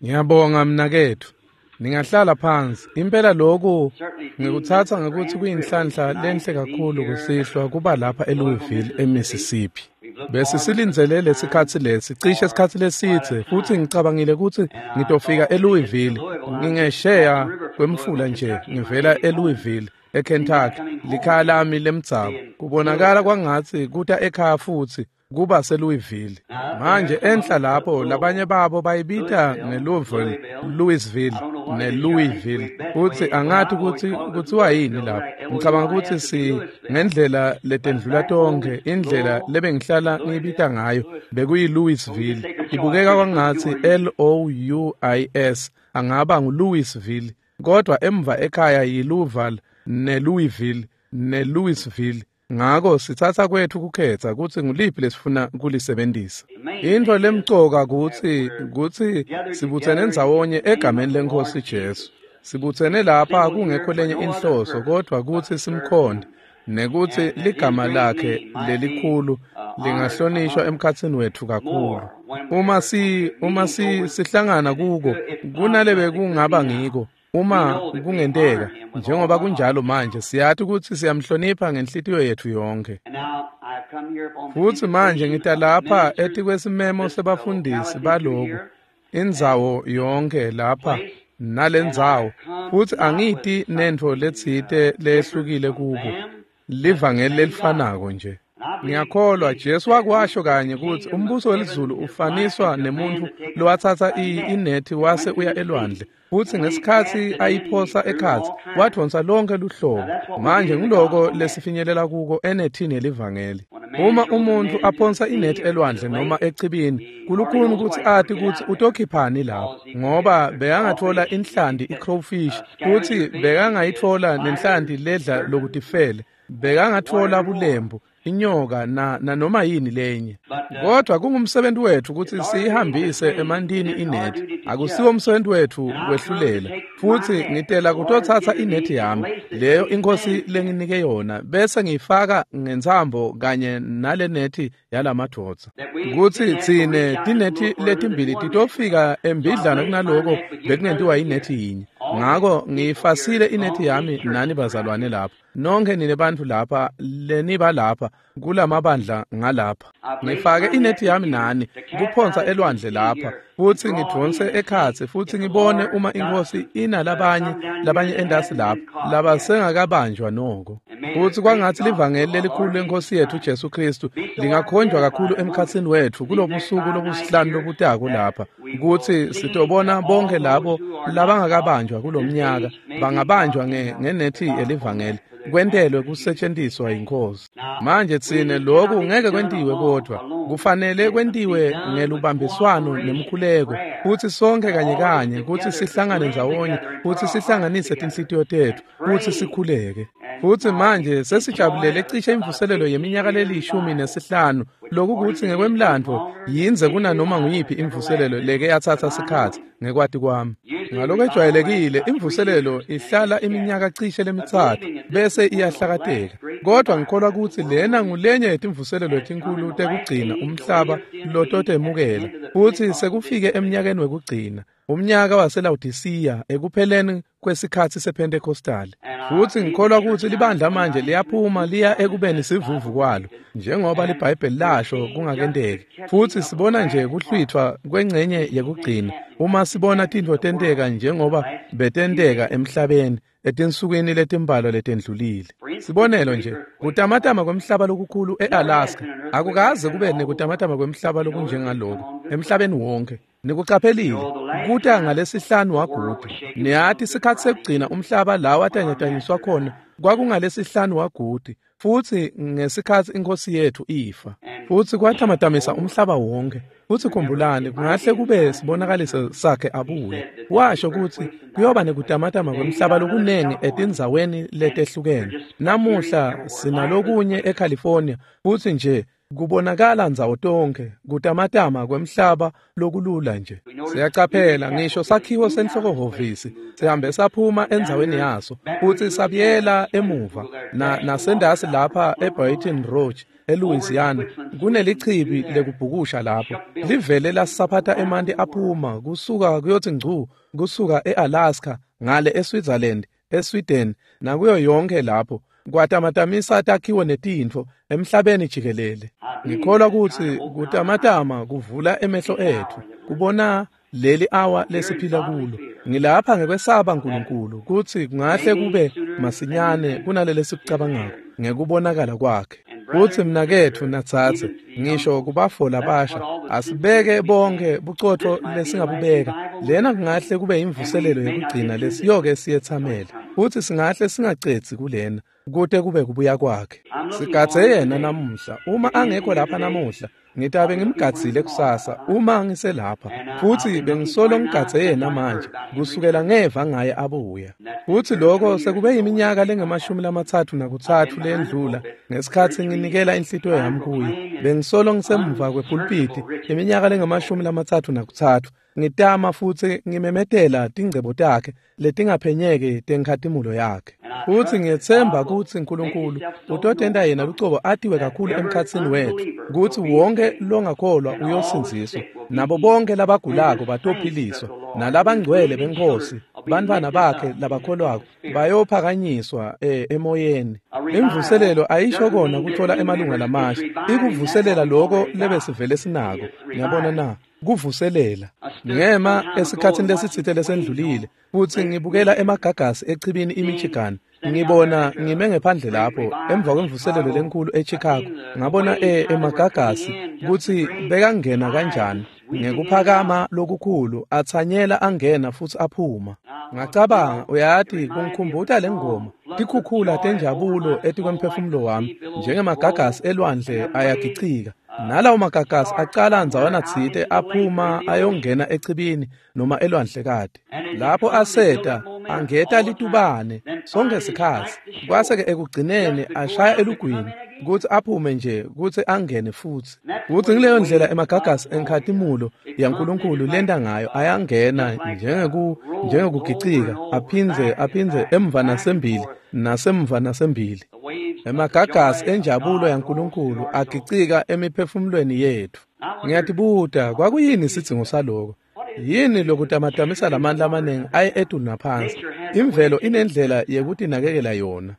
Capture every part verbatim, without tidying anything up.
Ngiyabonga mnaketfu. Ningahlala phansi. Impela lokhu ngikutsatsa ngekutsi kuyinhlanhla lenhle kakhulu kusihlwa kuba lapha eLouisville eMississippi. Bese silindzele lesikhatsi lesi cishe isikhatsi lesidze futsi ngicabangile kutsi ngitofika eLouisville ngingesheya kwemfula nje ngivela eLouisville eKentucky likhaya lami lemdzabu. Kubonakala kwangatsi kuta ekhaya futsi kuba seLouisville. Manje enhla lapho labanye babo bayibita ngeLouisville, Louisville neLouisville. Futsi angati kutsi kutsiwa yini lapho. Ngicabanga kutsi si ngendlela letendlula tonkhe indlela lebengihlala ngiyibita ngayo bekuyi Louisville. Ibukeka kwangatsi L O U I S angaba nguLouisville, kodwa emva ekhaya yiLouisville neLouisville neLouisville. Ngako sitsatsa kwethu kukhetsa kutsi nguliphi lesifuna kulisebentisa. Intfo lemcoka kutsi kutsi sibutsene ndzawonye egameni leNkhosi Jesu. Sibutsene lapha kungekho lenye inhloso kodvwa kutsi simkhonde nekutsi ligama lakhe lelikhulu lingahlonishwa emkhatsini wetfu kakhulu. Uma si uma si sihlangana kuko kunalebe kungaba ngiko. Uma kungenteka njengoba kunjalo manje siyati kutsi siyamhlonipha ngenhlitiyo yetfu yonkhe. Futsi manje ngita lapha etikwesimemo sebafundisi baloku indzawo yonke lapha nalendzawo futsi angiti nentfo letsite lehlukile kubo livangeli lelifanako nje. Ngiyakholwa Jesu wakwasho kanye kutsi umbuso welizulu ufaniswa nemuntfu lowatsatsa inethi wase uya elwandle futsi ngesikhatsi ayiphosa ekhatsi wadvonsa lonke luhlobo. Manje ngiloko lesifinyelela kuko enethini yelivangeli. Uma umuntfu aphonsa inethi elwandle noma echibini kulukhuni kutsi ati kutsi utokhiphani lapho ngoba bekangatfola inhlanti i-crowfish futsi bekangayitfola nenhlanti ledla lokutifele, bekangatfola bulembu, inyoka na nanoma yini lenye. Kodwa kungumsebenzi wetfu kutsi siyihambise emantini inethi. Akusiwo umsebenzi wetfu kwehlulela. Futsi ngitela kutotsatsa inethi yami leyo inkosi lenginike yona bese ngiyifaka ngentsambo kanye nale nethi yalamadvodza. Kutsi tsine tinethi letimbili titofika embidlana kunaloko bekungentiwa inethi yinye. Ngako ngiyifasile inethi yami nani bazalwane lapha. Nonke nine bantfu lapha leniba lapha kulamabandla ngalapha. Ngifake inethi yami nani kuphonsa elwandle lapha futsi ngidvonse ekhatsi futsi ngibone uma inkosi inalabanye labanye endasi lapha labasengakabanjwa noko. Futsi kwangatsi livangeli lelikhulu lenkosi yetfu Jesu Kristu lingakhonjwa kakhulu emkhatsini wetfu kulobusuku lobusihlanu lobutako lapha kutsi sitobona bonke labo labangakabanjwa kulomnyaka bangabanjwa ngenethi yelivangeli kwentelwe kusetshenziswa inkosi. Manje tsine lokhu ngeke kwentiwe kodwa kufanele kwentiwe ngelubambiswano nemkhuleko futsi sonke kanye kanye kutsi sihlangane ndzawonye futsi sihlanganise tinhlitiyo tetfu futsi sikhuleke. Futsi manje sesijabulele cishe imvuselelo yeminyaka lelishumi nesihlanu lokhu kutsi ngekwemlandvo yindze kunanoma nguyiphi imvuselelo leke yatsatsa sikhatsi ngekwati kwami. Ngalokwejwayelekile imvuselelo ihlala iminyaka cishe lemitsatfu bese iyahlakateka. Kodwa ngikholwa kutsi lena ngulenye yetimvuselelo letinkulu tekugcina umhlaba lototemukela futsi sekufike eminyakeni wekugcina, umnyaka waseLawodisiya ekupheleni kwesikhatsi sePentecostal. Futsi ngikholwa kutsi libandla manje liyaphuma liya ekubeni sivuvu kwalo njengoba liBhayibheli lasho kungakenteki. Futsi sibona nje kuhlwithwa kwengcenye yekugcina uma sibona tintfo tenteka njengoba betenteka emhlabeni etinsukwini letimbalwa letendlulile. Sibonelo nje kutamatama kwemhlaba lokukhulu eAlaska. Akukaze kube nekutamatama kwemhlaba lokunjengaloko emhlabeni wonke. Nikucaphelile kuta ngalesihlanu wagudu. Niyati sikhatsi sekugcina umhlaba la watanyatanyiswa khona kwakungalesihlanu wagudu futsi ngesikhatsi inkosi yetfu ifa. Futsi kwatamatamisa umhlaba wonke. Futsi khumbulani kungahle kube sibonakaliso sakhe abuye. Washo kutsi kuyoba nekutamatama kwemhlaba lokunengi etindzaweni letehlukene. Namuhla sinalokunye eCalifornia futsi nje kubonakala ndzawo tonke kutamatama kwemhlaba lokulula nje. Siyacaphela ngisho sakhiwo senhlokohhovisi sihambe saphuma endzaweni yaso futsi sabuyela emuva na nasendasi lapha eBaton Rouge eLouisiana kunelichibi lekubhukusha lapho livele lasaphatha emanti aphuma kusuka kuyothi ngcu kusuka eAlaska ngale eSwitzerland, eSweden nakuyo yonke lapho kwatamatamisa takhiwo netintfo emhlabeni jikelele. Ngikholwa kutsi kutamatama kuvula emehlo etfu kubona leli awa lesiphila kulo. Ngilapha ngekwesaba uNkulunkulu kutsi kungahle kube masinyane kunalele sikucabangako ngekubonakala kwakhe. Kutsi mnaketfu natsatse ngisho kubafo labasha asibeke bonke bucotfo lesingabubeka. Lena kungahle kube imvuselelo yekugcina lesiyoke siyethamele futsi singahle singacedzi kulena kute kube kubuya kwakhe. Sigadze yena namuhla. Uma angekho lapha namuhla ngitabe ngimgadzile kusasa uma ngiselapha, futsi bengisolo ngigadze yena manje kusukela ngeva ngaye abuya. Futsi lokho sekube yiminyaka lengemashumi lamatsatfu nakutsatfu lendlula ngesikhatsi nginikela inhlitiyo yami kuye. Bengisolo ngisemva kwepulpiti iminyaka lengemashumi lamatsatfu nakutsatfu ngitama futsi ngimemetela tingcebo takhe letingaphenyeki tenkhatimulo yakhe. Futsi ngiyetsemba kutsi uNkulunkulu utotenta yena lucobo atiwe kakhulu emkhatsini wetfu kutsi wonke longakholwa uyosindziswa, nabo bonke labagulako batophiliswa, nalabangcwele benkosi bantfwana bakhe labakholwako bayophakanyiswa eh, emoyeni. Imvuselelo ayisho kona kuthola emalunga lamasha, ikuvuselela lokho lebesivele sinako. Ngiyabona na kuvuselela. Ngema esikhatsini lesitsite lesendlulile futsi ngibukela emagagasi echibini iMichigan. Ngibona ngime ngephandle lapho emva kwemvuselelo lenkulu eChicago, ngabona e emagagasi kutsi bekangena kanjani ngekuphakama lokukhulu atsanyela angena futsi aphuma. Ngacabanga, uyati kungikhumbuta lengoma tikhukhula tenjabulo etikwemphefumulo wami njengemagagasi elwandle ayagichika. Nalawo magagasi acala ndzawana tsite aphuma ayongena echibini noma elwandlekati. Lapho aseta angeta litubane sonke sikhatsi, kwase-ke ekugcineni ashaya elugwini kutsi aphume nje kutsi angene futsi. Kutsi ngileyo ndlela emagagasi enkhatimulo yaNkulunkulu lenta ngayo, ayangena njengeku njengekugicika aphindze aphindze emva nasembili nasemva nasembili. Emagagasi enjabulo yaNkulunkulu agicika emiphefumulweni yetfu. Ngiyatibuta kwakuyini isidzingo saloko? Yini lokutamatamisa lamandla amaningi aye etulu naphansi? Imvelo inendlela yekutinakekela yona.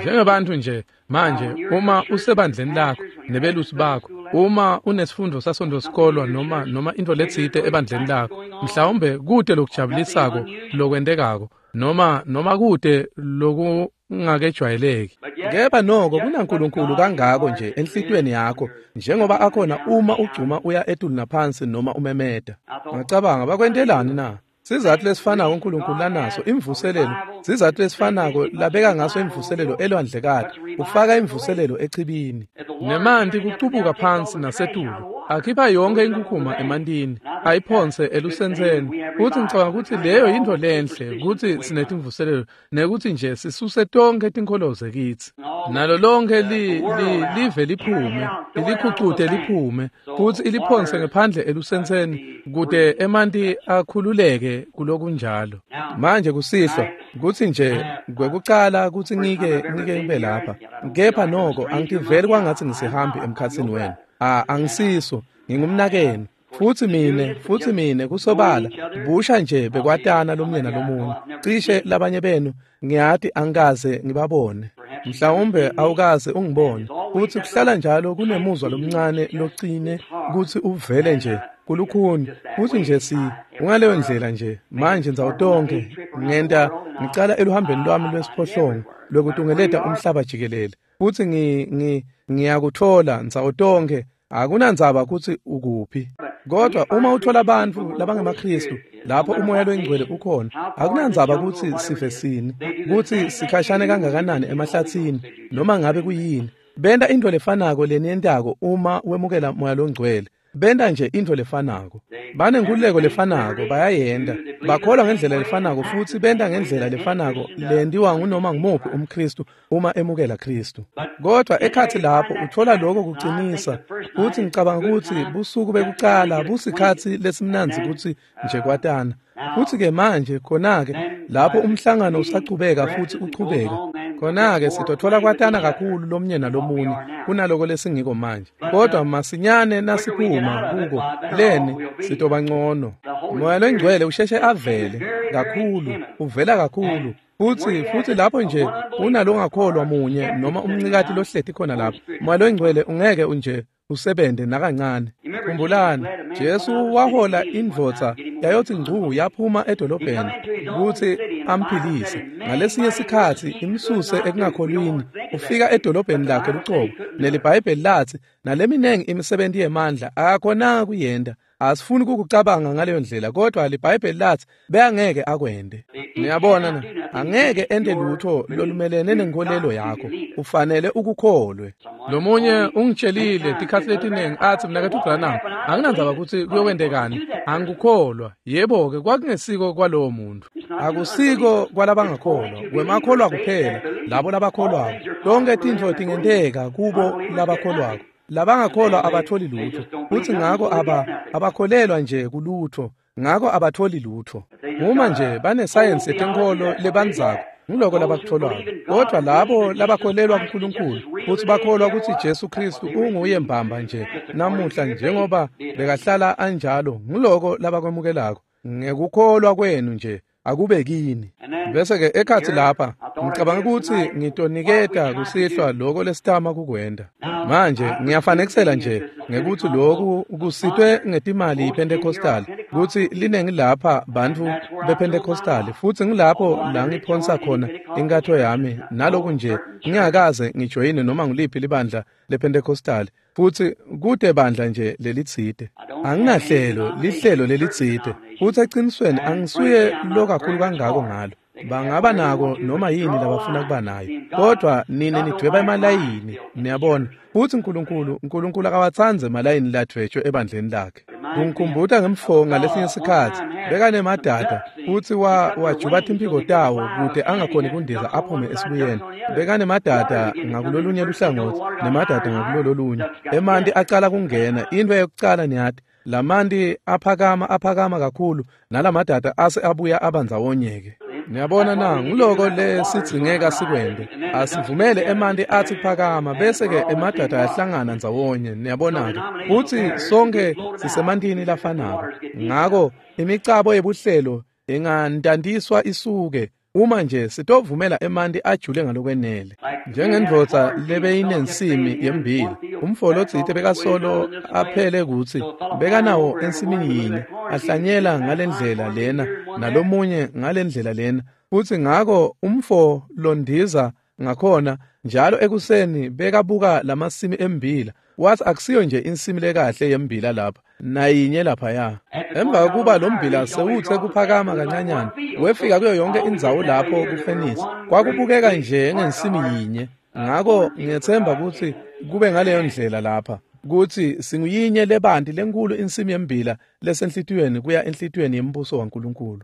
Njengebantu nje manje, uma usebandleni lakho nebelusi bakho, uma unesifundo sasonto-sikolwa noma noma into letsite ebandleni lakho, mhlawumbe kute lokujabulisako lokwentekako noma noma kute lokungakejwayeleki. Kepha noko kunaNkulunkulu kangako nje enhlitiyweni yakho njengoba akhona uma ugcuma uya etulu naphansi noma umemeta. Ngacabanga, bakwentelani na? Sizathu lesifanako uNkulunkulu lanaso imvuselelo, sizathu lesifanako labeka ngaso imvuselelo elwandlekati, ufaka imvuselelo echibini. Nemanti kucubuka phansi nasetulu, akhipha yonke inkukhuma emantini, ayiphonse elusentseni. Futsi ngicabanga kutsi leyo yintfo lenhle kutsi sinetimvuselelo nekuthi nje sisuse tonkhe tinkholoze kitsi. Nalo lonke li, li, live liphume, ilikhucute liphume, futsi iliphonse ngephandle elusentseni kute emanti akhululeke kulokunjalo. Manje kusihlwa kutsi nje kwekucala kutsi ngike ngike ngibe lapha, kepha noko angitiveli kwangatsi ngisihambi emkhatsini wenu. Ah, angisiso, ngingumnakenu. Futsi mine, futsi mine kusobala busha nje bekwatana lomunye nalomunye. Cishe labanye benu ngiyati angikaze ngibabone. Mhlawumbe awukaze ungibone. Futsi kuhlala njalo kunemuzwa lomncane locine kutsi uvele nje kulukhuni. Futsi nje si ungaleyo ndlela nje manje ndzawo tonke ngenta ngicala eluhambeni lwami lwesiphohlongo lwekutungeleta umhlaba jikelele. Futsi ngi ngi ngiyakuthola ndzawo tonke, akunandzaba kutsi ukuphi. Kodwa uma uthola abantu labangemaKristu lapho umoya loyingcwele ukhona, akunandzaba kutsi sife sini, kutsi sikhashane kangakanani emahlatsini noma ngabe kuyini, benta into lefanako leniyentako uma wemukela moya longcwele. Benta nje into lefanako, banenkululeko lefanako, bayayenta, bakholwa ngendlela lefanako futsi benta ngendlela lefanako lentiwa ngunoma ngumuphi umKristu uma emukela Kristu. Kodwa ekhatsi lapho uthola lokho kucinisa. Futsi ngicabanga kutsi busuku bekucala busikhatsi lesimnandzi kutsi nje kwatana. Futsi ke manje khona-ke lapho umhlangano usachubeka futsi uchubeka, Khona-ke sitotfola kwatana kakhulu lomnye nalomunye kunaloko lesingiko manje. Kodwa masinyane nasiphuma kuko leni sitoba ngcono. Moya loNgcwele usheshe avele kakhulu, uvela kakhulu. Futhi futhi lapho nje unalongakholwa munye noma umncikati lohleti khona lapho, Moya loNgcwele ungeke nje usebente nakancane. Khumbulani, Jesu wahola indvodza yayothi ngcu yaphuma edolobheni kutsi amphilise. Ngalesinye sikhatsi imsuse ekungakholwini, ufika edolobheni lakhe lucobo, neliBhayibheli latsi naleminengi imisebenti yemandla akakhonanga kuyenta. Asifuni ukucabanga ngaleyo ndlela, kodwa liBhayibheli lathi beyangeke akwente. Niyabona na, angeke ente lutho lolumelene nenkolelo yakho, ufanele ukukholwe. Lomunye ungitshelile tikhatsi letiningi athi, mnaketfu Branham, anginandzaba kutsi kuyokwentekani, angikukholwa. Yebo-ke, kwakungesiko kwalowo muntu. Akusiko kwalabangakholwa, kwemakholwa kuphela, labo labakholwako. Tonke tintfo tingenteka kubo labakholwako. Labangakholwa abatholi lutho, futhi ngako aba abakholelwa nje kulutho, ngako abatholi lutho. Uma nje banesayensi yetenkholo lebandzako, ngiloko labakutholako. Kodwa labo labakholelwa kuNkulunkulu futhi bakholwa ukuthi Jesu Kristu unguye mbamba nje namuhla njengoba bekahlala anjalo, ngiloko labakwemukelako. Ngekukholwa kwenu nje akube kini. Bese-ke ekhatsi lapha ngicabanga ukuthi ngitoniketa kusihlwa loko lesitama kukwenta. Manje ngiyafanekisela nje ngekuthi loku kusitwe ngetimali yiPentecostal, kutsi linengi lapha bantfu bePentecostal, futhi ngilapho la ngiphonsa khona inkatho yami naloku nje ngingakaze ngijoyine noma nguliphi libandla lePentecostal, futhi kude bandla nje lelitsite. Anginahlelo lihlelo lelitsite, futhi eqinisweni angisuye lo kakhulu kangako ngalo. Bangaba nako noma yini labafuna kuba nayo, kodwa nine nidweba emalayini, niyabona. Futhi uNkulunkulu uNkulunkulu akawatsandzi emalayini ladvwetshwe ebandleni lakhe. Kungikhumbuta ngemfo ngalesinye isikhatsi bekanemadada, futhi wa wajuba timphiko tawo kute angakhoni kundiza aphume esibuyeni. Bekanemadada ngakulolunye luhlangothi nemadada ngakulololunye. Emanti acala kungena, into yokucala niyati, lamanti aphakama aphakama kakhulu, nalamadada ase abuya abandzawonye-ke. Niyabona na, nguloko lesidzingeka sikwente. Asivumele emanti athi phakama, bese-ke emadada ayahlangana ndzawonye, niyabona-ke. Futhi sonke sisemantini lafanako. Ngako imicabo yebuhlelo ingantantiswa isuke uma nje sitovumela emanti ajule ngalokwenele. Njengendvodza lebeyinensimi yembili, umfo lotsite bekasolo aphele kutsi bekanawo ensimini yinye, ahlanyela ngalendlela lena nalomunye ngalendlela lena. Futhi ngako umfo londiza ngakhona njalo ekuseni bekabuka lamasimi embila, wathi akusiyo nje insimi lekahle yembila lapha nayinye laphaya. Emva kokuba lo mbila sewuthe kuphakama kancanyana, wefika kuyo yonke indzawo lapho kufenisi, kwakubukeka nje ngensimi yinye. Ngako ngiyethemba ukuthi kube ngaleyo ndlela lapha, kutsi singuyinye lebanti lenkulu insimi yembila lesenhlitiyweni kuya enhlitiyweni yembuso waNkulunkulu.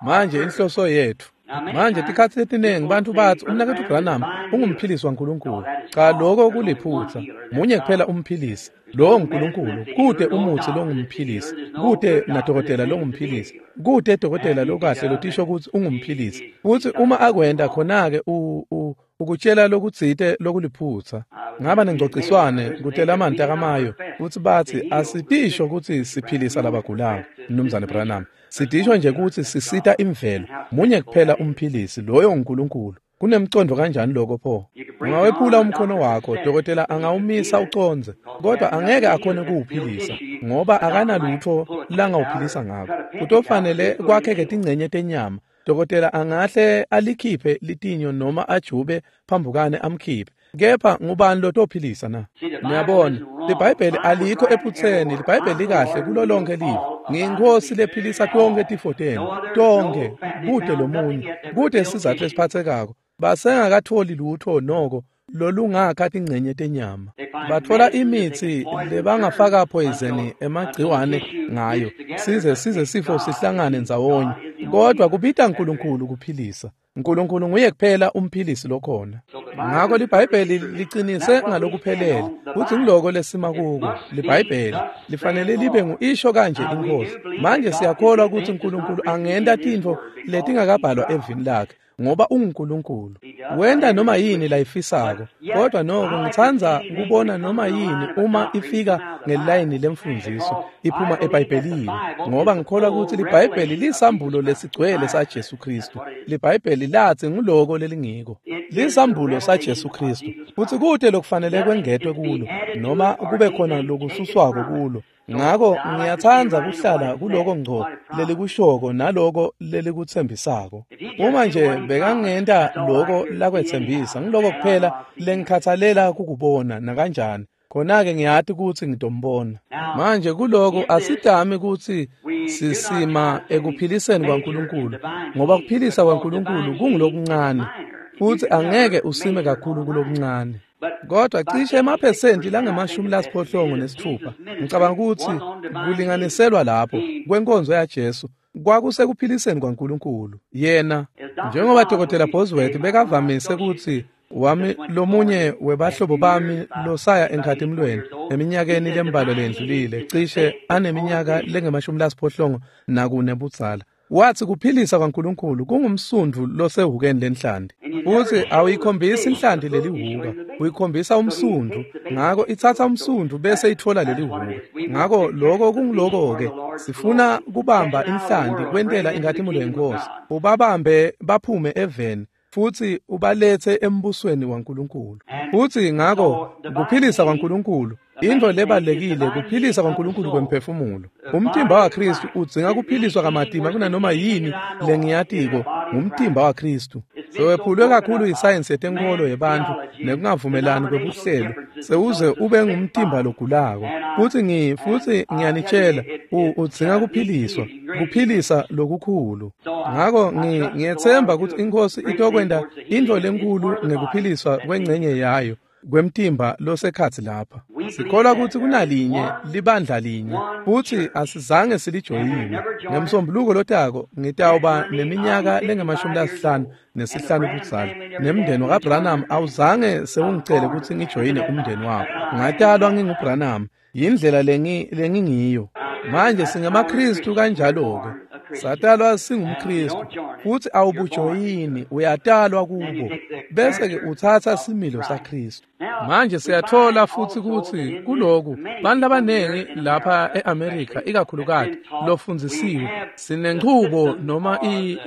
Manje inhloso yethu manje tikhatsi letiningi bantfu batsi umnaketfu Branham ungumphilisi waNkulunkulu. Cha, loko kuliphutsa. Munye kuphela umphilisi, lowo nguNkulunkulu. Kute umutsi longumphilisi, kute nadokotela longumphilisi, kute dokotela lokahle lotisho kutsi ungumphilisi. Futsi uma akwenta khona-ke ukutshela lokutsite lokuliphutsa. Ngaba nengcociswane kutelamanti akamayo kutsi batsi asitisho kutsi siphilisa labagulako, Mnumzane Branham. Sitisho nje kutsi sisita imvelo. Munye kuphela umphilisi, loyo nguNkulunkulu. Kunemcondo kanjani lokho pho? Ungawephula umkhono wakho, dokotela angawumisa ucondze, kodwa angeke akhone kuwuphilisa ngoba akanalutho langawuphilisa ngako. Kutofanele kwakheke tingcenye tenyama. Dokotela angahle alikhiphe litinyo noma ajube phambukane amkhiphe, kepha ngubani lotophilisa na? Niyabona, liBhayibheli alikho ephutseni. liBhayibheli likahle kulo lonke live. Ngiyinkosi lephilisa tonke tifo tenu, tonke, kute lomunye, kute isizathu lesiphathekako. Basengakatholi lutho noko lolungakha tingcenye tenyama. Bathola imitsi lebangafaka poison emagciwane ngayo, size size sifo sihlangane ndzawonye. Kodwa kubita uNkulunkulu kuphilisa. uNkulunkulu nguye kuphela umphilisi lokhona. Ngako liBhayibheli liqinise ngalokuphelele kutsi ngiloko lesima kuko. liBhayibheli lifanele libe nguisho kanje inkosi. Manje siyakholwa kutsi uNkulunkulu angenta tintfo letingakabhalwa evini lakhe. ngoba unguNkulunkulu. Wenta noma yini layifisako, kodwa noko ngitsandza kubona noma yini uma ifika ngelayini lemfundziso iphuma eBhayibhelini, ngoba ngikholwa kutsi liBhayibheli lisambulo lesigcwele saJesu Kristu. LiBhayibheli latsi nguloko lelingiko, lisambulo saJesu Kristu, futsi kute lokufanele kwengetwe kulo noma kube khona lokususwako kulo. Ngako ngiyatsandza kuhlala kuloko ngco lelikushoko naloko lelikutsembisako. Uma nje bekangenta loko lakwetsembisa, ngiloko kuphela lengikhatsalela kukubona nakanjani. Khona-ke ngiyati kutsi ngitombona. Manje kuloko asidami kutsi sisima ekuphiliseni kwaNkulunkulu, ngoba kuphilisa kwaNkulunkulu kungulokuncane, futsi angeke usime kakhulu kulokuncane. Kodwa cishe emaphesenti langemashumi lasiphohlongo nesitfupha, ngicabanga kutsi kulinganiselwa lapho kwenkonzo yaJesu kwakusekuphiliseni kwaNkulunkulu. Yena, njengoba Dokotela Bosworth bekavamise kutsi wami lomunye webahlobo bami losaya enkhatimlweni eminyakeni lembalwa lendlulile, cishe aneminyaka lengemashumi lasiphohlongo nakune budzala, wathi kuphilisa kwaNkulunkulu kungumsundvu losehukeni lenhlanti. Futsi awuyikhombisi inhlanti lelihuka, uyikhombisa umsundvu. Ngako itsatsa umsundvu bese itfola lelihuka. Ngako loko kunguloko-ke, sifuna kubamba inhlanti kwentela inkhatimulo yeNkhosi, ubabambe baphume eveni futsi ubalethe embusweni waNkulunkulu. Futsi ngako kuphilisa kwaNkulunkulu, intfo lebalekile kuphilisa kwaNkulunkulu kwemphefumulo. Umtimba waKristu udzinga kuphiliswa kamatima kunanoma yini lengiyatiko ngumtimba waKristu. Sewephulwe kakhulu yisayensi yetenkholo yebantfu nekungavumelani kwebuhlelo, sewuze ube ngumtimba logulako. Futsi ngi futsi ngiyanitshela, udzinga kuphiliswa, kuphilisa lokukhulu. Ngako ngi ngiyetsemba kutsi iNkhosi itokwenta intfo lenkulu ngekuphiliswa kwengcenye yayo kwemtimba losekhatsi lapha. Sikholwa kutsi kunalinye libandla linye, futsi asizange silijoyine. Ngemsombuluko lotako ngitawuba neminyaka lengemashumi lasihlanu nesihlanu budzala, nemndeni wakaBranham awuzange sewungicele kutsi ngijoyine umndeni wabo. Ngatalwa nginguBranham, yindlela lengi lengingiyo. Manje singemaKristu kanjalo-ke. Satalwa singumKristu, futsi awubujoyini, uyatalwa kubo, bese-ke utsatsa similo saKristu. Manje siyatfola futsi kutsi kuloku bantfu labanengi lapha e-Amerika ikakhulukati lofundzisiwe, sinenchubo noma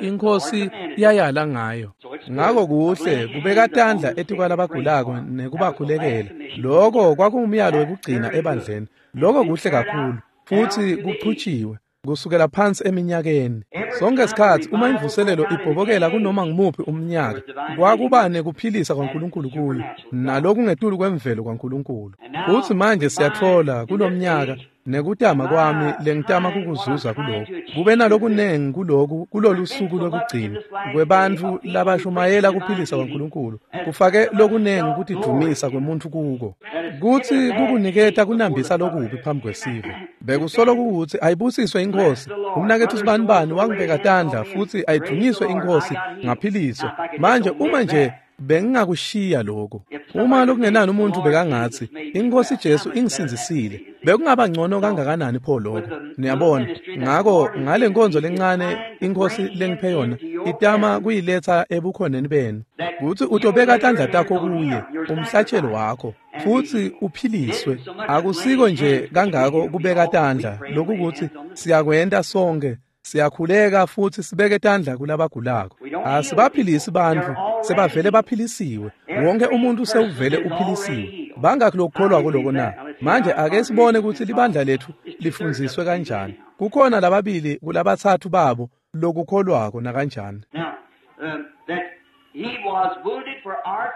iNkhosi yayala ngayo. Ngako kuhle kubeka tandla etikwalabagulako nekubakhulekela. Loko kwakungumyalo wekugcina ebandleni. Loko kuhle kakhulu futsi kuchutshiwe kusukela phansi eminyakeni. Sonke isikhatsi uma imvuselelo ibhobokela kunoma ngumuphi umnyaka, kwakuba nekuphilisa kwaNkulunkulu kuyo, nalokungetulu kwemvelo kwaNkulunkulu. Futsi manje siyatfola kulomnyaka nekutama kwami lengitama kukuzuza kuloku, kube nalokunengi kuloku kulolu suku lwekugcina kwebantfu labashumayela kuphilisa kwaNkulunkulu, kufake lokunengi kutidvumisa kwemuntfu kuko, kutsi kukuniketa kunambisa lokubi phambi kwesive. Bekusolo kutsi ayibusiswe iNkhosi, umnaketfu sibanibani wangibeka tandla, futsi ayidvunyiswe iNkhosi, ngaphiliswa. Manje uma nje bengingakushiya lokho, uma lokungenani umuntu bekangatsi iNkhosi Jesu ingisindzisile, bekungaba ngcono kangakanani pho lokho? Niyabona? Ngako ngale nkonzo lencane iNkhosi lengiphe yona itama kuyiletsa ebukhoneni benu, kutsi utobeka tandla takho kuye, umhlatshelo wakho, futsi uphiliswe. Akusiko nje kangako kubeka tandla, lokukuthi siyakwenta sonke, siyakhuleka futsi sibeke tandla kulabagulako. Asibaphilisi bantfu, sebavele baphilisiwe. Wonke umuntu sewuvele uphilisiwe. Bangakhi lokukholwako loko na? Manje ake sibone kutsi libandla letfu lifundziswe kanjani. Kukhona lababili kulabatsatfu babo lokukholwako nakanjani.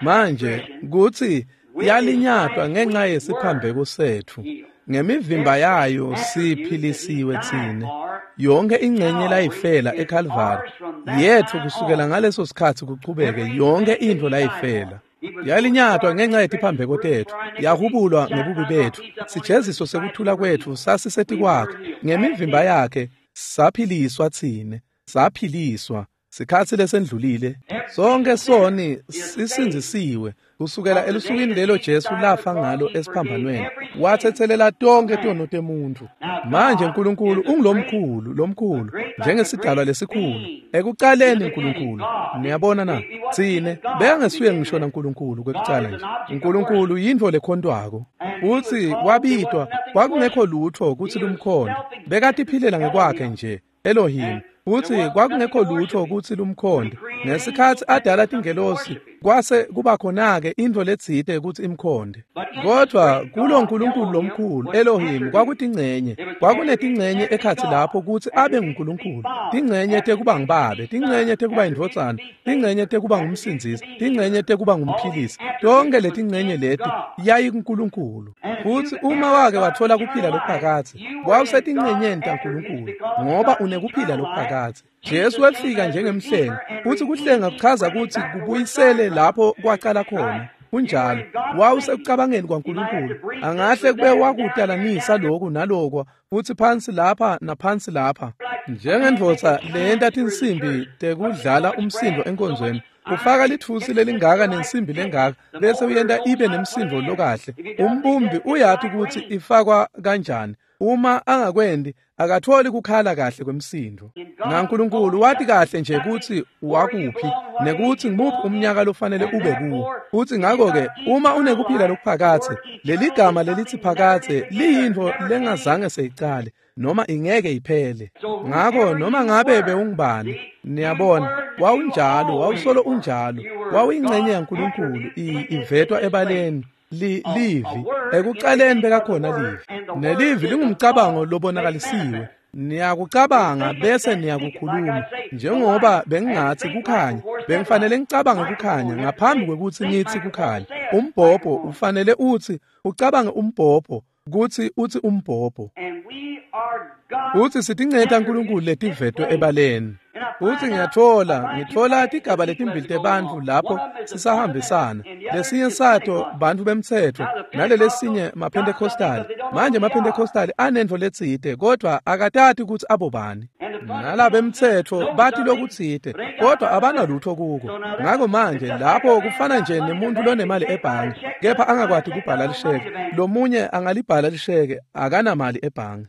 Manje kutsi yalinyatwa ngenxa yesiphambeko setfu, ngemivimba yayo siphilisiwe tsine. Yonke ingcenye layifela eKalvari yetfu kusukela ngaleso sikhatsi kuchubeke, yonke intfo layifela. Yalinyatwa ngenxa yetiphambeko tetfu, yahubulwa ngebubi betfu. Sijeziso sekuthula kwetfu sasisetikwakhe, ngemivimba yakhe saphiliswa tsine. Saphiliswa, Sikhatsi lesendlulile sonke soni sisindzisiwe kusukela elusukwini lelo Jesu lafa ngalo esiphambanweni, wathethelela tonke tono temuntfu. Manje uNkulunkulu ungulomkhulu lomkhulu njengesidalwa lesikhulu. Ekucaleni uNkulunkulu, niyabona na, tsine bekangesuye ngisho naNkulunkulu kwekucala nje. uNkulunkulu yintfo lekhontwako, futsi wabitwa kwakungekho lutfo kutsi lumkhonde, bekatiphilela ngekwakhe nje Elohim. Futsi kwakungekho lutfo kutsi lumkhonde. Ngesikhatsi adala tingelosi kwase kuba khona-ke intfo letsite kutsi imkhonde. Kodvwa kulo Nkulunkulu lomkhulu Elohim kwakutingcenye, kwakunetingcenye ekhatsi lapho kutsi abe nguNkulunkulu, tingcenye tekuba ngibabe, tingcenye tekuba indvodzana, tingcenye tekuba ngumsindzisi, tingcenye tekuba ngumphilisi. Tonke letingcenye leti yayikuNkulunkulu. Futsi uma wake watfola kuphila lokuphakadze, wawusetingcenyeni taNkulunkulu ngoba unekuphila lokuphakadze. Jesu wefika njengemhlengi, futsi kuhlenga kuchaza kutsi kubuyisele lapho kwacala khona. Kunjalo, wawusekucabangeni kwaNkulunkulu. Angahle kube wakutalanisa lokhu nalokwa, futsi phansi lapha naphansi lapha. Njengendvodza leyenta tinsimbi tekudlala umsindo enkonzweni, ufaka litfusi lelingaka nensimbi lengaka bese uyenta ibe nemsindo lokahle. Umbumbi uyati kutsi ifakwa kanjani. Uma angakwendi akatholi kukhala kahle kwemsindo. NaNkulunkulu wati kahle nje kutsi wakuphi nekuthi ngimuphi umnyaka lofanele ube kuwo. Futhi ngakho-ke uma unekuphila lokuphakadze, leligama lelithi phakadze liyintfo lengazange seyicale noma ingeke iphele. Ngakho noma ngabe bewungubani, niyabona, wawunjalo, wawusolo unjalo, wawuyingcenye yaNkulunkulu ivetwa ebaleni. Li livi ekucaleni bekakhona livi, nelivi lingumcabango lobonakalisiwe. Niyakucabanga bese niyakukhuluma. Njengoba bengingathi kukhanya, bengifanele ngicabange kukhanya ngaphambi kwekutsi ngithi kukhanya. Umbhobho ufanele uthi ucabange umbhobho kutsi uthi umbhobho. Uthi sitingcenye taNkulunkulu letivetwe ebaleni. Uthi ngiyatfola, ngitfola tigaba letimbili tebantfu lapho sisahambisana. Lesinye sato bantfu bemtsetfo, nalelesinye maPentecostali. Manje maPentecostali anentfo letsite, kodvwa akatati kutsi abobani. Nalabemtsetfo bati lokutsite, kodvwa abanalutfo kuko. Ngako manje lapho kufana nje nemuntfu lonemali ebhange, kepha angakwati kubhala lisheke. Lomunye angalibhala lisheke, akanamali ebhange.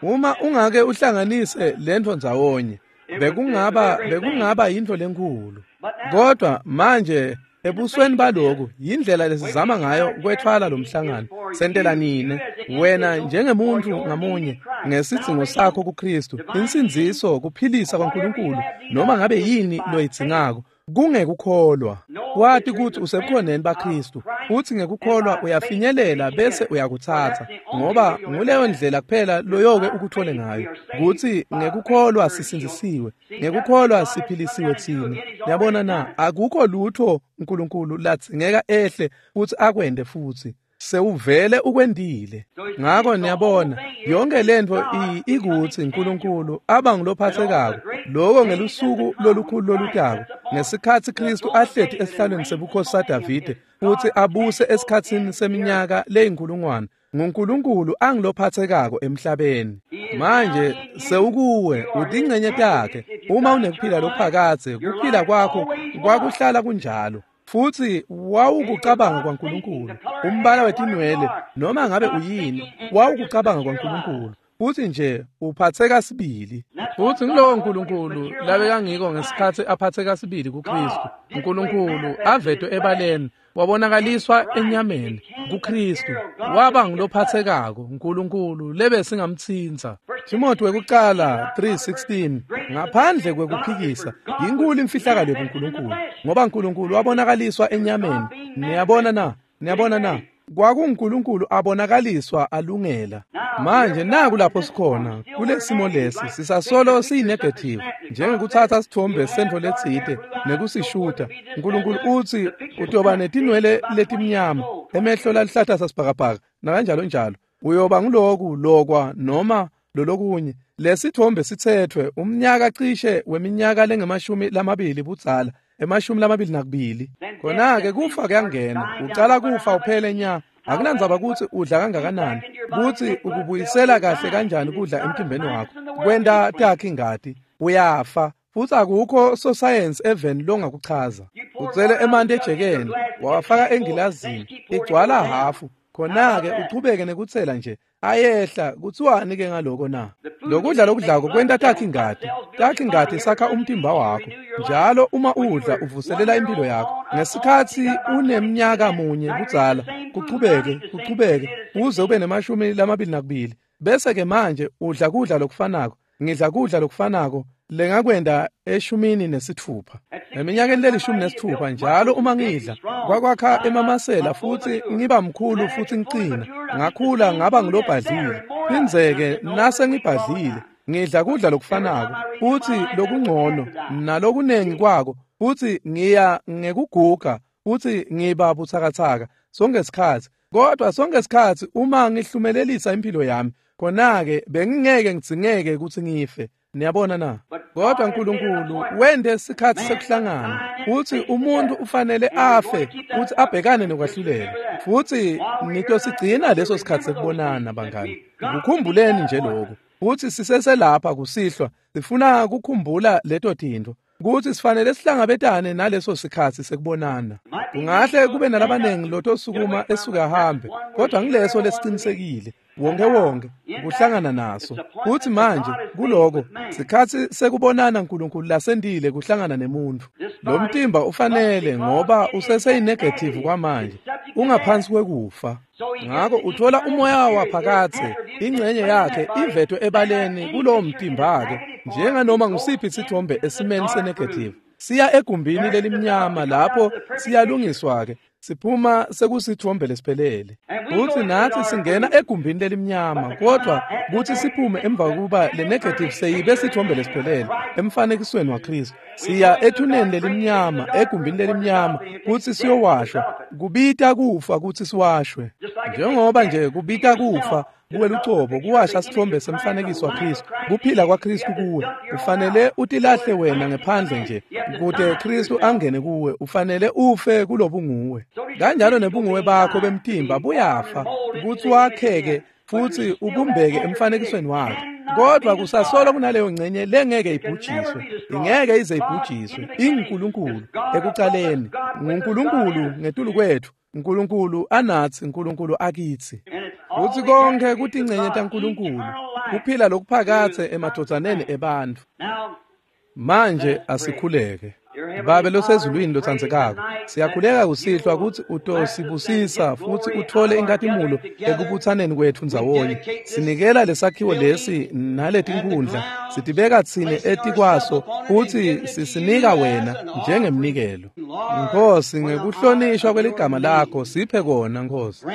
Uma ungake uhlanganise lentfo ndzawonye, bekungaba bekungaba yintfo lenkhulu. Kodwa manje ebusweni baloku yindlela lesizama ngayo kwetfwala lo mhlangano. Sentela nine wena njengemuntfu ngamunye ngesidzingo sakho kuKristu, insindziso, kuphilisa kwaNkulunkulu, noma ngabe yini loyidzingako. Kungekukholwa wati kutsi usebukhoneni baKristu, uthi ngekukholwa uyafinyelela bese uyakutsatsa, ngoba nguleyo ndlela kuphela loyoke ukuthole ngayo. Kutsi ngekukholwa sisindzisiwe, ngekukholwa siphilisiwe tsine. Yabona na, akukho lutfo uNkulunkulu ladzingeka ehle kutsi akwente futsi. Sewuvele ukwendile. Ngako niyabona, yonke lentfo ikutsi uNkulunkulu aba ngulophathekako loko ngelusuku lolukhulu lolutako, ngesikhatsi Kristu ahleti esihlalweni sebukhosi saDavide futsi abuse esikhatsini seminyaka leyinkulungwane. NguNkulunkulu angilophathekako emhlabeni. Manje sewukuwe, utingcenye takhe. Uma unekuphila lokuphakadze, kuphila kwakho kwakuhlala kunjalo. Futsi wawukucabanga kwaNkulunkulu, umbala wetinwele noma ngabe uyini, wawukucabanga kwaNkulunkulu. Futsi nje uphatheka sibili. Futsi ngilowo Nkulunkulu labekangiko ngesikhatsi aphatheka sibili kuKristu. uNkulunkulu avetwe ebaleni, wabonakaliswa enyameni kuKristu, waba ngulophathekako uNkulunkulu lebesingamtsintsa. Timothy wekucala three sixteen, ngaphandle kwekuphikisa, yinkulu imfihlakalo yobuNkulunkulu, ngoba uNkulunkulu wabonakaliswa enyameni. Niyabona na? Niyabona na? KwakunguNkulunkulu abonakaliswa alungela. Manje naku lapho sikhona kulesimo lesi, sisasolo siyinegative, njengekutsatsa sithombe sentfo letsite nekusishuta. uNkulunkulu utsi utoba netinwele letimnyama, emehlo laluhlata sasibhakabhaka, nakanjalo njalo. Uyoba nguloku lokwa noma lolokunye. Lesithombe sitsetfwe umnyaka cishe weminyaka lengemashumi lamabili budzala, emashumi lamabili nakubili. Khona-ke kufa kuyangena, ucala kufa uphele nya. Akunandzaba kutsi udla kangakanani, kutsi ukubuyisela kahle kanjani kudla emtimbeni wakho, kwenta takhe ingati, uyafa. Futsi akukho sosayensi eveni longakuchaza. Utsele emanti ejekeni, wawafaka engilazini, igcwala hhafu. Khona-ke uchubeke nekutsela nje, ayehla. Kuthiwani-ke ngaloko na? Lokudla lokudlako kwenta takhi ingati. Takhi ingati sakha umtimba wakho. Njalo uma udla uvuselela impilo yakho. Ngesikhatsi unemnyaka munye budzala, kuchubeke, kuchubeke, uze ube nemashumi lamabili nakubili. Bese-ke manje udla kudla lokufanako. Ngidla kudla lokufanako lengakwenda eshumini nesitfupha. Eminyakeni lelishumi nesitfupha njalo uma ngidla kwakwakha emamasela futsi ngiba mkhulu futsi ngicina. Ngakhula ngaba ngilobhadlile. Phindzeke nase ngibhadlile ngidla kudla lokufanako futsi lokungcono nalokunengi kwako, futsi ngiya ngekuguga futsi ngiba butsakatsaka sonke sikhatsi. Kodwa sonke sikhatsi uma ngihlumelelisa impilo yami, khona-ke bengingeke ngidzingeke kutsi ngife. Niyabona na? Kodwa Nkulunkulu wente sikhatsi sekuhlangana, futsi umuntfu ufanele afe futsi abhekane nokwahlulela. Futsi nitosigcina leso sikhatsi sekubonana, bangani. Kukhumbuleni nje lokhu. Futsi siseselapha kusihlwa, sifuna kukhumbula leto tintfo, kutsi sifanele sihlangabetane naleso sikhatsi sekubonana. Kungahle kube nalabanengi lotosukuma esuke ahambe, kodwa ngileso lesicinisekile wonke wonke kuhlangana naso. Futsi manje kuloko sikhatsi sekubonana Nkulunkulu lasendile kuhlangana nemuntfu. Lo mtimba ufanele, ngoba useseyinegative kwamanje, ungaphansi kwekufa. Ngako uthola umoya waphakathe, ingxenye yakhe ivetwe ebaleni kulowo mtimba-ke, njenganoma ngusiphi isithombe esimeni senegative. Siya egumbini lelimnyama lapho siyalungiswa-ke, siphuma sekusithombe lesiphelele. Futsi natsi singena egumbini lelimnyama, kodwa kutsi siphume emva kokuba le negative seyibe sithombe lesiphelele emfanekisweni waKristu. Siya ethuneni lelimnyama, egumbini lelimnyama, kutsi siyowashwa. Kubita kufa kutsi siwashwe. Njengoba nje kubita kufa kuwe lucobo kuwasha sithombe semfanekiso waKristu, kuphila kwaKristu kuwe. Ufanele utilahle wena ngephandle nje kute Kristu angene kuwe. Ufanele ufe kulobunguwe. Kanjalo nebunguwe bakho bemtimba buyafa kutsi wakheke futsi ubumbeke emfanekisweni wakhe. Kodwa kusasolo kunaleyo ngcenye lengeke ibhujiswe, ingeke ize ibhujiswe. InguNkulunkulu ekucaleni, nguNkulunkulu ngetulu kwethu, Nkulunkulu anatsi, Nkulunkulu akitsi. Futsi konke kutingcenye taNkulunkulu, kuphila lokuphakathe emadvodzaneni ebantfu. Manje asikhuleke. Babe losezulwini lotsandzekako, siyakhuleka kusihlwa kutsi utosibusisa futsi uthole inkhatimulo ekubutsaneni kwetfu ndzawonye. Sinikela lesakhiwo lesi naletinkhundla, sitibeka tsine etikwaso futsi sisinika wena njengemnikelo. Nkosi, ngekuhlonishwa kweligama lakho siphe kona, Nkosi.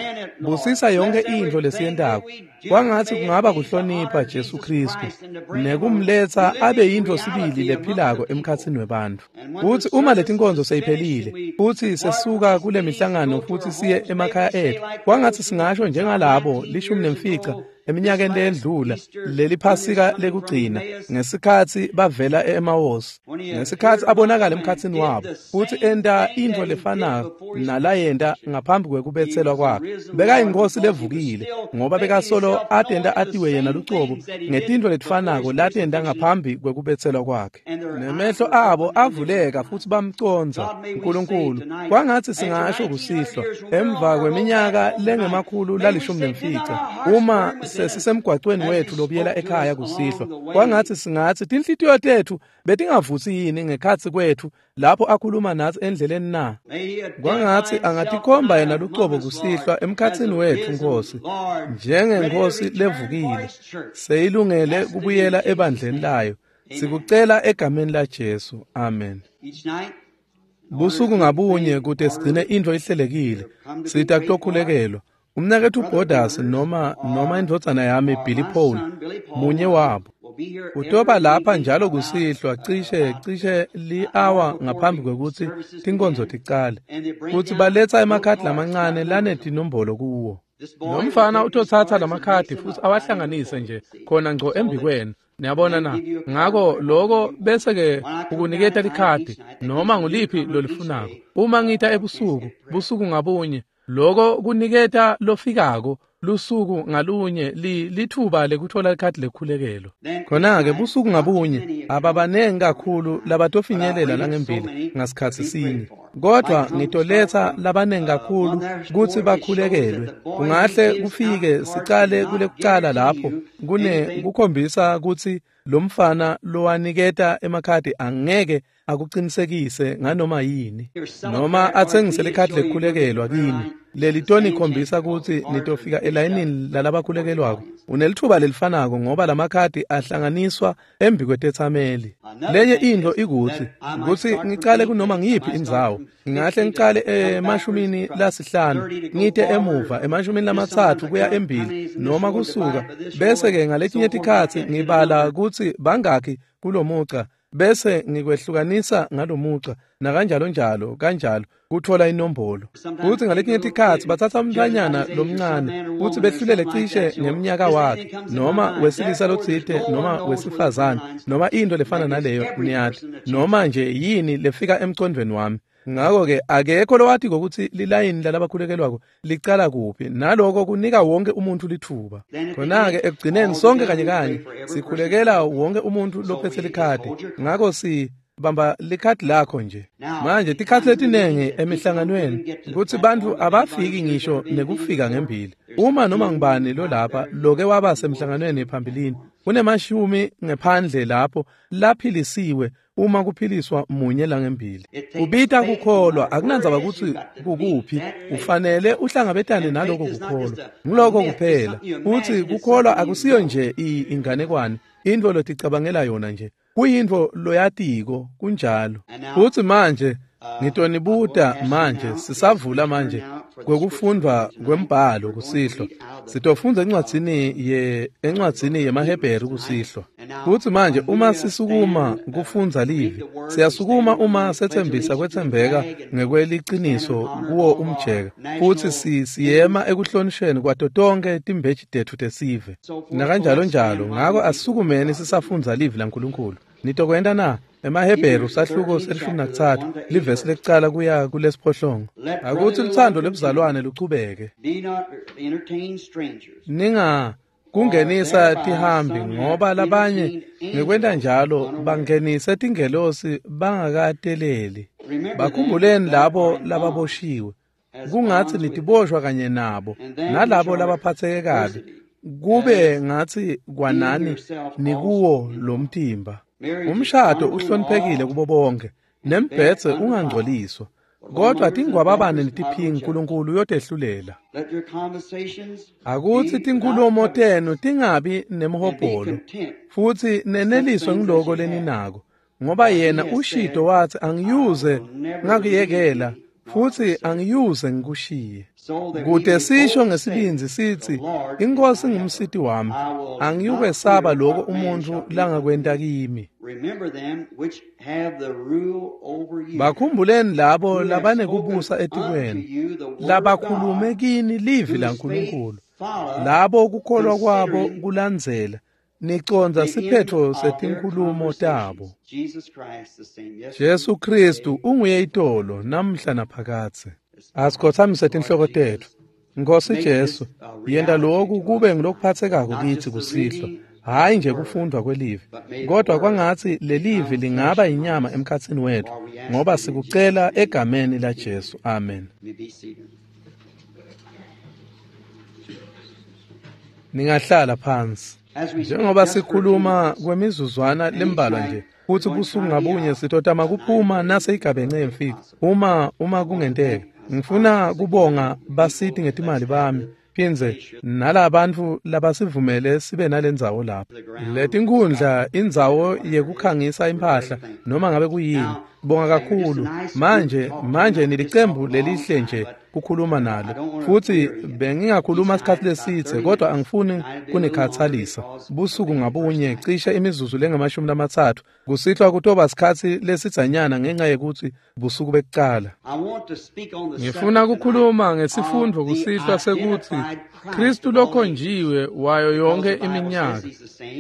Busisa yonke intfo lesiyentako. Kwangatsi kungaba kuhlonipha Jesu Khristu nekumletsa abe yintfo sibili lephilako emkhatsini webantfu. Futsi uma letinkonzo seyiphelile futsi sesuka kule mihlangano futsi siye emakhaya etfu, kwangatsi singasho njengalabo lishumi nemfica eminyakeni leyendlula leli Phasika lekugcina, ngesikhatsi bavela e-Emawusi, ngesikhatsi abonakala emkhatsini wabo futsi enta intfo lefanako nalayenta ngaphambi kwekubetselwa kwakhe. Bekayinkosi levukile, ngoba bekasolo atenta atiwe yena lucobo ngetintfo letifanako latenta ngaphambi kwekubetselwa kwakhe. Nemehlo abo avuleka futsi bamcondza Nkulunkulu. Kwangatsi singasho kusihlwa emva kweminyaka lengemakhulu lalishumi nemfica, uma sesisemgwacweni wethu lobuyela ekhaya kusihlwa, kwangatsi singatsi tinhlitiyo tetfu betingavutsi yini ngekhatsi kwetfu lapho akhuluma natsi endleleni na? Kwangatsi angatikhomba yena lucobo kusihlwa emkhatsini wetfu, Nkosi, njengenkosi levukile seyilungele kubuyela ebandleni layo. Sikucela egameni la Jesu, amen. Busuku ngabunye kute sigcine intfo ihlelekile, sita kutokhulekelwa. Umnaketfu Borders noma noma indvodzana yami Billy Paul, munye wabo utoba lapha njalo kusihlwa cishe cishe li-hour ngaphambi kwekutsi tinkonzo ticale, futsi baletsa emakhadi lamancane lanetinombolo kuwo. Lo mfana utotsatsa lamakhadi futsi awahlanganise nje khona ngco embikwenu. Niyabona na? Ngako loko bese-ke ukuniketa likhadi noma nguliphi lolifunako. Uma ngita ebusuku, busuku ngabunye, loko kuniketa lofikako Lusuku ngalunye li lithuba lekuthola likhadi lekukhulekelwa. Khona-ke busuku ngabunye ababanengi kakhulu labatofinyelela langembili ngasikhatsi sinye, kodwa ngitoletsa labanengi kakhulu kutsi bakhulekelwe. Kungahle kufike sicale kulekucala lapho kune kukhombisa kutsi lomfana lowaniketa emakhadi angeke akuqinisekise nganoma yini noma atsengise likhadi lekukhulekelwa kini. Leli toni khombisa kutsi nitofika elayinini lalabakhulekelwako. Unelithuba lelifanako ngoba lamakhadi ahlanganiswa embi kwetetsameli. Lenye intfo ikutsi kutsi ngicale kunoma ngiyiphi indzawo. Ngingahle ngicale emashumini lasihlanu ngite emuva emashumini lamatsatfu kuya embili noma kusuka, bese-ke ngaletinye tikhatsi ngibala kutsi bangakhi kulomuca bese ngikwehlukanisa ngalomuca nakanjalo njalo kanjalo kuthola inombolo. Kutsi ngaletinye tikhatsi batsatsa umntfwanyana lomncane kutsi behlulele cishe ngemnyaka wakhe noma wesilisa lotsite noma wesifazane noma into lefana naleyo, niyati, noma nje yini lefika emcondvweni wami. Ngakho-ke akekho lowatiko kutsi lilayini lalabakhulekelwako licala kuphi, naloko kunika wonke umuntu lithuba. Khona-ke ekugcineni sonke kanye kanye sikhulekela wonke umuntu lophetse likhadi. Ngakho si bamba likhadi lakho nje. Manje tikhatsi letinengi emihlanganweni kutsi bantfu abafiki ngisho nekufika ngembili. Uma noma ngubani lolapha loke waba semhlanganweni phambilini, kunemashumi ngephandle lapho laphilisiwe uma kuphiliswa munye langembili. Kubita kukholwa akunandzaba kutsi kukuphi, ufanele uhlangabetane naloko kukholwa. Ngiloko kuphela. Futsi kukholwa akusiyo nje inganekwane, intfo loticabangela yona nje, kuyintfo loyatiko kunjalo. Futsi manje ngitonibuta manje sisavula manje kwekufundwa kwembhalo kusihlwa. Sitofundza encwadzini ye encwadzini yemaHebheru kusihlwa. Futsi manje uma sisukuma kufundza livi, siyasukuma uma setsembisa kwetsembeka ngekweliciniso kuwo umjeka, futsi si siyema ekuhlonisheni kwato tonkhe timbeji tetfu tesive nakanjalo njalo. Ngako asisukumeni sisafundza livi laNkulunkulu. Nitokwenta na? EmaHebheru sahluko selishumi nakutsatfu livesi lekucala kuya kulesiphohlongo. Akutsi lutsandvo lwebuzalwane luchubeke. Ninga kungenisa tihambi ngoba labanye ngekwenta njalo bangenise tingelosi bangakateleli. Bakhumbuleni labo lababoshiwe, kungatsi nitiboshwa kanye nabo, nalabo labaphatseke kabi, kube ngatsi kwanani nikuwo lo mtimba. Umshado uhloniphekile kubo bonke, nembhedze ungangcoliswa, kodwa tingwababane netiphingi Nkulunkulu uyotehlulela. Akutsi tinkhulumo tenu tingabi nemhobholo, futsi neneliswe ngiloko leninako, ngoba yena ushito watsi angiyuze ngakuyekela futsi angiyuze ngikushiye. Kute sisho ngesibindzi sitsi iNkhosi ngumsiti wami, angiyukwesaba lokho umuntfu langakwenta kimi. Bakhumbuleni labo labanekubusa etikwenu, labakhulume kini livi laNkulunkulu, labo kukholwa kwabo kulandzela nicondza siphetfo setinkhulumo tabo. Jesu Kristu unguye itolo namhla naphakadze. Asikhothamise tinhloko tetfu. Nkosi Jesu, yenta lokhu kube ngilokuphatsekako kitsi kusihlwa, hhayi nje kufundwa kwelivi, kodwa kwangatsi lelivi lingaba inyama emkhatsini wetfu, ngoba sikucela egameni la Jesu. Amen. Ningahlala phansi. Njengoba sikhuluma kwemizuzwana lembalwa nje, futhi busuku ngabunye sitotama kuphuma nase igabence yemfika uma uma kungenteka. Ngifuna kubonga basiti ngetimali bami, phindze nalabantfu labasivumele sibe nalendzawo lapha. Letinkundla indzawo yekukhangisa impahla noma ngabe kuyini. Bonga kakhulu. Manje manje nilicembu lelihle nje kukhuluma nalo, futhi bengingakhuluma isikhathi lesithe, kodwa angifuni kunikhathalisa. Busuku ngabunye cishe imizuzu lengamashumi lamatsatfu kusihlwa kutoba sikhatsi lesidzanyana ngenxa yekuthi busuku bekucala. Ngifuna kukhuluma ngesifundvo kusihlwa sekuthi Kristu lokhonjiwe wayo yonke iminyaka,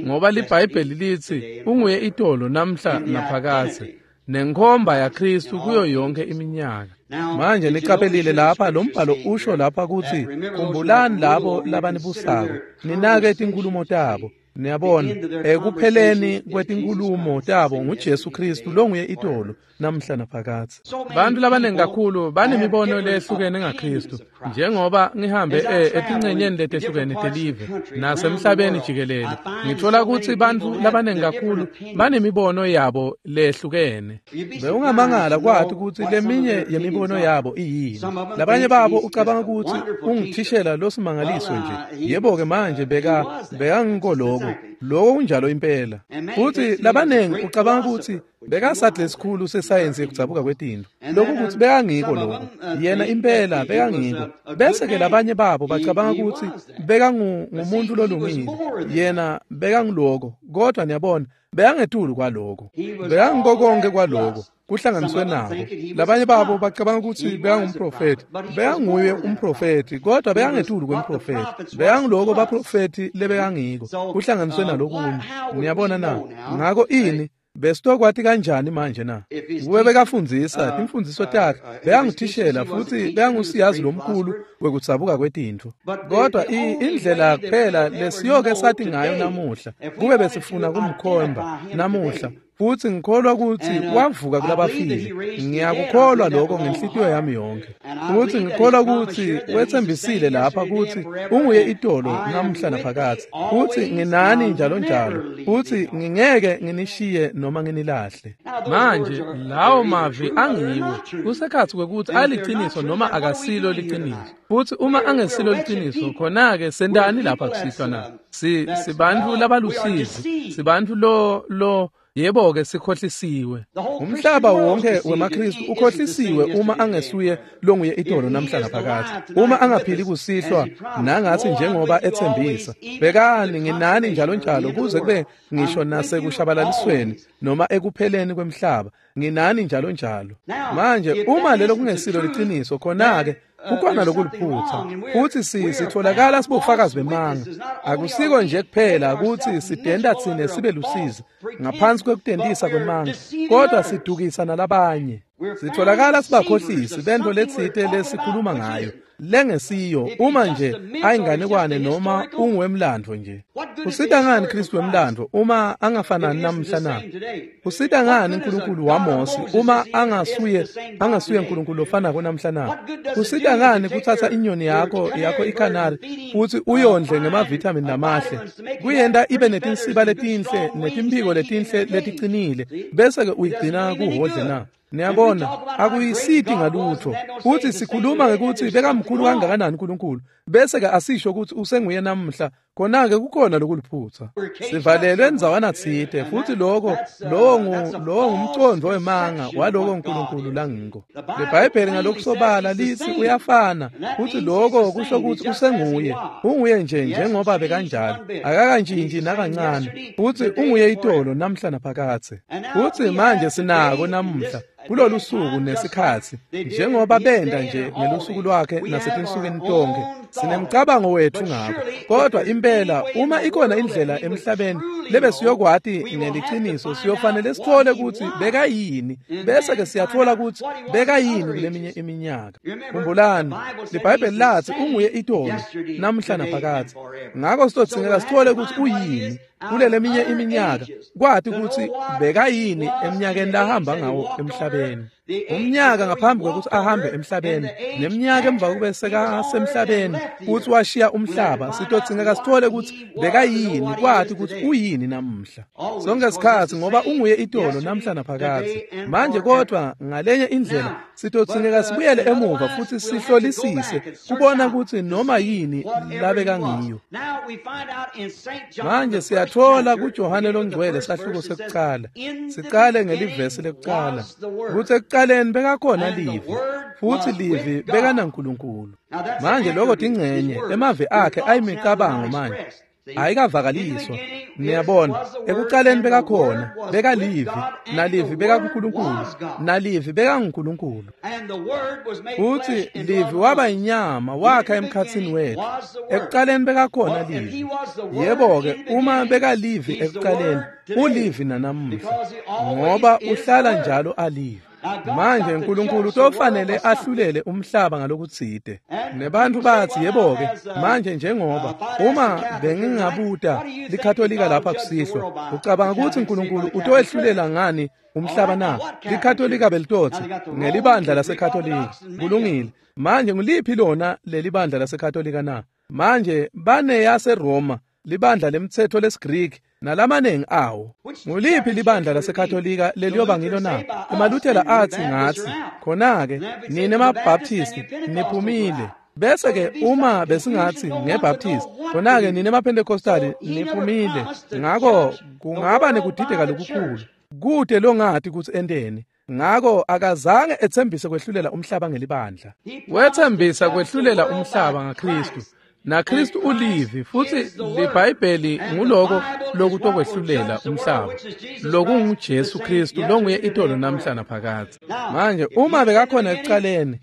ngoba liBhayibheli litsi unguye itolo namhla naphakadze, nenkhomba yaKristu kuyo yonke iminyaka. Manje niqaphelile lapha lo mbhalo usho lapha kutsi khumbulani labo labanibusako, ninake tinkhulumo tabo. Niyabona, ekupheleni kwetinkhulumo tabo nguJesu Kristu longuye itolo namhla naphakadze. Bantu labaningi kakhulu banemibono lehlukene ngaKristu, njengoba ngihambe etincenyeni letehlukene telive nasemhlabeni jikelele, ngithola kutsi bantfu labaningi kakhulu banemibono yabo lehlukene. Bewungamangala kwati kutsi leminye yemibono yabo iyini. Labanye babo ucabanga kutsi ungithishela losimangaliso nje. Yebo-ke manje beka bekangiko lokho, lokho kunjalo impela. Futhi labaningi ucabanga kutsi bekasadle esikhulu sesayensi yekudzabuka kwetintfo, lokhu kutsi bekangiko lokho, yena impela bekangiko. Bese-ke labanye babo bacabanga kutsi bekangumuntu lolungile, yena bekangiloko, kodwa niyabona bekangetulu kwaloko, bekangiko konke kwaloko kuhlanganiswe nabo. Labanye babo bacabanga kutsi bekangumprofethi, bekanguye umprofethi, kodwa bekangetulu kwemprofethi, bekangiloko baprofethi lebekangiko kuhlanganiswe nalokunye. Niyabona na? Ngako ini besitokwati kanjani manje na? Kube bekafundzisa timfundziso takhe, bekangithishela futhi bekangusiyazi lomkhulu wekudzabuka kwetintfo. Kodwa indlela kuphela lesiyoke sathi ngayo namuhla, kube besifuna kumkhomba namuhla, futhi ngikholwa kutsi wavuka kulabafile. Ngiyakukholwa lokho ngenhlitiyo yami yonke. Futhi ngikholwa kutsi wetsembisile lapha kutsi unguye itolo namhla naphakadze. Futhi nginani njalo njalo. Futhi ngingeke nginishiye noma nginilahle. Manje lawo mavi angiwo kusekhatsi kwekutsi aliciniso noma akasilo liciniso. Futhi uma angesilo liciniso, khona-ke sentani lapha kusihlwa na? Si sibantfu labalusizi, sibantfu lo lo yebo-ke sikhohlisiwe. Umhlaba wonke wemaKristu ukhohlisiwe uma angesuye longuye itolo namhla naphakadze. Uma angaphili kusihlwa nangathi njengoba ethembisa, bekani nginani njalo njalo kuze kube ngisho nasekushabalalisweni noma ekupheleni kwemhlaba, nginani njalo njalo. Manje uma lelo kungesilo liciniso, khona-ke kukhona lokuliphutha, futhi sitholakala sibofakazi bemanga. Akusiko nje kuphela kutsi sidenda tsine sibe lusizi ngaphansi kwekutentisa kwemanga, kodwa sidukisa nalabanye. Sitholakala sibakhohlisi bento letsite lesikhuluma ngayo lengesiyo, uma nje ayinganekwane noma unguwemlandvo nje. Usita ngani Kristu wemlandvo uma angafanani namhla na? Usita ngani uNkulunkulu waMose uma angasuye angasuye uNkulunkulu lofanako namhla na? Usita ngani kuthatha inyoni yakho yakho ikanari futhi uyondle ngemavitamin lamahle, kuyenta ibe netinsiba letinhle netimphiko letinhle leticinile, bese-ke uyigcina kuhodle na? Niyabona, akuyisiti ngalutho. Futhi sikhuluma ngekuthi bekamkhulu kangakanani uNkulunkulu, bese-ke asisho ukuthi usenguye namhla, khona-ke kukhona lokuliphutha. Sivalelwe endzawana tsite, futhi lokho lowo lowo ngumcondvo wemanga waloko uNkulunkulu langiko. LeBhayibheli ngalokusobala lithi uyafana, futhi lokho kusho ukuthi usenguye, unguye nje njengoba bekanjalo, akakantshintshi nakancane, futhi unguye itolo namhla naphakadze. Futhi manje sinako namuhla kulolu suku nesikhatsi, njengoba benda nje ngelusuku lwakhe nasetinsukwini tonke, sinemcabango wethu ngako. Kodwa impela uma ikhona indlela emhlabeni lebe siyokwati ngeliciniso, siyofanele sithole kutsi bekayini, bese-ke siyathola kutsi bekayini kuleminye iminyaka. Khumbulani, liBhayibheli lathi unguye itolo namhla naphakadze. Ngako sitodzingeka sithole kutsi uyini kuleleminye iminyaka, kwati kutsi bekayini eminyakeni lahamba ngawo emhlabeni. Umnyaka ngaphambi kwekutsi ahambe emhlabeni, neminyaka emva kube sekasemhlabeni futhi washiya umhlaba, sitodzingeka sithole kutsi bekayini, kwati kutsi uyini namuhla. Sonke sikhatsi ngoba unguye itolo namhla naphakadze. Manje kodwa ngalenye indlela sitodzingeka sibuyele emuva futhi sihlolisise kubona kutsi noma yini labekangiyo. Manje siyathola kuJohane loNgcwele sahluko sekucala, sicale ngelivesi lekucala, kutsi ekucaleni bekakhona livi, futhi livi bekanaNkulunkulu. Manje lokho tingcenye emavi akhe ayimicabango manje ayikavakaliswa. Niyabona, ekucaleni bekakhona, bekalivi, nalivi bekakuNkulunkulu, nalivi bekanguNkulunkulu. Futhi livi waba inyama wakha emkhatsini wethu. Ekucaleni bekakhona livi. Yebo-ke, uma bekalivi ekucaleni, ulivi nanamuhla, ngoba uhlala njalo alivi. Manje uNkulunkulu utofanele ahlulele umhlaba ngalokutsite. Nebantu bathi yebo-ke manje njengoba uma bengingabuta liKatolika lapha kusihlwa, ucabanga ukuthi uNkulunkulu utoehlulela ngani umhlaba na? LiKatolika belitotsi ngelibandla laseKatolika. Kulungile. Manje nguliphi lona lelibandla laseKatolika na? Manje bane yaseRoma, libandla lemtsetfo lesiGreek nalamanengi awo. Nguliphi libandla laseKatolika leliyoba ngilo na? EmaLuthela athi ngathi, khona-ke nine maBaptist niphumile. Bese-ke uma besingathi ngeBaptist, khona-ke nine maPentecostal niphumile. Ngako kungaba nekudideka lokukhulu. Kude longathi kutsi enteni. Ngako akazange etsembise kwehlulela umhlaba ngelibandla. Wetsembisa kwehlulela umhlaba ngaKristu. NaKristu ulivi futhi liBhayibheli nguloko lokutokwehlulela umhlaba. LokunguJesu Kristu longuye itolo namhla naphakadze. Manje uma bekakhona ekucaleni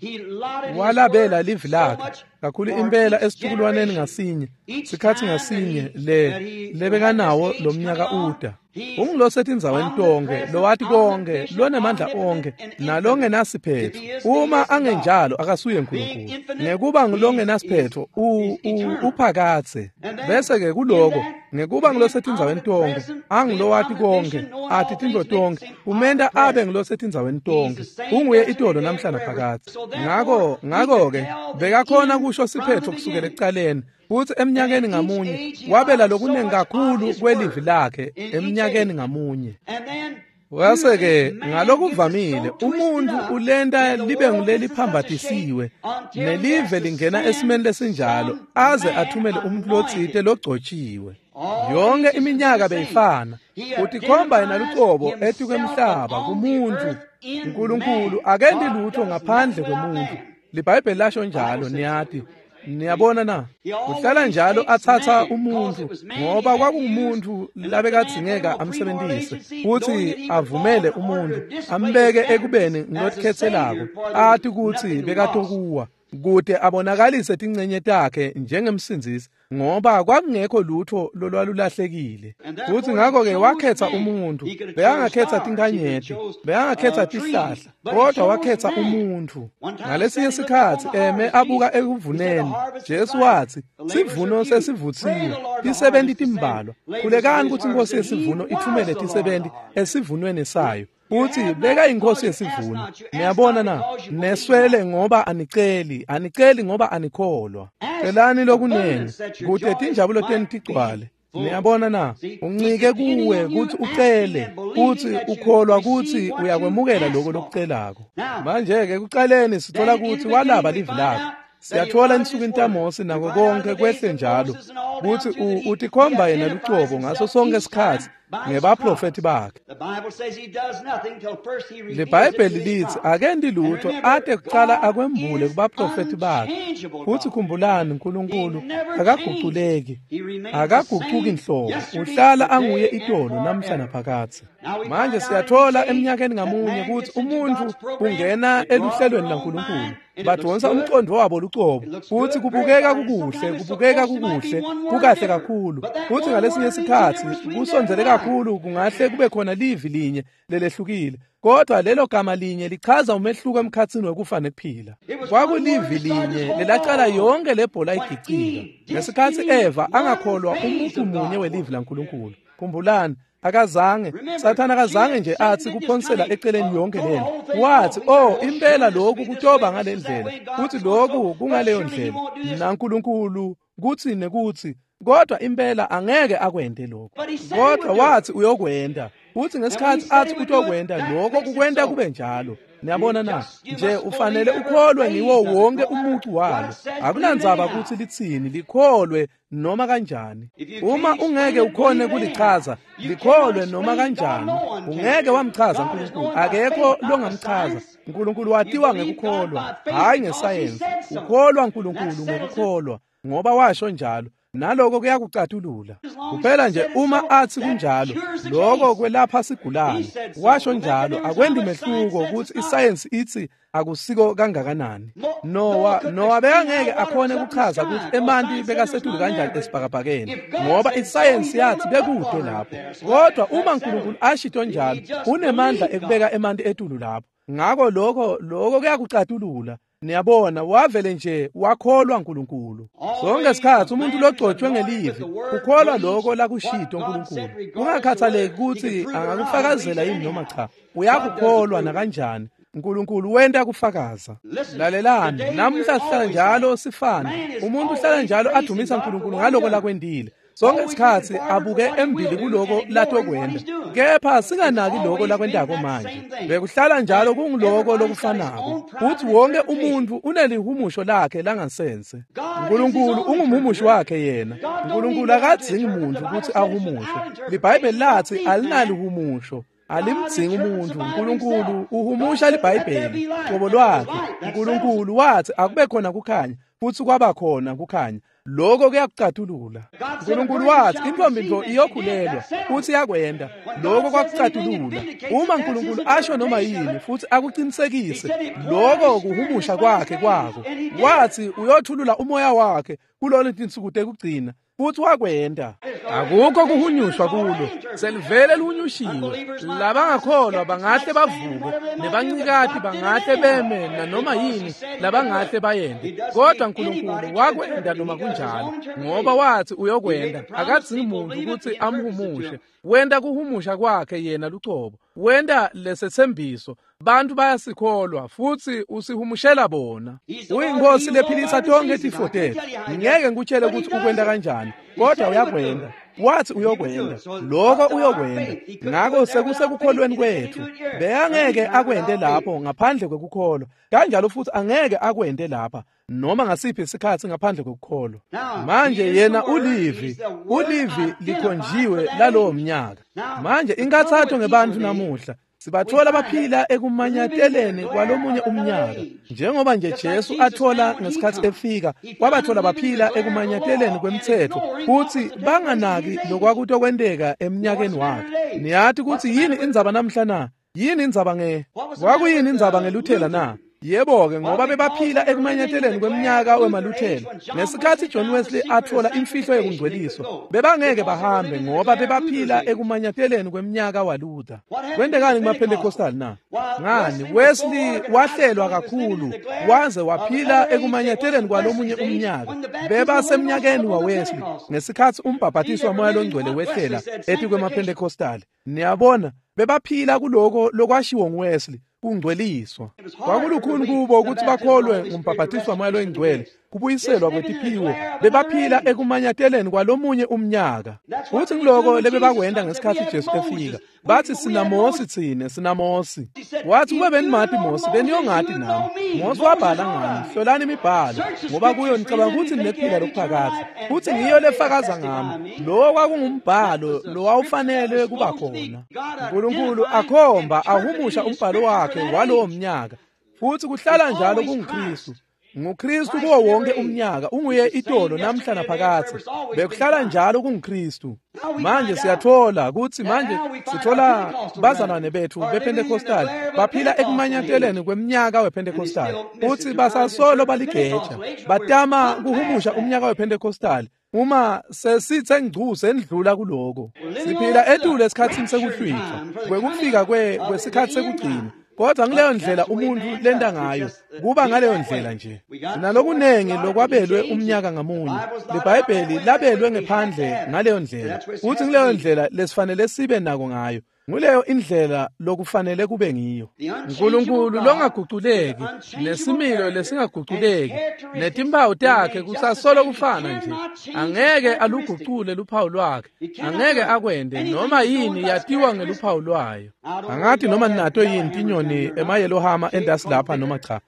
walabela livi lakhe kakhulu impela esitukulwaneni ngasinye, sikhathi ngasinye le lebekanawo lomnyaka uda. Ungulosetindzaweni tonke, lowati konke, lonemandla onke, nalongenasiphetho. Uma angenjalo akasuye uNkulunkulu. Ngekuba ngulongenasiphetho uphakatse. Bese-ke kuloko ngekuba ngulosetindzaweni tonke, angulowati konke, ati tintfo tonke, umenta abe ngulosetindzaweni tonke. Unguye itolo namhla naphakadze. Ngako ngako-ke bekakhona kusho siphetho kusukela ekucaleni. Futhi eminyakeni ngamunye wabela lokunengi kakhulu kwelivi lakhe eminyakeni ngamunye. Wase-ke ngalokuvamile umuntu ulenta libe nguleliphambatisiwe nelive lingena esimeni lesinjalo aze athumele umuntu lotsite logcotshiwe. Yonke iminyaka beyifana. Utikhomba yena lucobo etikwemhlaba kumuntu. uNkulunkulu akenti lutho ngaphandle kwemuntu. LiBhayibheli lasho njalo, niyati. Niyabona na? Uhlala njalo athatha umuntu ngoba kwakungumuntu labekadzingeka amsebentise futhi avumele umuntu ambeke ekubeni ngilokhetselako athi kutsi bekatokuwa kude abonakalise tincenye takhe njengemsindzisi ngoba kwakungekho lutho lolwalulahlekile. Futhi ngakho-ke wakhetha umuntu. Bekangakhetha tinkanyeti, bekangakhetha tihlahla, kodwa wakhetha umuntu. Ngalesinye sikhatsi eme abuka ekuvuneni, Jesu wathi, sivuno sesivutsiwe, tisebenti timbalwa. Khulekani kutsi iNkosi yesivuno ithumele tisebenti esivunweni sayo. Uthi beka inkosi yesivuno. Niyabona na? Neswele ngoba aniceli, aniceli ngoba anikholwa. Celani lokunengi kute tinjabulo tenu tigcwale. Niyabona na? Uncike kuwe kutsi ucele, kutsi ukholwa kutsi uyakwemukela lokho lokucelako. Manje-ke ekucaleni sithola kutsi walaba livi lakhe. Siyathola ensukwini taMose nako konke kwehle njalo kutsi utikhomba yena lucobo ngaso sonke isikhatsi ngebaprofethi bakhe. LiBhayibheli litsi akenti lutho ate kucala akwembule kubaprofethi bakhe. Futhi khumbulani uNkulunkulu akaguculeki, akagucuki nhlobo, uhlala anguye itolo namhla naphakadze. Manje siyathola eminyakeni ngamunye kutsi umuntu ungena eluhlelweni laNkulunkulu. Badonsa umqondo wabo lucobo futhi kubukeka kukuhle, kubukeka kukuhle, kukahle kakhulu. Futhi ngalesinye isikhatsi kusondzele kakhulu kungahle kube khona livi linye lelehlukile, kodwa lelo gama linye lichaza umehluko emkhatsini wekufa nekuphila. Kwakulivi linye lelacala yonke lebhola igicika ngesikhatsi Eva angakholwa umuntu munye welivi laNkulunkulu. Khumbulani, akazange Sathana akazange nje athi kuphonsela eceleni yonke lento. Wathi, oh impela lokhu kutoba ngalendlela, futhi lokhu kungaleyo ndlela, naNkulunkulu kuthi nekuthi, kodwa impela angeke akwente lokho. Kodwa wathi uyokwenta, futhi ngesikhathi athi utokwenta lokho kukwenta kube njalo. Niyabona na? Nje ufanele ukholwe ngiwo wonke umucu walo. Akunandzaba ukuthi litsini, likholwe noma kanjani. Uma ungeke ukhone kulichaza, likholwe noma kanjani. Ungeke wamchaza uNkulunkulu, akekho longamchaza. uNkulunkulu watiwa ngekukholwa, hayi ngesayensi. Ukholwa uNkulunkulu ngokukholwa, ngoba washo njalo. Naloko kuyakucatulula. Kuphela nje uma athi kunjalo, lokho kwelapha sigulane. Washo njalo, akwendi mehluko ukuthi isayensi ithi akusiko kangakanani. Noah Noah bekangeke akhone ukuchaza ukuthi emanti bekasetulu kanjani esibhakabhakeni, ngoba isayensi yathi bekude lapho. Kodwa uma uNkulunkulu ashito njalo, unemandla ekubeka emanti etulu lapho. Ngako lokho lokho kuyakucatulula. Niyabona, wavele nje wakholwa uNkulunkulu. Sonke isikhathi umuntu logcotshwe ngelivi ukholwa lokho lakushito uNkulunkulu, kungakhathaleki ukuthi angakufakazela yini noma cha, uyakukholwa nakanjani. uNkulunkulu wenta kufakaza. Lalelani, namuhla sihlala njalo sifana. Umuntu uhlala njalo adumisa uNkulunkulu ngaloko lakwendile. Sonke isikhathi abuke embili kuloko latokwenda, kepha singanaki lokho lakwendako manje. Bekuhlala njalo kungiloko lokufanako. Futhi wonke umuntu unelihumusho lakhe langasense. uNkulunkulu ungumhumushi wakhe yena. uNkulunkulu akadzingi muntu ukuthi ahumushe. LiBhayibheli lathi alinalihumusho, alimdzingi umuntu. uNkulunkulu uhumusha liBhayibheli qobo lwakhe. uNkulunkulu wathi akube khona kukhanya, futhi kwaba khona kukhanya. Lokho kuyakucatulula. uNkulunkulu wathi intombi nto iyokhulelwa, futhi yakwenda. Lokho kwakucatulula. Uma uNkulunkulu asho noma yini futhi akuqinisekise, lokho kuhumusha kwakhe kwako. Wathi uyothulula umoya wakhe kulolu tinsuku tekugcina, futhi wakwenda. Akukho kuhunyushwa kulo, selivele lihunyushiwe. Labangakholwa bangahle bavuke, nebancikati bangahle beme nanoma yini labangahle bayende, kodwa uNkulunkulu wakwenda noma kunjalo, ngoba wathi uyokwenda. Akadzingi muntu ukuthi amhumushe. Wenda kuhumusha kwakhe yena lucobo. Wenda lesethembiso, bantu bayasikholwa futhi usihumushela bona. Uyinkosi lephilisa tonke tifo tethu. Ngeke ngikutshele ukuthi ukwenda kanjani, kodwa uyakwenda. Wathi uyokwenda, lokho uyokwenda. Ngakho sekusekukholweni kwethu. Beyangeke akwende lapho ngaphandle kwekukholwa, kanjalo futhi angeke akwende lapha noma ngasiphi isikhathi ngaphandle kwekukholwa. Manje yena ulivi, ulivi likhonjiwe lalowo mnyaka. Manje inkathatho ngebantu namuhla, sibathola baphila ekumanyateleni kwalomunye umnyaka. Njengoba nje Jesu athola ngesikhathi efika, kwabathola baphila ekumanyateleni kwemthetho, futhi banganaki lokwakutokwenteka eminyakeni wakhe. Niyathi ukuthi yini indzaba namhla na? Yini indzaba nge kwakuyini indzaba ngeLuthela na? Yebo-ke, ngoba bebaphila ekumanyateleni kweminyaka wemaLuthela. Ngesikhathi John Wesley athola imfihlo yokungcweliswa, bebangeke bahambe ngoba bebaphila ekumanyateleni kweminyaka waLuther. Kwentekani kumaPentecostal na? Ngani, Wesley wahlelwa kakhulu waze waphila ekumanyateleni kwalomunye umnyaka. Bebasemnyakeni waWesley ngesikhathi umbhabhatiso waMoya loNgcwele wehlela etikwemaPentecostal. Niyabona, bebaphila kuloko lokwashiwo nguWesley, kungcweliswa. Kwakulukhuni kubo ukuthi bakholwe ngumbhabhatiso waMoya loNgcwele, kubuyiselwa kwetiphiwo. Bebaphila ekumanyateleni kwalomunye umnyaka. Futhi ngiloko lebebakwenda ngesikhathi Jesu efika. Bathi sinaMosi thine, sinaMosi. Wathi kube benimati Mosi, beniyongati nami. Mosi wabhala ngami, hlolani imibhalo, ngoba kuyo nicabanga ukuthi ninekuphila lokuphakade. Futhi ngiyo lefakaza ngami. Lo kwakungumbhalo lo wawufanele kuba khona. uNkulunkulu akhomba ahumusha umbhalo wakhe walowo mnyaka. Futhi kuhlala njalo kunguKristu. NguKristu kuwo wonke umnyaka, unguye itolo namhla naphakathe. Bekuhlala njalo kunguKristu. Manje siyathola ukuthi manje sithola bazalwane bethu bePentecostal baphila ekumanyateleni kweminyaka wePentecostal, futhi basasolo baligeja, batama kuhumusha umnyaka wePentecostal. Uma sesithe ngcu sendlula kuloko, siphila etule esikhathini sekuhlwitha kwekufika kwe kwesikhathi sekugcina. Kodwa ngaleyo ndlela umuntu lenta ngayo, kuba ngaleyo ndlela nje. Sinalokunengi lokwabelwe umnyaka ngamunye. LiBhayibheli labelwe ngephandle ngaleyo ndlela, futhi ngaleyo ndlela lesifanele sibe nako ngayo. Nguleyo indlela lokufanele kube ngiyo. uNkulunkulu longaguculeki, nesimilo lesingaguculeki, netimpawu takhe kusasolo kufana nje. Angeke alugucule luphawu lwakhe, angeke akwende noma yini yatiwa ngeluphawu lwayo. Angathi noma ninato yini tinyoni emayelohama endasi lapha noma cha,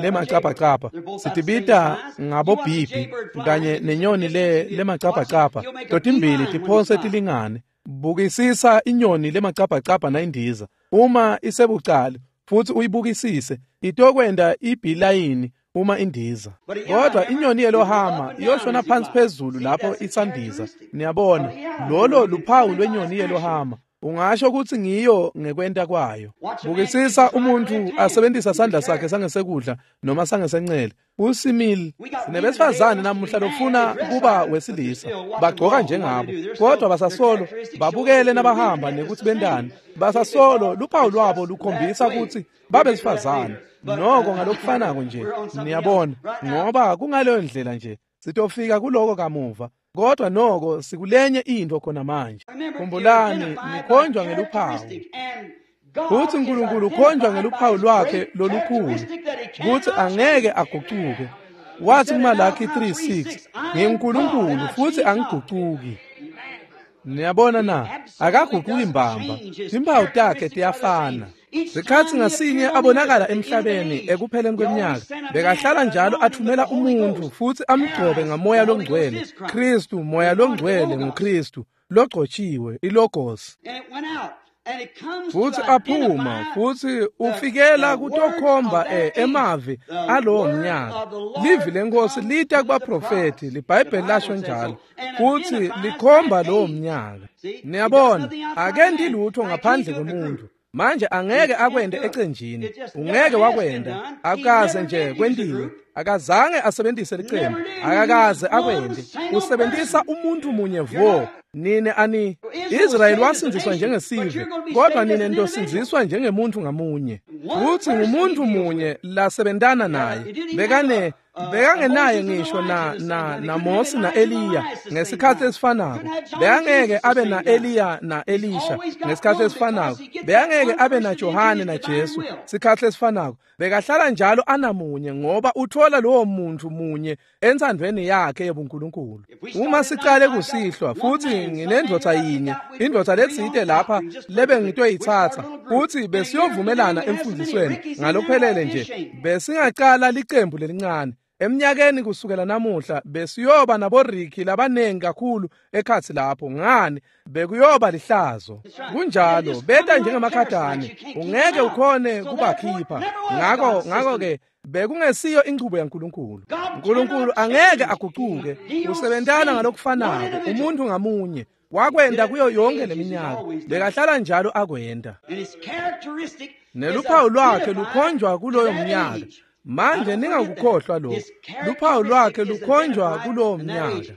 lemacapacapa sitibita ngabobhibhi kanye nenyoni le lemacapacapa, totimbili tiphonse tilingane. Bukisisa inyoni lemacapacapa nayindiza uma isebucala, futhi uyibukisise itokwenda ibhilayini uma indiza. Kodwa inyoni yelohama iyoshona phansi phezulu lapho isandiza. Niyabona, lolo luphawu lwenyoni yelohama. Ungasho ukuthi ngiyo ngekwenta kwayo. Bukisisa umuntu asebenzisa sandla sakhe sangesekudla noma sangesencele. Usimile. Sinebesifazane namuhla lofuna kuba wesilisa. Bagcoka njengabo, kodwa basasolo babukele nabahamba nekuthi bendani. Basasolo luphawu lwabo lukhombisa ukuthi babesifazane. Noko ngalokufanako nje, niyabona, ngoba kungaleyo ndlela nje. Sitofika kuloko kamuva. Kodwa noko sikulenye into khona manje. Khumbulani, nikhonjwa ngeluphawu. Kuthi uNkulunkulu ukhonjwa ngeluphawu lwakhe lolukhulu, kuthi angeke agucuke. Wathi kuMalaki three six, nginguNkulunkulu futhi angigucuki. Niyabona na, akaguquki mbamba. Impawu takhe tiyafana. Sikhathi ngasinye abonakala emhlabeni ekupheleni kweminyaka, bekahlala njalo athumela umuntu futhi amgcobe ngamoya longcwele. Kristu, moya longcwele nguKristu, logcotshiwe, ilogos. Futhi aphuma futhi ufikela kutokhomba emavi alowo mnyaka. Livi lenkosi lita kubaprofeti, liBhayibheli lasho njalo, futhi likhomba lowo mnyaka. Niyabona, akendi lutho ngaphandle komuntu. Manje angeke akwende ecenjini, ungeke wakwenda, akaze nje kwentiwe, akazange asebenzise licembu, akakaze akwende, usebenzisa umuntu munye vo. Nine ani Israel wasindziswa njengesive, kodwa nine ntosindziswa njengemuntu ngamunye. Futhi ngumuntu munye lasebentana naye. Bekane bekangenaye ngisho na na na Mose na Eliya ngesikhathi esifanako. Bekangeke abe na Eliya na Elisha ngesikhathi esifanako. Bekangeke abe na Johane na Jesu sikhathi esifanako. Bekahlala njalo anamunye ngoba uthola lowo muntu munye entsandvweni yakhe yobuNkulunkulu. Uma sicale kusihlwa futhi nginendvodza yinye, indvodza letsite lapha lebe ngitoyitsatsa, futhi besiyovumelana emfundisweni ngalokuphelele nje, besingacala licembu lelincane. Eminyakeni kusukela namuhla besiyoba naboriki labanengi kakhulu ekhatsi lapho. Ngani, bekuyoba lihlazo. Kunjalo, beta njengemakhatane, ungeke ukhone kubakhipha. Ngako ngako ke bekungesiyo inchubo yaNkulunkulu. uNkulunkulu angeke agucuke, usebentana ngalokufanako umuntu ngamunye. Wakwenda kuyo yonke leminyaka, bekahlala njalo akwenda. Neluphawu lwakhe lukhonjwa kuloyo mnyaka. Manje ningakukhohlwa lokho. Luphawu lwakhe lukhonjwa kulowo mnyaka.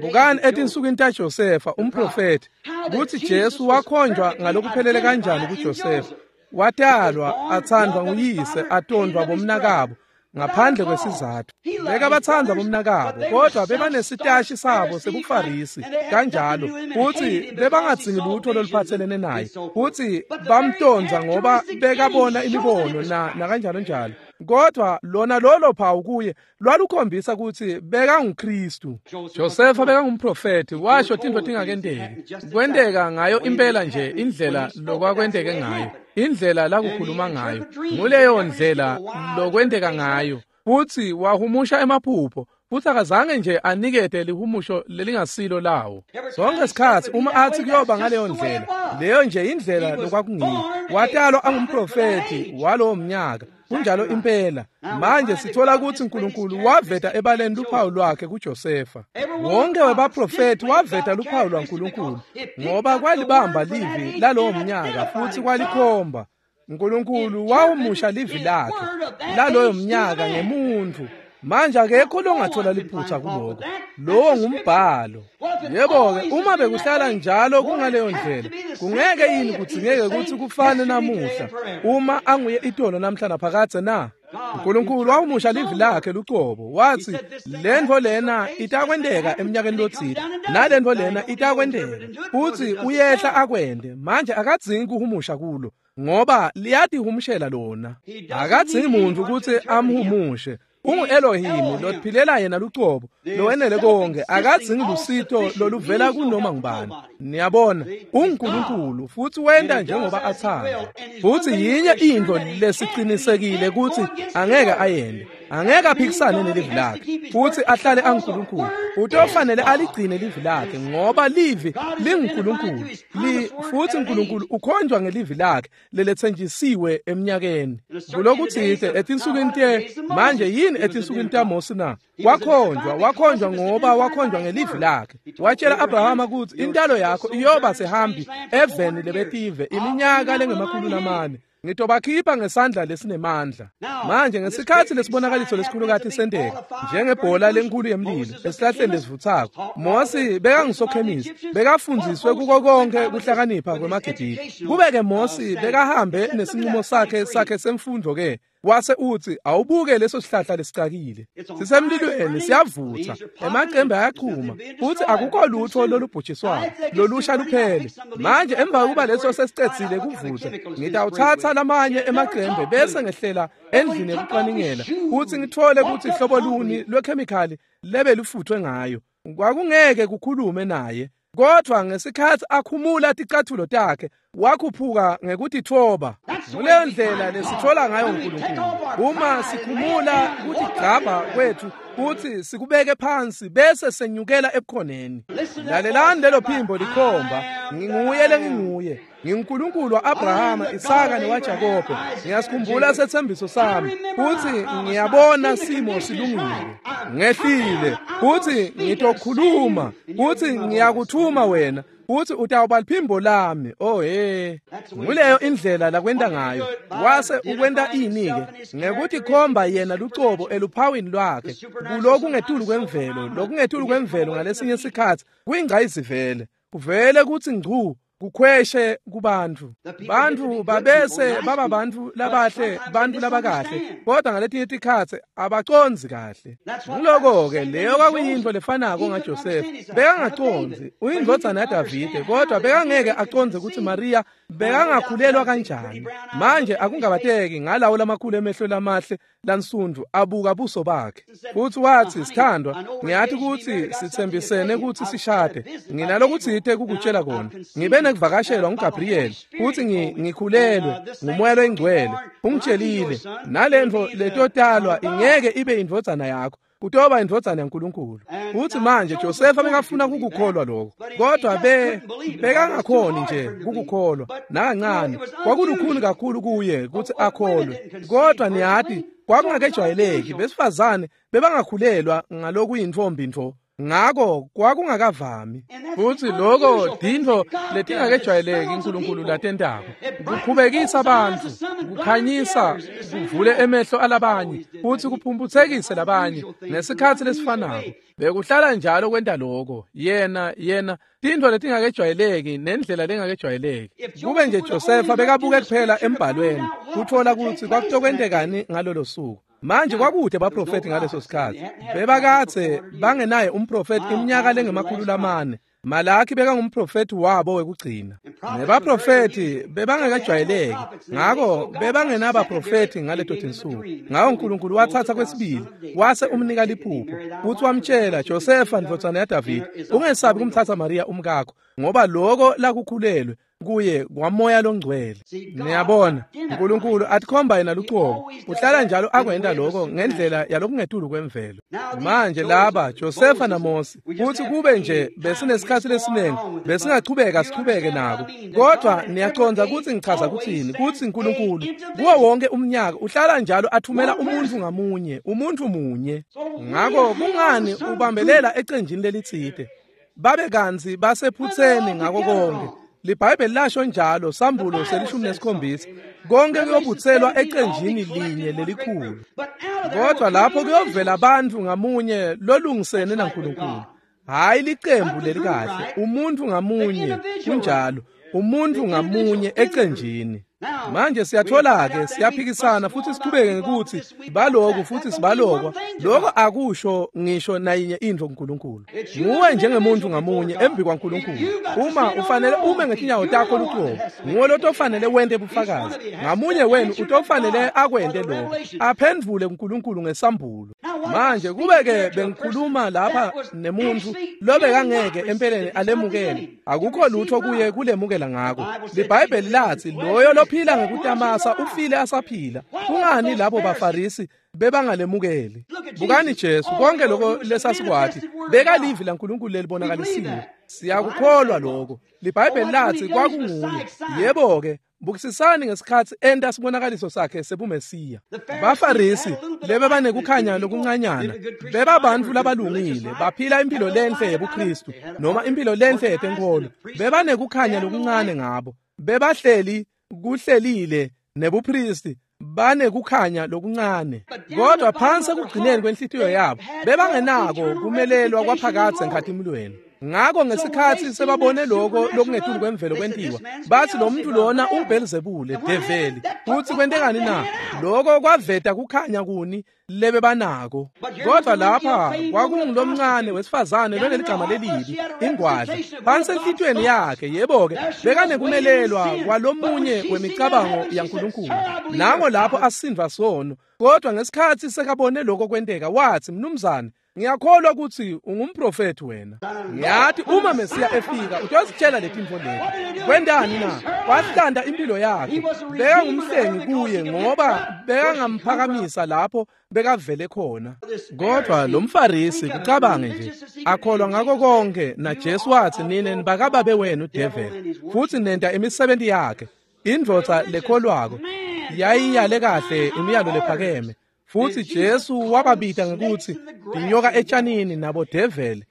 Bukani etinsukwini taJosefa umprofeti, kuthi Jesu wakhonjwa ngalokuphelele kanjani kuJosefa. Watalwa athandwa nguyise, atondwa bomnakabo ngaphandle kwesizathu. Bekabatsandza bomnakabo, kodwa bebanesitashi sabo sebuFarisi kanjalo, futhi bebangadzingi lutho loluphathelene naye, futhi bamtondza ngoba bekabona imibono na nakanjalo njalo. Kodwa lona lolo phawu kuye lwalukhombisa ukuthi bekanguKristu. Josefa bekangumprofeti, washo tintfo tingakenteki. Kwenteka ngayo impela nje indlela lokwakwenteke ngayo, indlela lakukhuluma ngayo, nguleyo ndlela lokwenteka ngayo. Futhi wahumusha emaphupho, futhi akazange nje anikete lihumusho lelingasilo lawo. Sonke isikhathi uma athi kuyoba ngaleyo ndlela, leyo nje indlela lokwakungiyo. Watalwa angumprofeti walowo mnyaka. Kunjalo impela. Manje sithola ukuthi uNkulunkulu waveta ebaleni luphawu lwakhe kuJosefa. Wonke webaprofeti waveta luphawu lwaNkulunkulu ngoba kwalibamba livi lalowo mnyaka futhi kwalikhomba. uNkulunkulu wawumusha livi lakhe laloyo mnyaka ngemuntu. Manje akekho longathola liphutha kuloko. Lowo ngumbhalo. Yebo ke, uma bekuhlala njalo kungaleyo ndlela, kungeke yini kudzingeke ukuthi kufane namuhla uma anguye itolo namhla naphakadze na? uNkulunkulu wawumusha livi lakhe lucobo, wathi lentfo lena itakwenteka eminyakeni lotsite, nalentfo lena itakwenteka, futhi uyehla akwende. Manje akadzingi kuhumusha kulo ngoba liyatihumushela lona. Akadzingi muntu ukuthi amhumushe. Ungu Elohim lophilela yena lucobo, lowenele konke, akadzingi lusito loluvela kunoma ngubani. Niyabona, uNkulunkulu futhi wenta njengoba athanda. Futhi yinye into lesicinisekile ukuthi angeke ayende. Angeke aphikisane nelivi lakhe futhi ahlale anguNkulunkulu. Utofanele aligcine livi lakhe ngoba livi linguNkulunkulu. Li futhi uNkulunkulu ukhonjwa ngelivi lakhe lelethenjisiwe eminyakeni. Kulokuthithe etinsukwini te manje yini etinsukwini taMose na? Wakhonjwa, wakhonjwa ngoba wakhonjwa ngelivi lakhe. Watshela Abrahama ukuthi intalo yakho iyoba sehambi eveni lebetive iminyaka lengemakhulu lamane. Ngitobakhipha ngesandla lesinemandla. Manje ngesikhathi lesibonakaliso lesikhulukati senteka njengebhola lenkulu yemlilo esihlahleni lesivuthako, Mose bekangusokhemisi, bekafundziswe kuko konke kuhlakanipha kwemaGibhithe. Kube-ke Mose bekahambe nesinqumo sakhe sakhe semfundo ke wase uthi awubuke leso sihlahla lesicakile sisemlilweni siyavutha, emacembe ayaqhuma futhi akukho lutho lolubhujiswayo lolusha luphele. Manje emva kokuba leso sesicedzile kuvutha, ngitawuthatha lamanye emacembe bese ngehlela endlini yokucwaningela futhi ngithole ukuthi hlobo luni lwekhemikhali lebe lufuthwe ngayo. Kwakungeke kukhulume naye, kodwa ngesikhathi akhumula ticathulo takhe wakhuphuka ngekutithoba. Kuleyo ndlela lesithola ngayo uNkulunkulu. Uma sikhumula kutigcabha kwethu futhi sikubeke phansi bese senyukela ebukhoneni. Lalelani lelo phimbo likhomba, nginguye lenginguye, nginguNkulunkulu wa-Abrahama, Isaka newaJakobe. Ngiyasikhumbula sethembiso sami futhi ngiyabona simo silungile. Ngehlile futhi ngitokhuluma futhi ngiyakuthuma wena futhi utawuba liphimbo lami. Oh he, nguleyo indlela lakwenta ngayo. Wase ukwenta ini-ke? Ngekuthi khomba yena lucobo eluphawini lwakhe kulokungetulu kwemvelo. Lokungetulu kwemvelo ngalesinye isikhathi kuyingcayizivele, kuvele kuthi ngcu kukhweshe kubantu. Bantu babese baba bantu labahle, bantu labakahle, kodwa ngaletinye tikhatsi abacondzi kahle. Ngiloko-ke leyo kwakuyintfo lefanako ngaJosefa. Bekangacondzi, uyindvodzana yaDavide, kodwa bekangeke acondze ukuthi Mariya bekangakhulelwa kanjani. Manje akungabateki ngalawo lamakhulu emehlo lamahle lansundu abuka buso bakhe futhi wathi, sithandwa, ngiyathi ukuthi sithembisene ukuthi sishade. Nginalokuthite kukutshela kona. Ngibe nekuvakashelwa nguGabriel futhi ngikhulelwe nguMoya loyiNgcwele. Ungitshelile nalentfo letotalwa ingeke ibe indvodzana yakho, kutoba indvodzana yaNkulunkulu. Futhi manje Josefa bekafuna kukukholwa lokho, kodwa be bekangakhoni nje kukukholwa nakancane. Kwakulukhuni kakhulu kuye ukuthi akholwe, kodwa niyati kwakungakejwayeleki. Besifazane bebangakhulelwa ngalokuyintfombi ntfo, ngako kwakungakavami. Futhi lokho tintfo letingakejwayeleki uNkulunkulu latentako, kukhubekisa abantu, kukhanyisa, kuvule emehlo alabanye futhi kuphumphutsekise labanye ngesikhathi lesifanako. Bekuhlala njalo kwenta lokho. Yena yena tintfo letingakejwayeleki nendlela lengakejwayeleki. Kube nje Josefa bekabuke kuphela embhalweni kuthola ukuthi kwakutokwentekani ngalolo suku. Manje kwakude baprofeti ngaleso sikhathi. Bebakathe bangenaye umprofeti iminyaka lengemakhulu lamane. Malaki bekangumprofeti wabo wekugcina. Nebaprofeti bebangakajwayeleki, ngako bebangenabaprofeti ngaleto tinsuku. Ngako uNkulunkulu wathatha kwesibili wase umnika liphupho futhi wamtshela, Josefa ndvodzana yaDavide, ungesabi kumthatha Mariya umkakho, ngoba lokho lakukhulelwe kuye kwaMoya loNgcwele. Niyabona, uNkulunkulu atikhomba yena lucobo. Uhlala njalo akwenta lokho ngendlela yalokungetulu kwemvelo. Manje laba Josefa naMose, futhi kube nje besinesikhathi lesiningi besingachubeka sichubeke nako, kodwa niyacondza ukuthi ngichaza kuthini kuthi uNkulunkulu kuwo wonke umnyaka uhlala njalo athumela umuntu ngamunye, umuntu munye. Ngako kungani ubambelela ecenjini lelitsite babe kantsi basephutseni ngako konke? LiBhayibheli lasho njalo, Sambulo selishumi nesikhombisa, konke kuyobutselwa ecenjini linye lelikhulu. Kodwa lapho kuyovela abantu ngamunye lolungisene naNkulunkulu, hhayi licembu lelikahle, umuntu ngamunye, kunjalo, umuntu ngamunye ecenjini. Manje siyathola-ke siyaphikisana futhi sichubeke ngekuthi baloku futhi sibalokwa. Lokho akusho ngisho nayinye intfo kuNkulunkulu. Nguwe njengemuntu ngamunye embi kwaNkulunkulu. Uma ufanele ume ngetinyawo takho lucobo, nguwe lotofanele wente bufakazi. Ngamunye wenu utofanele akwente lokho, aphendvule kuNkulunkulu ngesambulo. Manje kube-ke bengikhuluma lapha nemuntu lobekangeke empeleni alemukele, akukho lutho kuye kulemukela ngako. LiBhayibheli lathi loyo lophila ngekutamasa ufile asaphila. Kungani labo baFarisi Bebangalemukeli. Bukani Jesu, konke lokho lesasikwati bekalivi laNkulunkulu lelibonakalisiwe. Siyakukholwa lokho. LiBhayibheli lathi kwakunguye. Yebo ke, bukisisani ngesikhathi enta sibonakaliso sakhe sebuMesiya. Bafarisi lebe banekukhanya lokuncanyana, bebabantfu labalungile, baphila impilo lenhle yebuKristu noma impilo lenhle yetenkolo. Bebanekukhanya lokuncane ngabo. Bebahleli kuhlelile nebupristi, banekukhanya lokuncane. Kodwa phansi ekugcineni kwenhlitiyo yabo bebangenako kumelelwa kwaphakadze enkhatimulweni. Ngakho ngesikhathi sebabone lokho lokungetulu kwemvelo kwentiwa, bathi lo muntu lona unguBhelzebule, develi. Futhi kwentekani na? Lokho kwaveta kukhanya kuni lebe banako. Kodwa lapha kwakungulomncane wesifazane loneligama lelibi, ingwadla. Phansi enhlitiyweni yakhe, yebo-ke, bekanekumelelwa kwalomunye wemicabango yaNkulunkulu. Nango lapho asindva sono. Kodwa ngesikhathi sekabone lokho kwenteka, wathi, "Mnumzane, ngiyakholwa ukuthi ungumprofethi wena. Ngiyathi uma Mesiya efika utozitshela letintfo leti." Kwentani na? Wahlanda impilo yakhe. Bekangumhlengi kuye ngoba bekangamphakamisa lapho bekavele khona. Kodwa lo mFarisi, kucabange nje, akholwa ngako konke, na Jesu wathi, "Nine nibakababe wenu devil, futhi nenta imisebenti yakhe." Indvodza lekholwako yayiyale kahle imiyalo lephakeme. Futhi Jesu wababita ngekuthi inyoka etshanini nabo devil.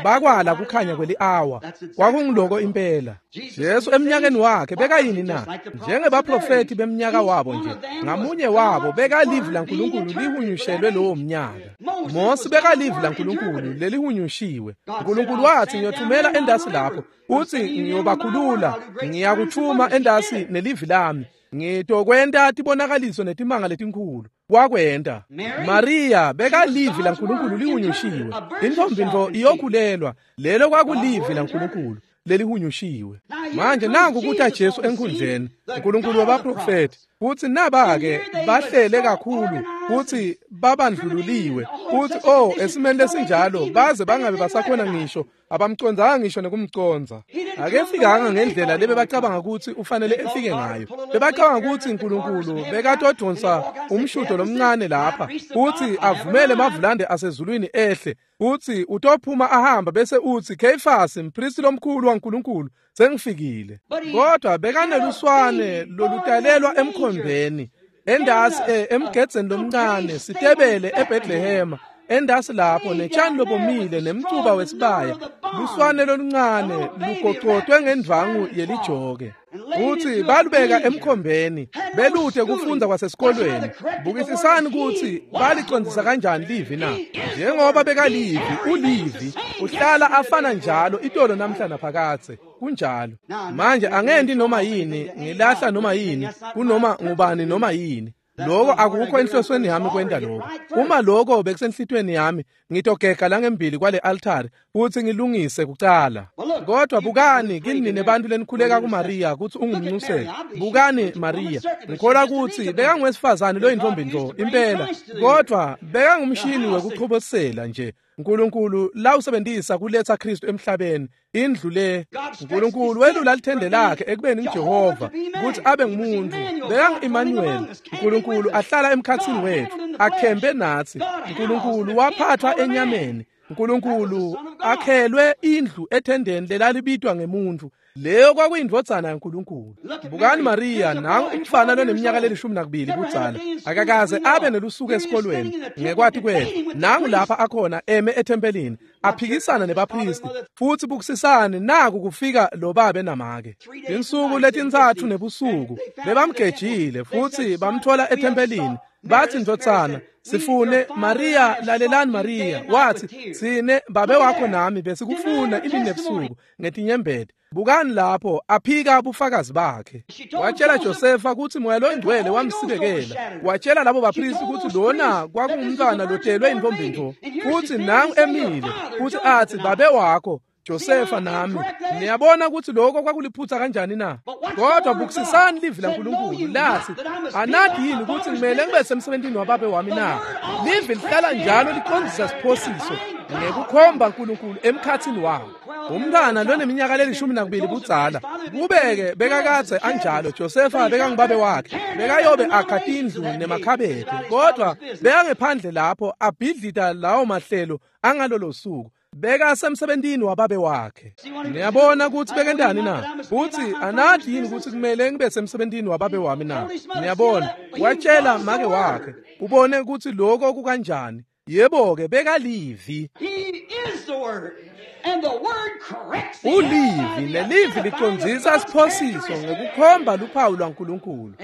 Bakwala kukhanya kweli-awa. Kwakungiloko impela. Jesu eminyakeni wakhe bekayini na? Njengebaprofethi beminyaka wabo nje, ngamunye wabo bekalivi laNkulunkulu lihunyushelwe lowo mnyaka. Mose bekalivi laNkulunkulu lelihunyushiwe. uNkulunkulu wathi, "Ngiyothumela endasi lapho, uthi ngiyobakhulula, ngiyakuthuma endasi nelivi lami. Ngitokwenta tibonakaliso netimanga letinkhulu." Wakwenta. Maria bekalivi laNkulunkulu lihunyushiwe. Intombi nto iyokhulelwa. Lelo kwakulivi laNkulunkulu lelihunyushiwe. Manje nangu kuta Jesu enkhundleni, uNkulunkulu wabaprofethi. Futhi naba-ke bahlele kakhulu, futhi babandlululiwe, futhi oh esimeni lesinjalo baze bangabe basakhona ngisho, abamcondzanga ngisho nekumcondza. Akefikanga ngendlela lebe bacabanga ukuthi ufanele efike ngayo. Bebacabanga ukuthi uNkulunkulu bekatodonsa umshudo lomncane lapha, futhi avumele mavulande asezulwini ehle, uthi utophuma ahamba bese uthi, "Kheyifasi, mpristi lomkhulu waNkulunkulu, sengifikile." Kodwa bekaneluswane lolutalelwa emkhombeni, endasi emgedzeni lomncane, sitebele eBethlehema, endasi lapho netshani lobomile nemcuba wesibaya, luswane loluncane lugocotwe ngendvangu yelijoke. Futhi balubeka emkhombeni, beluthe kufunda kwasesikolweni. Bukisisani ukuthi balicondzisa kanjani livi na? Njengoba bekalivi, ulivi, uhlala afana njalo itolo namhla naphakadze. Kunjalo. Manje angenti noma yini, ngilahla noma yini, kunoma ngubani noma yini. Lokho akukho enhlosweni yami kwenta lokho. Uma lokho bekusenhlitweni yami, ngitogega langembili kwale altari futhi ngilungise kucala. Kodwa bukani kini nebantu lenikhuleka kuMaria ukuthi ungumnxuseli. Bukani Maria, ngikholwa ukuthi bekangowesifazane loyintombi nto impela, kodwa bekangumshini wekuchobosela nje. uNkulunkulu la usebenzisa kuletha Kristu emhlabeni, indlu le. uNkulunkulu welula lithende lakhe ekubeni nguJehova ukuthi abe ngumuntu. Bekangu-Emmanuel, uNkulunkulu ahlala emkhathini wethu, akhembe nathi. uNkulunkulu waphathwa enyameni. uNkulunkulu akhelwe indlu ethendeni lelalibitwa ngemuntu. Leyo kwakuyindvodzana yaNkulunkulu. Bukani Maria, nangu umfana loneminyaka lelishumi nakubili budzala, akakaze abe nelusuku esikolweni ngekwati kwethu. Nangu lapha akhona eme ethempelini aphikisana nebapristi, futhi bukisisani naku kufika lo babe namake. Insuku letintsatfu nebusuku bebamgejile futhi bamthola ethempelini. Bathi, "Ndvodzana, sifune Maria, lalelani Maria." Wathi, "Sine babe wakho nami besikufuna imini nebusuku ngetinyembeti." Bukani lapho aphika bufakazi bakhe. Watshela Josefa ukuthi moya loyingcwele wamsibekela. Watshela labo bapristi ukuthi lona kwakungumntwana lotelwe intombi nto. Futhi nangu emile futhi athi, "Babe wakho Josefa nami." Niyabona ukuthi lokho kwakuliphutha kanjani na? Kodwa bukisisani livi laNkulunkulu lathi, "Anathi yini ukuthi ngimele ngibe semsebentini wababe wami na?" Livi lihlala njalo liqondisa siphosiso. Ngekukhomba uNkulunkulu emkhatsini wabo. Umntwana loneminyaka lelishumi nakubili budzala kubeke bekakadze anjalo. Josefa bekangubabe wakhe, bekayobe akha tindlu nemakhabethe, kodwa bekangephandle lapho abhidlita lawo mahlelo angalolo suku. Bekasemsebentini wababe wakhe. Niyabona ukuthi bekendani na? Uthi anathi yini ukuthi kumele ngibe semsebentini wababe wami na? Niyabona, watshela make wakhe, ubone ukuthi lokho kukanjani. Yebo-ke bekalivi. Ulivi, nelivi licondzisa siphosiso ngekukhomba luphawu lwaNkulunkulu.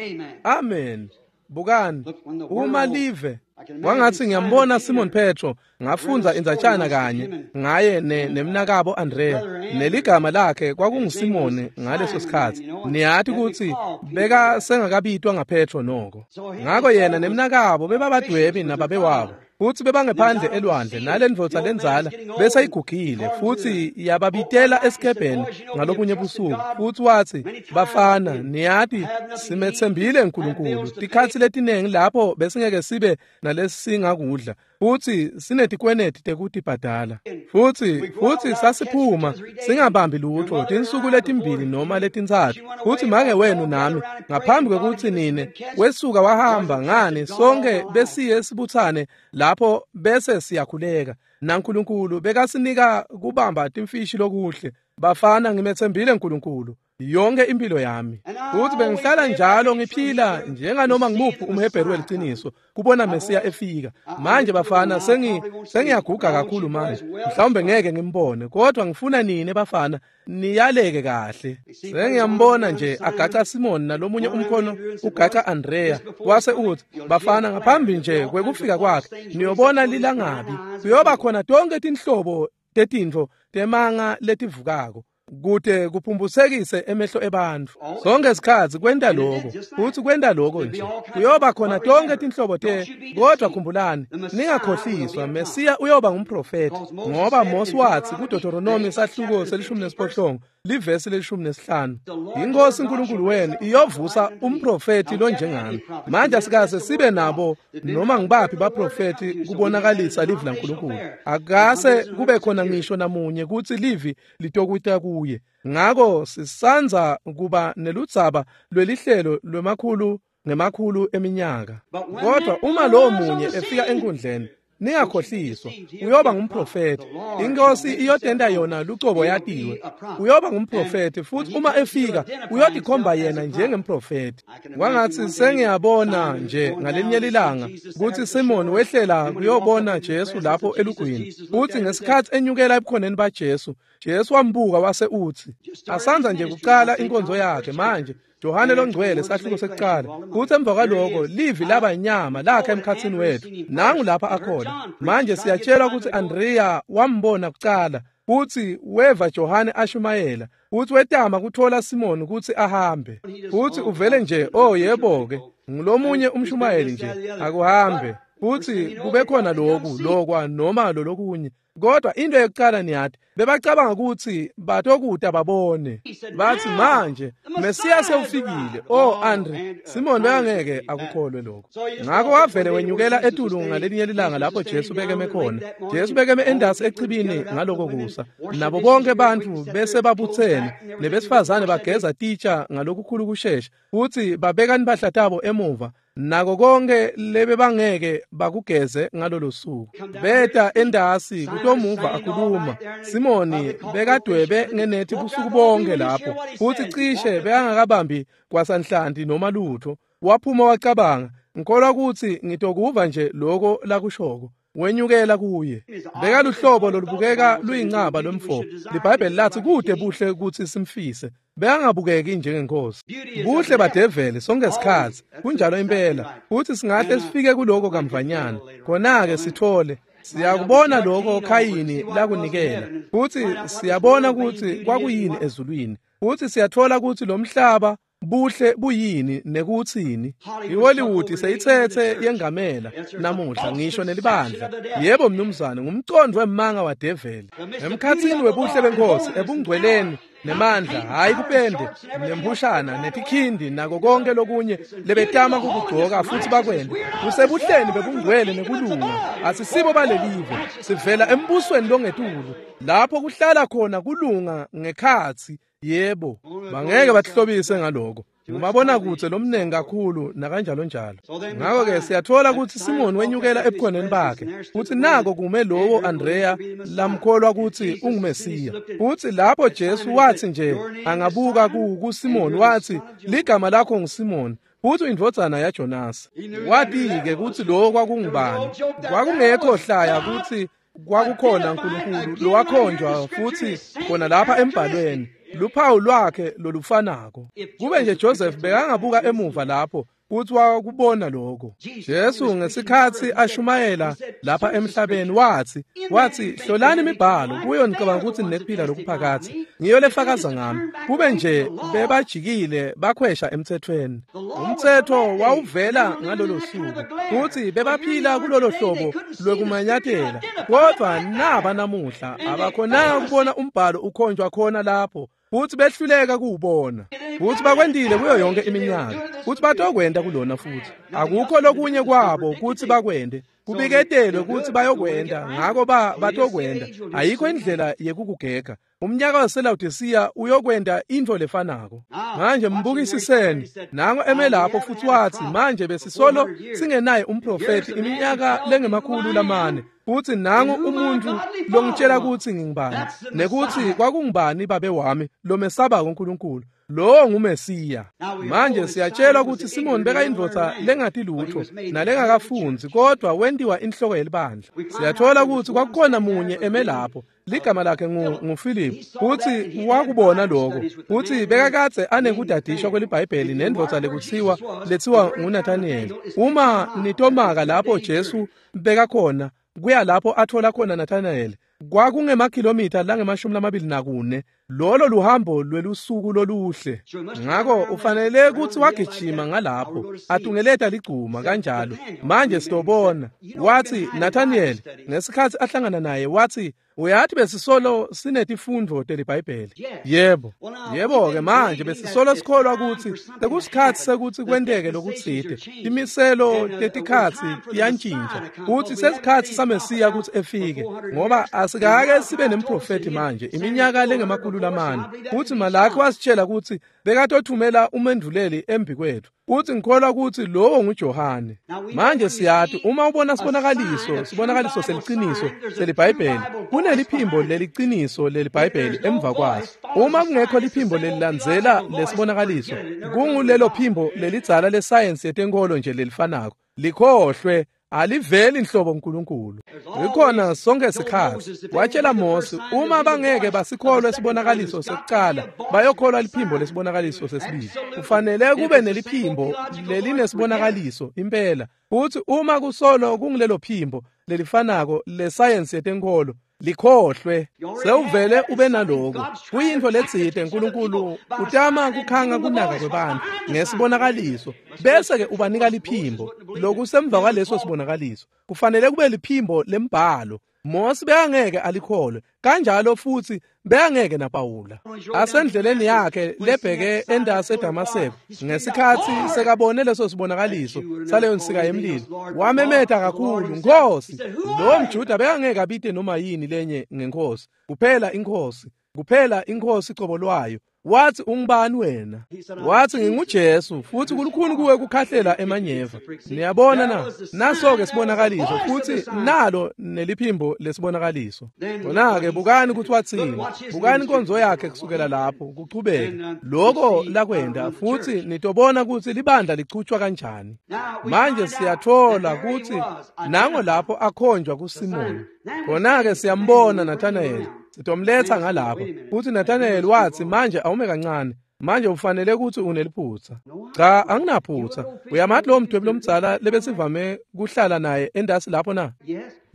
Amen. Bukani, uma live wangathi ngiyambona Simon Petro, ngafundza indzatshana kanye ngaye nemnakabo Andrea, neligama lakhe kwakunguSimoni ngaleso sikhatsi. Niyati ukuthi beka sengakabitwa ngaPetro noko. Ngako yena nemnakabo bebabadwebi nababe wabo, futhi bebangephandle elwandle nalendvodza lenzala bese igugile, futhi yababitela esikebheni ngalobunye busuku. Futhi wathi, bafana, niyati simethembile uNkulunkulu tikhatsi letiningi lapho besingeke sibe nalesingakudla, futhi sinetikweneti tekutibhadala, futhi futhi sasiphuma singabambi lutho tinsuku letimbili noma letintsatfu. Futhi make wenu nami ngaphambi kwekuthi nine wesuka wahamba ngani, sonke besiye sibuthane lapho bese siyakhuleka naNkulunkulu bekasinika kubamba timfishi lokuhle. Bafana, ngimethembile uNkulunkulu yonke impilo yami, futhi bengihlala njalo ngiphila njenganoma ngimuphi umHebheru weliciniso kubona Mesiya efika. Manje bafana, sengi sengiyaguga kakhulu manje, mhlawumbe ngeke ngimbone, kodwa ngifuna nine bafana niyaleke kahle. Sengiyambona nje agaca Simon nalomunye umkhono ugaca Andrea, wase uthi, bafana, ngaphambi nje kwekufika kwakhe niyobona lilangabi, kuyoba khona tonke tinhlobo tetintfo temanga letivukako kute kuphumbusekise emehlo ebantfu. Sonke isikhatsi kwenta lokho, futhi kwenta lokho nje kuyoba khona tonke tinhlobo te. Kodwa khumbulani, ningakhohliswa, Mesiya uyoba ngumprofeti, ngoba Mose wathi kuDeuteronomy sahluko selishumi nesiphohlongo livesi lelishumi nesihlanu, inkosi uNkulunkulu wenu iyovusa umprofeti lonjengami. Manje asikaze sibe nabo noma ngibaphi baprofeti kubonakalisa livi laNkulunkulu. Akase kube khona ngisho namunye kutsi livi litokuta kuye. Ngako sisanza kuba neludzaba lwelihlelo lwemakhulu ngemakhulu eminyaka. Kodwa uma lowo munye efika enkundleni, ningakhohliswa, uyoba ngumprofeti. Inkosi iyotenda yona lucobo yatiwe. Uyoba ngumprofeti, futhi uma efika uyotikhomba yena njengemprofeti. Kwangathi sengiyabona nje ngalinye lilanga ukuthi Simon wehlela kuyobona Jesu lapho elugwini, futhi ngesikhathi enyukela ebukhoneni baJesu, Jesu wambuka wase uthi, asanza nje kuqala inkonzo yakhe manje, Johane longcwele sahluko sekuqala. Kuthi emva kwaloko livi laba inyama lakha emkhatsini wethu. Nangu lapha akhona. Manje siyatshelwa ukuthi Andrea wambona kuqala, futhi weva Johane ashumayela, futhi wetama kuthola Simon ukuthi ahambe. Futhi uvele nje, oh yebo ke, ngilomunye umshumayeli nje, akuhambe. Futhi kube khona lokhu lokwa noma lolokunye. Kodwa into yokuqala niyathi, bebacabanga ukuthi batokuta babone. Bathi manje Mesiya sewufikile. Oh Andre, Simon bekangeke akukholwe lokho. Ngakho wavele wenyukela etulu ngalinye lilanga lapho Jesu bekeme khona. Jesu bekeme endasi echibini ngaloko kusa. Nabo bonke bantu bese babuthene, nebesifazane bageza titsha ngalokukhulu kushesha, futhi babeka impahla tabo emuva. Nako konke lebe bangeke bakugeze ngalolo suku. Beta endasi kutomuva akhuluma. Simoni bekadwebe ngenethi busuku bonke lapho, futhi cishe bekangakabambi kwasanhlanti noma lutho. Waphuma wacabanga, ngikholwa ukuthi ngitokuva nje lokho lakushoko. Wenyukela kuye. Bekaluhlobo lolubukeka luyincaba lomfo. LiBhayibheli lathi kude buhle ukuthi simfise. Bekangabukeki njengenkosi. Buhle badeveli sonke isikhatsi. Kunjalo impela. Futhi singahle sifike kuloko kamvanyana. Khona-ke sithole siyakubona lokho Khayini lakunikela. Futhi siyabona ukuthi kwakuyini ezulwini. Futhi siyathola ukuthi lo mhlaba buhle buyini nekutsini. IHollywood seyithethe yengamela namuhla ngisho nelibandla. Yebo mnumzane, ngumcondvo wemanga wadeveli. Emkhatsini webuhle benkosi ebungcweleni nemandla, hayi kupende nembushana netikhindi nako konke lokunye lebetama kukugcoka futhi bakwende. Kusebuhleni bebungcwele nekulunga. Asisibo balelive, sivela embusweni longetulu lapho kuhlala khona kulunga ngekhatsi. Yebo, bangeke batihlobise ngaloko. Ngumabona kutse lomnengi kakhulu nakanjalo njalo. Ngakho-ke siyathola ukuthi Simoni wenyukela ebukhoneni bakhe, futhi nako kume lowo Andrea lamkholwa ukuthi unguMesiya. Futhi lapho Jesu wathi nje angabuka kuSimoni wathi, ligama lakho nguSimoni, futhi indvodzana yaJonasi. Wathi-ke ukuthi lowo kwakungubani. Kwakungekho hlaya ukuthi kwakukhona uNkulunkulu lowakhonjwa futhi khona lapha embhalweni luphawu lwakhe lolufanako. Kube nje Joseph bekangabuka emuva lapho kuthi wakubona lokho. Jesu ngesikhathi ashumayela lapha emhlabeni wathi wathi hlolani imibhalo kuyo nicabanga ukuthi ninekuphila lokuphakathe, ngiyo lefakaza ngami. Kube nje bebajikile bakhwesha emthethweni. Umthetho wawuvela ngalolo suku futhi bebaphila kulolo hlobo lwekumanyatela, kodwa naba namuhla abakhonanga ukubona umbhalo ukhonjwa khona lapho futhi behluleka kuwubona. Futhi bakwendile kuyo yonke iminyaka, futhi batokwenda kulona futhi. Akukho lokunye kwabo kuthi bakwende, kubiketelwe ukuthi bayokwenda, ngako ba batokwenda. Ayikho indlela yekukugega. Umnyaka waseLaodicea uyokwenda into lefanako. Manje mbukisiseni, nango eme lapho futhi wathi, manje besisolo singenaye umprofeti iminyaka lengemakhulu lamane, futhi nangu umuntu longitshela ukuthi ngingubani nekuthi kwakungubani babe wami lomesabako uNkulunkulu. Lo nguMesiya. Manje siyatshelwa ukuthi Simoni bekayindvodza lengati lutho nalengakafunzi, kodwa wentiwa inhloko yelibandla. Siyathola ukuthi kwakukhona munye eme lapho, ligama lakhe nguPhilip, futhi wakubona lokho, futhi bekakadze anekudadishwa kweliBhayibheli nendvodza lekuthiwa lethiwa nguNathaniel. Uma nitomaka lapho Jesu bekakhona kuya lapho athola khona Nathaniel, kwakungemakhilomitha langemashumi lamabili nakune. Lolo luhambo lwelusuku loluhle. Ngakho ufanele ukuthi wagijima ngalapho atungeleta ligcuma kanjalo. Manje sitobona. Wathi Nathaniel ngesikhathi ahlangana naye wathi, uyathi besisolo sinetifundvo teliBhayibheli. Yebo. Yebo-ke manje besisolo sikholwa ukuthi sekusikhathi sekuthi kwenteke lokutsite. Imiselo tetikhatsi tiyantshintsha. Futhi sesikhathi saMesiya ukuthi efike, ngoba asikake sibe nemprofeti manje iminyaka lengemakhulu lamane. Futhi Malaki wasitshela ukuthi bekatothumela umendvuleli embi kwethu. Futhi ngikholwa ukuthi lowo nguJohane. Manje siyathi uma ubona sibonakaliso, sibonakaliso seliciniso seliBhayibheli, kuneliphimbo leliciniso leliBhayibheli emva kwaso. Uma kungekho liphimbo lelilandzela lesibonakaliso, kungulelo phimbo lelidzala lesayensi yetenkolo nje lelifanako. Likhohlwe, aliveli inhlobo uNkulunkulu. Ikhona sonke isikhathi. Watshela Mose, uma bangeke basikholwe isibonakaliso sekuqala, bayokholwa liphimbo lesibonakaliso sesibili. Kufanele kube neliphimbo lelinesibonakaliso impela. Futhi uma kusolo kungilelo phimbo lelifanako lesayensi yetenkolo, likhohlwe. Sewuvele ube naloko. Kuyintfo letsite uNkulunkulu utama kukhanga kunaka kwebantu ngesibonakaliso, bese ke ubanika liphimbo lokusemva kwaleso sibonakaliso. Kufanele kube liphimbo lembhalo. Mose bekangeke alikholwe, kanjalo futhi bekangeke naPawula. Asendleleni yakhe lebheke endase eDamaseko, ngesikhathi sekabone leso sibonakaliso saleyo nsika yemlilo, wamemeta kakhulu, Nkosi. Lo mJuda bekangeke abite noma yini lenye ngenkosi, kuphela inkosi, kuphela inkosi cobo lwayo. Wathi, ungubani wena? Wathi, nginguJesu, futhi kulukhuni kuwe kukhahlela emanyeva. Niyabona na? Naso-ke sibonakaliso, futhi nalo neliphimbo lesibonakaliso. Khona-ke bukani ukuthi wathini. Bukani inkonzo yakhe kusukela lapho kuchubeke. Lokho lakwenda, futhi nitobona ukuthi libandla lichutshwa kanjani. Manje siyathola ukuthi nango lapho akhonjwa kuSimoni. Khona-ke siyambona Nathanael. Sitomletha ngalapho. Futhi Nathanael wathi, manje awume kancane. Manje ufanele ukuthi uneliphutha. Cha, anginaphutha. Uyamathi lo mdwebi lomdzala lebesivame kuhlala naye endasi lapho na?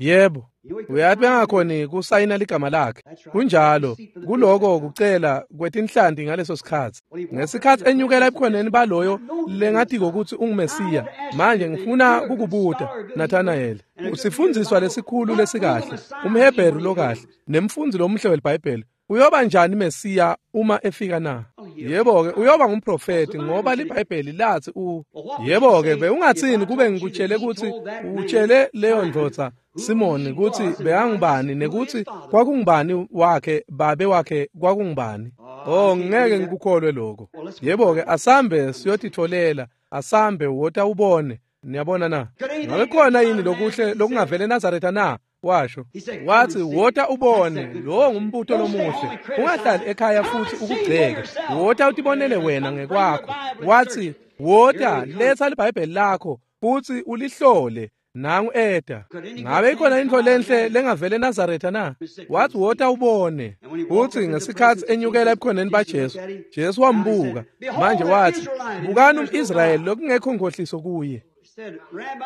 Yebo. Uyati bengakhoni kusayina ligama lakhe. Kunjalo, kuloko kucela kwetinhlanti ngaleso sikhatsi. Ngesikhatsi enyukela ebukhoneni baloyo lengatiko kutsi unguMesiya. Manje ngifuna kukubuta, Nathanael, usifundziswa lesikhulu lesikahle, umHebheru lokahle, nemfundzi lomuhle weliBhayibheli. Uyoba njani Mesiya uma efika na? Yebo-ke, uyoba ngumprofeti ngoba liBhayibheli lathi u. Yebo-ke, bewungatsini kube ngikutshele kutsi utshele leyo ndvodza Simoni kutsi bekangubani nekuthi kwakungubani wakhe babe wakhe kwakungubani? Oh, ngeke ngikukholwe lokho. Yebo-ke, asambe siyotitfolela, asambe wota ubone. Niyabona na? Ngabe khona yini lokuhle lokungavela eNazaretha na? Washo. Wathi wota ubone, lowo ngumbuto lomuhle. Ungahlali ekhaya futhi ukugceke. Wota utibonele wena ngekwakho. Wathi wota letha liBhayibheli lakho futhi ulihlole. Nangu eta. Ngabe ikhona intfo lenhle lengavela eNazaretha na? Wathi wota ubone. Uthi ngesikhatsi enyukela ebukhoneni baJesu, Jesu wambuka. Manje wathi, bukani umIsrayeli lokungekho nkhohliso kuye.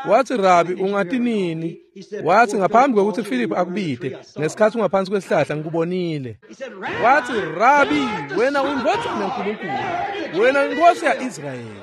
Wathi Rabi ungati nini? Wathi ngaphambi kwekuthi Philip akubite, ngesikhatsi ungaphansi kwesihlahla ngikubonile. Wathi Rabi, wena uyindvodzana yaNkulunkulu, wena inkosi ya-Israyeli.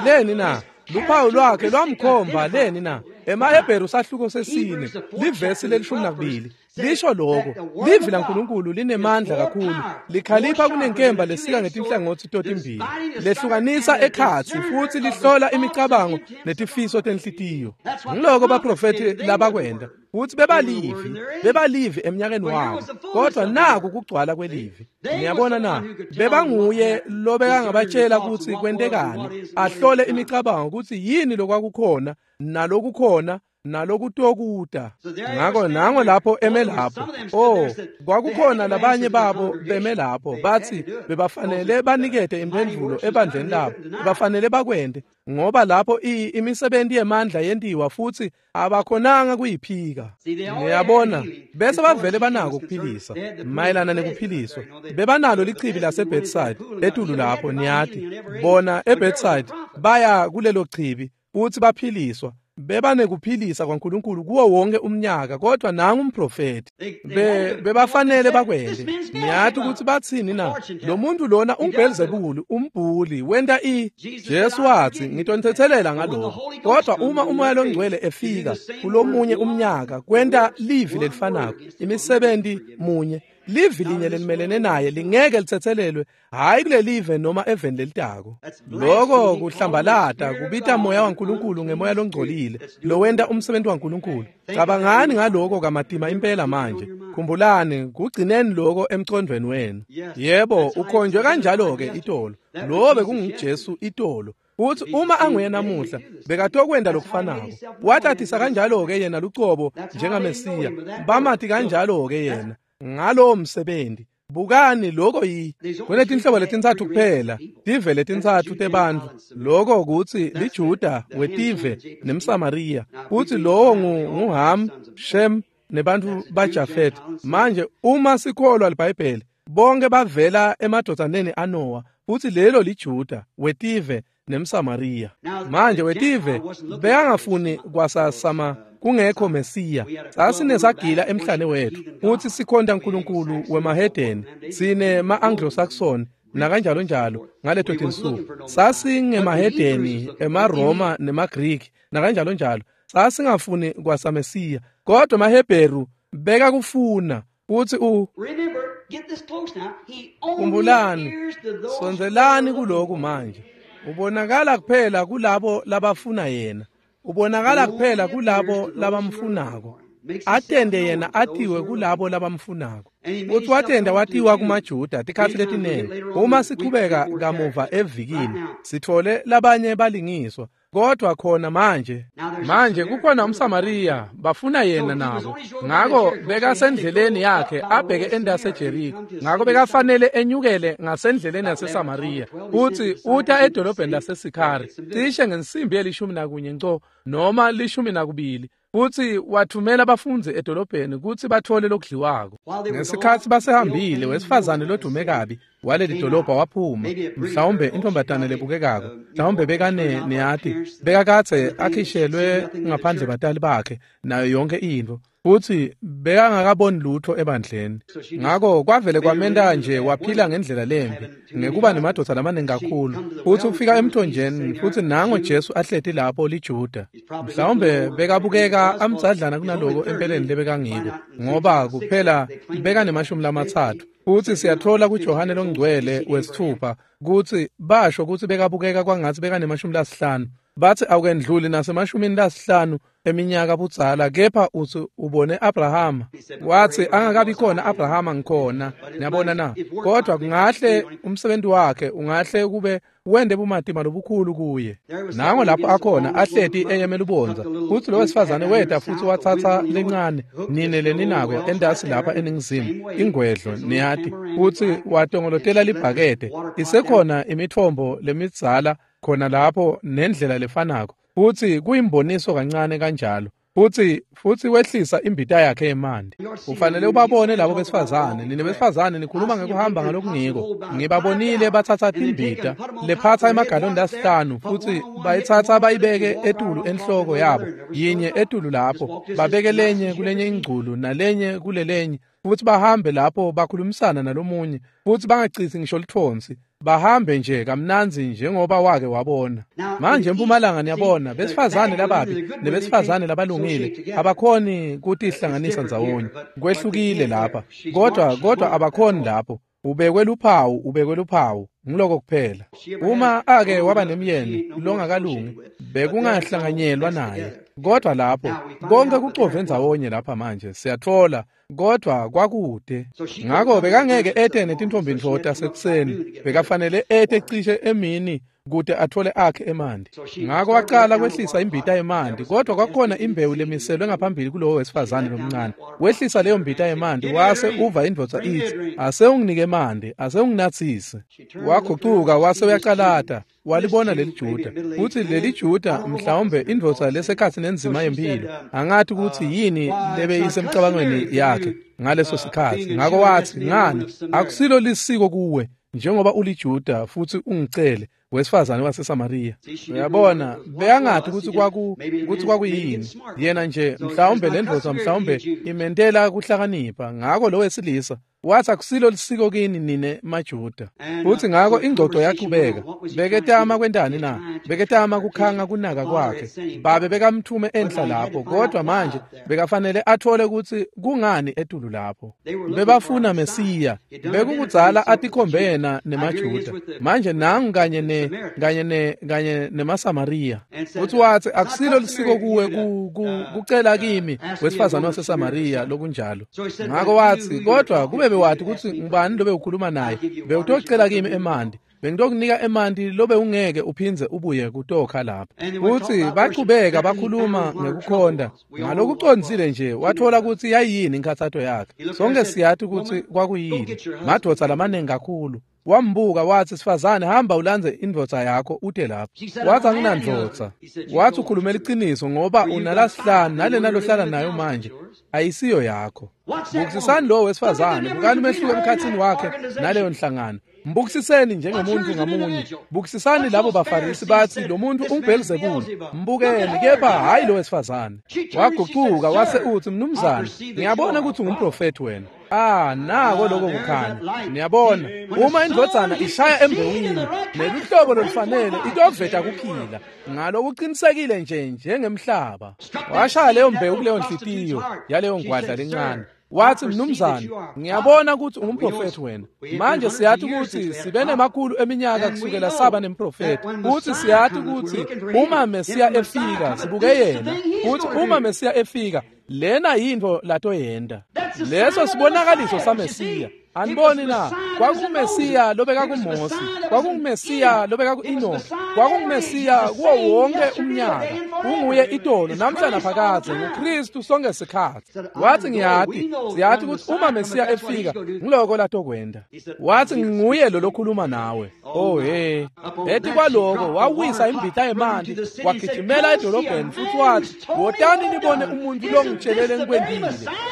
Leni na? Luphawu lwakhe lwamkhomba leni na? EmaHebheru sahluko sesine, livesi lelishumi nakubili. Lisho lokho, livi laNkulunkulu linemandla kakhulu, likhalipha kunenkemba lesika ngetinhlangotsi totimbili, lehlukanisa ekhatsi futhi lihlola imicabango netifiso tenhlitiyo. Ngiloko baprofethi labakwenda, futhi bebalivi, bebalivi emnyakeni wabo, kodwa naku kugcwala kwelivi. Niyabona na? Bebanguye lobekangabatshela kutsi kwentekani, ahlole imicabango kutsi yini lokwakukhona nalokukhona nalokutokuta. Ngako nango lapho eme lapho. Oh, kwakukhona labanye babo beme lapho bathi bebafanele banikete imphendvulo ebandleni labo, bafanele bakwente ngoba lapho imisebenzi yemandla yentiwa futhi abakhonanga kuyiphika. Niyabona, bese bavele banako ukuphilisa mayelana nekuphiliswa. Bebanalo lichibi laseBethsaida etulu lapho, niyati bona eBethsaida baya kulelo chibi futhi baphiliswa. Bebanekuphilisa kwaNkulunkulu kuwo wonke umnyaka, kodwa nangu umprofeti. Be bebafanele bakwende. Niyati ukuthi bathini na? Lo muntu lona unguBelzebuli, umbhuli, wenta i. Jesu wathi ngitonthethelela ngalokho. Kodwa uma uMoya loNgcwele efika kulomunye umnyaka, kwenta livi lelifanako, imisebenzi munye, livi linye lelimelene naye lingeke lithethelelwe, hayi kulelive noma eveni lelitako. Lokho kuhlambalata kubita moya waNkulunkulu ngemoya longcolile lowenta umsebenzi waNkulunkulu. Cabangani ngaloko kamatima impela manje. Khumbulani, kugcineni lokho emcondweni wenu. Yebo, ukhonjwe kanjalo ke itolo. Lo bekunguJesu itolo. Uthi uma anguye namuhla bekatokwenda lokufanako. Watatisa kanjalo ke yena lucobo njengaMesiya. Bamati kanjalo ke yena ngalowo msebenzi. Bukani lokho yi kunetinhlobo letintsatfu kuphela, tive letintsatfu tebantfu. Lokho kutsi liJuda, wetive nemSamariya. Kuthi lowo nguHam, Shem nebantfu baJafet. Manje uma sikholwa liBhayibheli, bonke bavela emadvodzaneni aNoah, futhi lelo liJuda, wetive nemSamariya. Manje wetive bekangafuni kwasasama kungekho Mesiya. Sasinesagila emhlane wethu futhi sikhonta uNkulunkulu wemahedeni, sine ma-Anglo-Saxon nakanjalo njalo ngaleto tinsuku. Sasingemahedeni, emaRoma nemaGriki nakanjalo njalo. Sasingafuni kwasaMesiya, kodwa emaHebheru bekakufuna. Futhi u Khumbulani, sondzelani kuloku manje. Ubonakala kuphela kulabo labafuna yena. Ubonakala kuphela kulabo labamfunako. Atende yena atiwe kulabo labamfunako. Uthi watenda watiwa kumaJuda tikhatsi letinengi. Uma sichubeka kamuva evikini, sithole labanye balingiswa. Kodwa khona manje, manje kukhona umSamariya, bafuna yena nabo. Ngako bekasendleleni yakhe abheke endase Jericho. Ngako bekafanele enyukele ngasendleleni yaseSamariya. Uthi uta edolobheni laseSikhari, cishe ngensimbi yelishumi nakunye nco noma lishumi nakubili. Uthi wathumela abafundzi edolobheni kutsi bathole lokudliwako. Ngesikhatsi basehambile, wesifazane lodume kabi waleli dolobha waphuma, mhlawumbe intombatane lebukekako, mhlawumbe bekane niyati, bekakadze akhishelwe ngaphandle batali bakhe nayo yonke intfo. Futsi bekangakaboni lutho ebandleni. Ngako kwavele kwamenta nje waphila ngendlela lembi ngekuba nemadvodza lamaningi kakhulu. Futsi ufika emthonjeni futsi nango Jesu ahleti lapho liJuda. Mhlawumbe bekabukeka amdzadlana kunaloko empeleni lebekangiko, ngoba kuphela bekanemashumi lamatsatfu. Futsi siyathola kuJohane longcwele wesithupha kutsi basho kutsi bekabukeka kwangatsi bekanemashumi lasihlanu. Batsi awukendluli nasemashumini lasihlanu eminyaka budzala, kepha utsi ubone Abrahama. Watsi angakabi khona Abrahama ngikhona. Niyabona na? Kodwa kungahle umsebenzi wakhe ungahle kube wende bumatima lobukhulu kuye. Nango lapho akhona ahleti eyeme lubondza. Futsi lo wesifazane weta futsi watsatsa lencane nine leninako entasi lapha eningizimu ingwedlo niyati, futsi watongolotela libhakede. Isekhona imitfombo lemidzala khona lapho nendlela lefanako, futsi kuyimboniso kancane kanjalo. Futsi futsi wehlisa imbita yakhe yemanti. Ufanele ubabone labo besifazane. Nine besifazane nikhuluma ngekuhamba ngalokungiko. Ngibabonile batsatsa timbita lephatsa emagaloni lasihlanu, futsi bayitsatsa bayibeke etulu enhloko yabo, yinye etulu lapho, babeke lenye kulenye ingculu nalenye kulelenye, futsi bahambe lapho bakhulumisana nalomunye, futsi bangacitsi ngisho litfonsi, bahambe nje kamnandzi njengoba wake wabona. Manje empumalanga niyabona besifazane lababi nebesifazane labalungile abakhoni kutihlanganisa ndzawonye. Kwehlukile lapha, kodwa kodwa abakhoni lapho. Ubekwe luphawu, ubekwe luphawu, ngiloko kuphela. Uma ake waba nemyeni longakalungi, bekungahlanganyelwa naye. Kodwa lapho konke kucove ndzawonye lapha manje siyathola, kodwa kwakude. Ngako bekangeke ete netintombi tasekuseni, bekafanele ete cishe emini kute athole akhe emanti. Ngako waqala kwehlisa imbita yemanti, kodwa kwakhona imbewu lemiselwe ngaphambili kulowo wesifazane lomncane. Wehlisa leyo mbita yemanti, wase uva indvodza itsi, ase unginike emanti, ase unginatsise. Wagucuka wase uyacalata, walibona leli Juda. Futsi leli Juda mhlawumbe indvodza lesekhatsi nenzima yempilo, angathi kutsi yini lebeyisemcabangweni yakhe ngaleso sikhatsi. Ngako watsi, ngani akusilo lisiko kuwe njengoba uliJuda futsi ungicele wesifazane waseSamariya. Uyabona, beyangathi kutsi kwaku kutsi kwakuyini. Yena nje mhlawumbe lendvodza mhlawumbe imentela kuhlakanipha. Ngako lo wesilisa wathi akusilo lisiko kini nine maJuda. Futsi ngako ingxoxo yaqhubeka. Beketama kwentani na? Beketama kukhanga kunaka kwakhe. Babe bekamthume enhla lapho, kodwa manje bekafanele athole kutsi kungani etulu lapho. Bebafuna Mesiya. Bekukudzala atikhombe yena nemaJuda. Manje nangu kanye ne kanye ne kanye nemaSamariya. Futsi watsi akusilo lisiko kuwe kucela kimi wesifazane waseSamariya lokunjalo. Ngako watsi kodwa kube bewathi kutsi ngubani lobe ukhuluma naye, bewutocela kimi emanti, bengitokunika emanti lobe ungeke uphindze ubuye kutokha lapho. Futsi bachubeka bakhuluma ngekukhonda ngalokucondzile nje. Wathola kutsi yayiyini inkhatsato yakhe. Sonke siyati kutsi kwakuyini, madvodza lamaningi kakhulu. Wambuka watsi, sifazane, hamba ulandze indvodza yakho ute lapho. Watsi anginandvodza. Watsi ukhulumela liciniso, ngoba unalasihlanu nalena lohlala nayo manje ayisiyo yakho. Bukisisani lo wesifazane, bukani umehluko emkhatsini wakhe naleyo nhlangano. Mbukisiseni njengemuntu ngamunye. Bukisisani labo baFarisi batsi lo muntu unguBhelzebule. Mbukeni, kepha hayi lo wesifazane. Wagucuka wase utsi, mnumzane, ngiyabona kutsi ungumprofethi wena. Ah, nako lokho kukhanya. Niyabona, uma indvodzana ishaya embewini neluhlobo lolufanele itoveta kuphila ngalokuqinisekile nje njengemhlaba. Washaya leyo mbewu kuleyo nhliziyo yaleyo ngwadla lencane. Watsi, mnumzane, ngiyabona kutsi ungumprofethi wena. Manje siyati kutsi sibe nemakhulu eminyaka kusukela saba nemprofethi. Futsi siyati kutsi uma Mesiya efika, sibuke yena. Futsi uma Mesiya efika, lena yintfo latoyenta. Leso sibonakaliso saMesiya. Aniboni na? KwakunguMesiya lobeka kuMosi, kwakunguMesiya lobeka ku-Enoki, kwakunguMesiya kuwo wonke umnyaka. Unguye itolo namhla naphakadze, nguKristu sonke sikhatsi. Watsi ngiyati, siyati kutsi uma Mesiya efika, ngiloko latokwenta. Watsi nginguye lo lokhuluma nawe. Oh hey. Eti kwaloko wawisa imbita yemanti, wagijimela edolobheni futsi watsi, wotani nibone umuntu longitshelele ngikwentile.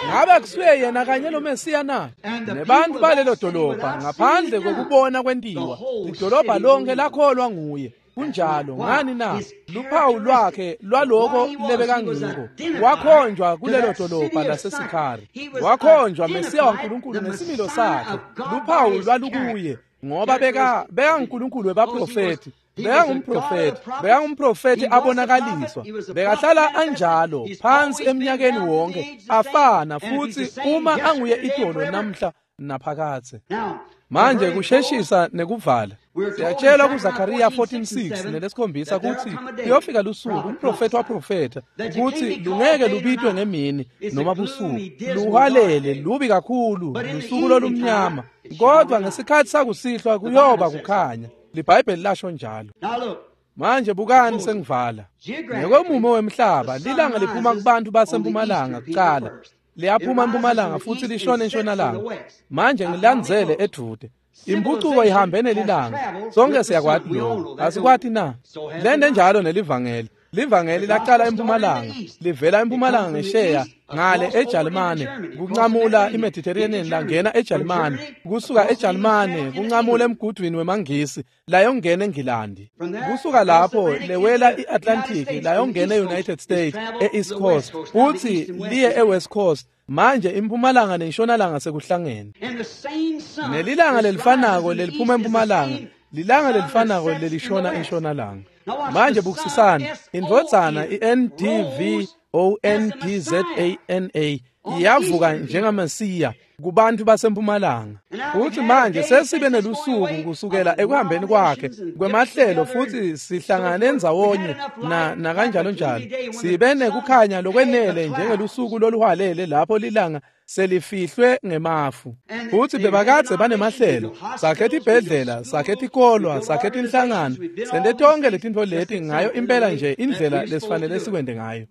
Ngabe kusuye yena kanye lo Mesiya na? Nebantu balelo dolobha ngaphandle kokubona kwentiwa, idolobha lonke lakholwa nguye. Kunjalo ngani na? Luphawu lwakhe lwaloko lebekangiko wakhonjwa kulelo dolobha laseSikhari, wakhonjwa Mesiya waNkulunkulu nesimilo sakhe. Luphawu lwalukuye ngoba beka bekaNkulunkulu webaprofeti, bekangumprofeti, bekangumprofeti abonakaliswa, bekahlala anjalo phansi eminyakeni wonke afana, futhi uma anguye itolo namhla naphakathe. Manje kusheshisa nekuvala, siyatshelwa kuZakhariya fourteen six nelesikhombisa kutsi kuyofika lusuku umprofeti waprofetha kutsi lungeke lubitwe ngemini noma busuku, luhalele lubi kakhulu lusuku lolumnyama, kodwa ngesikhathi sakusihlwa kuyoba kukhanya. LiBhayibheli lasho njalo. Manje bukani sengivala. Ngekwemumo wemhlaba lilanga liphuma kubantu basempumalanga kuqala, liyaphuma empumalanga futhi lishone entshonalanga. Manje ngilandzele edude. Impucuko ihambe nelilanga. Sonke siyakwati lokho. Asikwati na? Lende njalo nelivangeli. Livangeli laqala empumalanga, livela empumalanga ngesheya ngale eJalimane, kunqamula iMediterranean langena eJalimane, kusuka eJalimane kunqamula emgudwini wemangisi layongena eNgilandi. Kusuka lapho lewela iAtlantic layongena eUnited States eEast Coast, futhi liye eWest Coast. Manje impumalanga nentshonalanga sekuhlangene. Nelilanga lelifanako leliphuma empumalanga, lilanga lelifanako lelishona entshonalanga. Manje bukisisani, indvodzana i-N D V O N D Z A N A iyavuka njengaMesiya kubantu basempumalanga. Futhi manje sesibe nelusuku kusukela ekuhambeni kwakhe kwemahlelo, futhi sihlangane ndzawonye na nakanjalo njalo. Sibe nekukhanya lokwenele njengelusuku loluhwalele lapho lilanga selifihlwe ngemafu. Futhi bebakadze banemahlelo, sakhetha ibhedlela, sakhetha ikolwa, sakhetha inhlangano, sente tonke letintfo leti ngayo impela nje indlela lesifanele sikwente ngayo.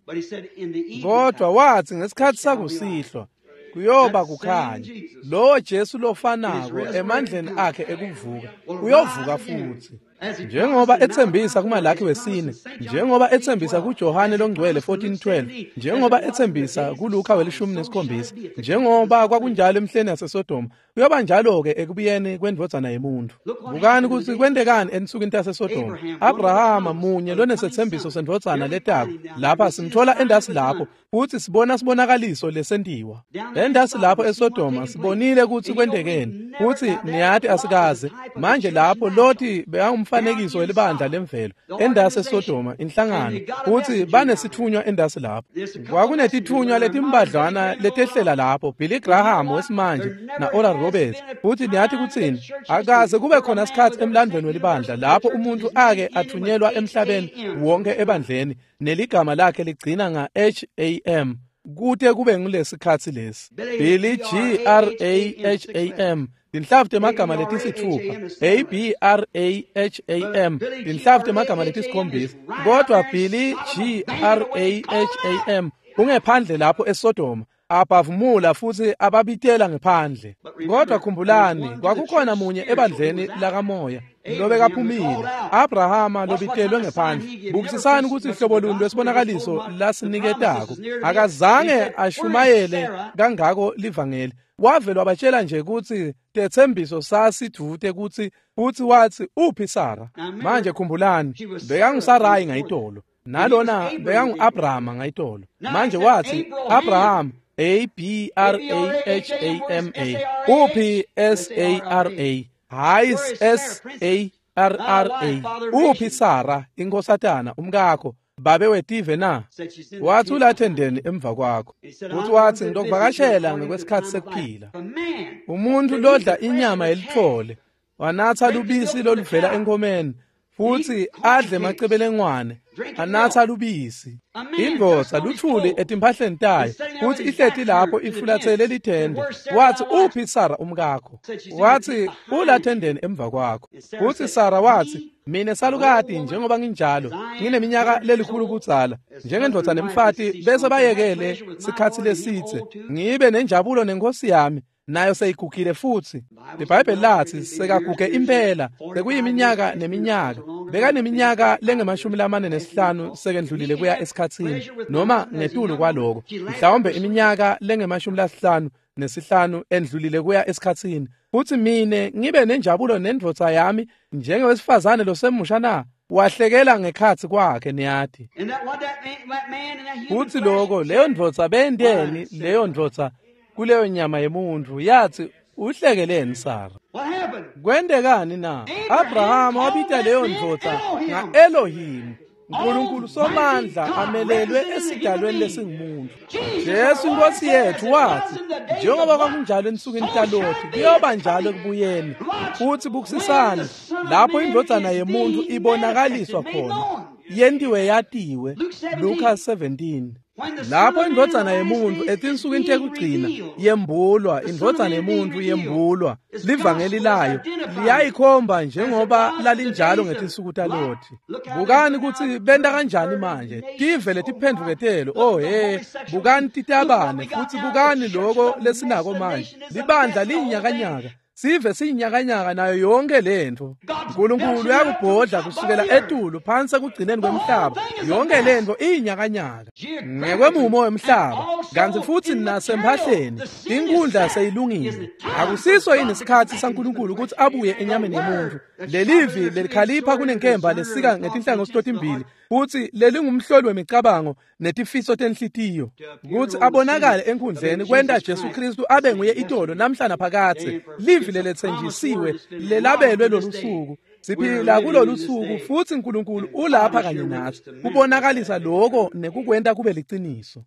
Kodwa wathi ngesikhathi sakusihlwa kuyoba kukhanya. Lowo Jesu lofanako emandleni akhe ekuvuka uyovuka futhi. Njengoba ethembisa kuMalaki wesine, njengoba ethembisa kuJohane longcwele fourteen twelve, njengoba ethembisa kuLuka welishumi nesikhombisa, njengoba kwakunjalo emhleni yaseSodoma, kuyoba njalo-ke ekubuyeni kwendvodzana yemuntu. Bukani kutsi kwentekani ensukwini taseSodoma. Abrahama munye lonesethembiso sendvodzana letako, lapha simthola endasi lapho, futhi sibona sibonakaliso lesentiwa. Endasi lapho eSodoma sibonile kutsi kwentekeni, futhi niyati asikaze. Manje lapho Loti bekangumfanekiso welibandla lemvelo endasi eSodoma, inhlangano, futhi banesithunywa endasi lapho. Kwakunetithunywa letimbadlwana letehlela lapho, Billy Graham wesimanje na Oral Roberts. Futhi niyathi kutsini? Akaze kube khona sikhathi emlandweni welibandla lapho umuntu ake athunyelwa emhlabeni wonke ebandleni neligama lakhe ligcina nga H A M kute kube ngulesikhathi lesi. Billy G R A H A M, tinhlavu temagama letisithupha, A B R A H A M, tinhlavu temagama letisikhombisa. Kodwa Billy G R A H A M ungephandle lapho eSodoma, abavumula futhi ababitela ngephandle. Kodwa khumbulani, kwakukhona munye ebandleni lakamoya lobekaphumile, Abrahama lobitelwe ngephandle. Bukisisani ukuthi ihlobo luni lwesibonakaliso lasiniketako. Akazange ashumayele kangako livangeli, wavele wabatshela nje kutsi tethembiso sasidvute kutsi, futhi wathi uphi Sara. Manje khumbulani, bekanguSarayi ngayitolo, nalona bekangu-Abrahama ngayitolo. Manje wathi Abraham, A B R A H A M A, uphi S A R A, hayi S A R R A, uphi Sara inkosatana umkakho, babe wetive na? Wathi ulathendeni emva kwakho. Futhi wathi ngitokuvakashela ngekwesikhathi sekuphila. Umuntu lodla inyama yelitfole, wanatha lubisi loluvela enkomeni, futhi adle emacebelengwane, anatha lubisi. Indvodza luthuli etimphahleni tayo, futhi ihleti lapho ifulathele lithende. Wathi uphi Sara umkakho? Wathi ulathendeni emva kwakho. Futhi Sara wathi mina salukati njengoba nginjalo, ngineminyaka lelikhulu kudzala, njengendvodza nemfati bese bayekele sikhathi lesitse, ngibe nenjabulo nenkosi yami, nayo seyigugile futhi. IBhayibheli lathi sekaguge impela, sekuyiminyaka neminyaka. Bekaneminyaka lengemashumi lamane nesihlanu sekendlulile kuya esikhatsini, noma ngetulu kwaloko, mhlawumbe iminyaka lengemashumi lasihlanu nesihlanu endlulile kuya esikhatsini. Futhi mine ngibe nenjabulo nendvodza yami njengewesifazane losemusha na? Wahlekela ngekhatsi kwakhe niyati. Kutsi loko leyo ndvodza benteni leyo ndvodza kuleyo nyama yemuntfu yathi uhlekeleni Sara. Kwentekani na? Abraham wabita leyo ndvodza nga-Elohim, Nkulunkulu somandla amelelwe esidalweni lesingumuntu. Jesu Nkosi yethu wathi njengoba kwakunjalo ensukwini taLothi kuyoba njalo ekubuyeni. Futhi bukusisani lapho indvodzana yemuntu ibonakaliswa khona yentiwe yatiwe. Luka seventeen. Lapho indvodzana yemuntu etinsukwini tekugcina yembulwa, indvodzana yemuntu yembulwa, livangeli layo liyayikhomba njengoba lalinjalo ngetinsuku taLothi. Bukani kutsi benta kanjani manje, tive letiphendvuketelo, oh he, bukani titabane futhi bukani loko lesinako manje, libandla liyinyakanyaka. Sive siyinyakanyaka nayo yonke lento. Nkulunkulu uyakubhodla kusukela etulu phansi ekugcineni kwemhlaba. Yonke lento iyinyakanyaka ngekwemumo wemhlaba, kantsi futsi nasemphahleni inkundla seyilungile. Akusiso yini isikhatsi saNkulunkulu ukuthi abuye enyameni yemuntu? Lelivi lelikhalipha kunenkemba lesika ngetinhlangothi totimbili, futhi lelingumhloli wemicabango netifiso tenhlitiyo, ukuthi abonakale enkundleni kwenta Jesu Kristu abe nguye itolo namhla naphakadze. Livi leletsenjisiwe lelabelwe lolu suku. Siphila kulolu suku futhi uNkulunkulu ulapha kanye nathi kubonakalisa lokho nekukwenta kube liciniso.